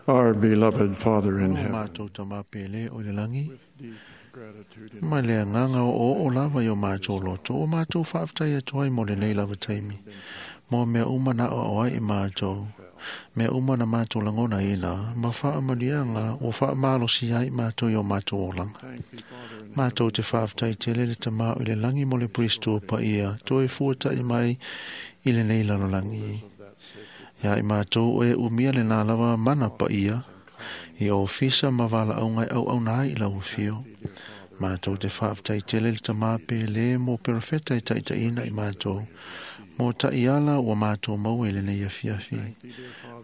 Our beloved Father in O heaven, mātou tama pele o le langi. Ma le agaga o o o lava i o mātou loto, o mātou whaaftai atu ai mo le nei lava taimi. Mo mea uma na o o ai i mātou. Mea uma na mātou langona ina, ma whaamalianga o whaamalosi ai mātou i o mātou olanga. Mātou te whaaftai te lele tama o le langi mo le pristo pa ia, toe fuatai mai i le nei lalolangi. Ia i mātou e umia le nā lava mana pa ia, i o fisa ma wala au ngai au au nai i lau whio. Mātou te whaaftai tele le tamā pele mō perofeta e taitaina i mātou. Mō tai ala ua mātou mau e le nei afiafi.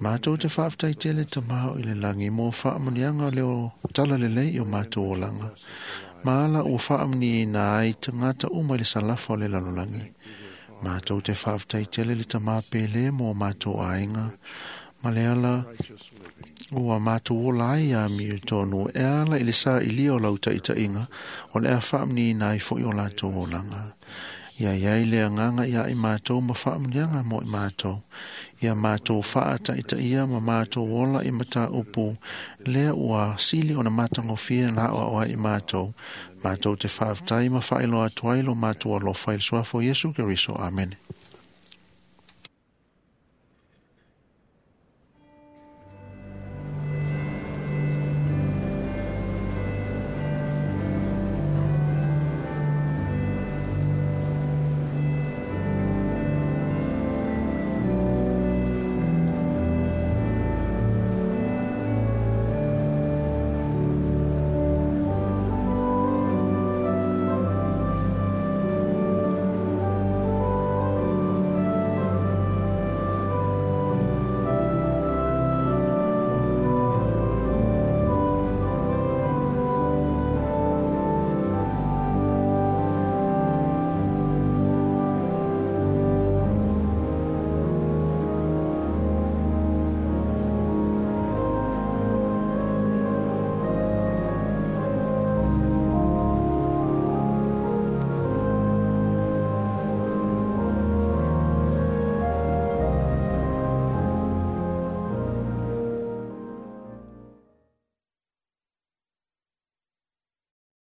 Mātou te whaaftai tele tamā o i le langi mō whaamanianga leo tala lelei i o mātou olanga. Maala ua whaamani i nā ai tangata uma i le salafa o le lalolangi. Mātou te whaaftai tele le tamā pele mō mātou ainga. Ma le ala ua mātou ola ai a miu tonu e ala i le sa i lia o lau taitainga o le a whaamni nai fo i o lātou olanga. Ia iai le anganga ia i mātou ma whaamnianga mo i mātou. Ia mātou whaa taitaia ma mātou ola i mata upu lea ua sili o na mātangofia nā oa oa i mātou. Mātou te whaaftai ma whaeloa atu ai lo mātou alofa i le suafa o Iesu Keriso. Amen.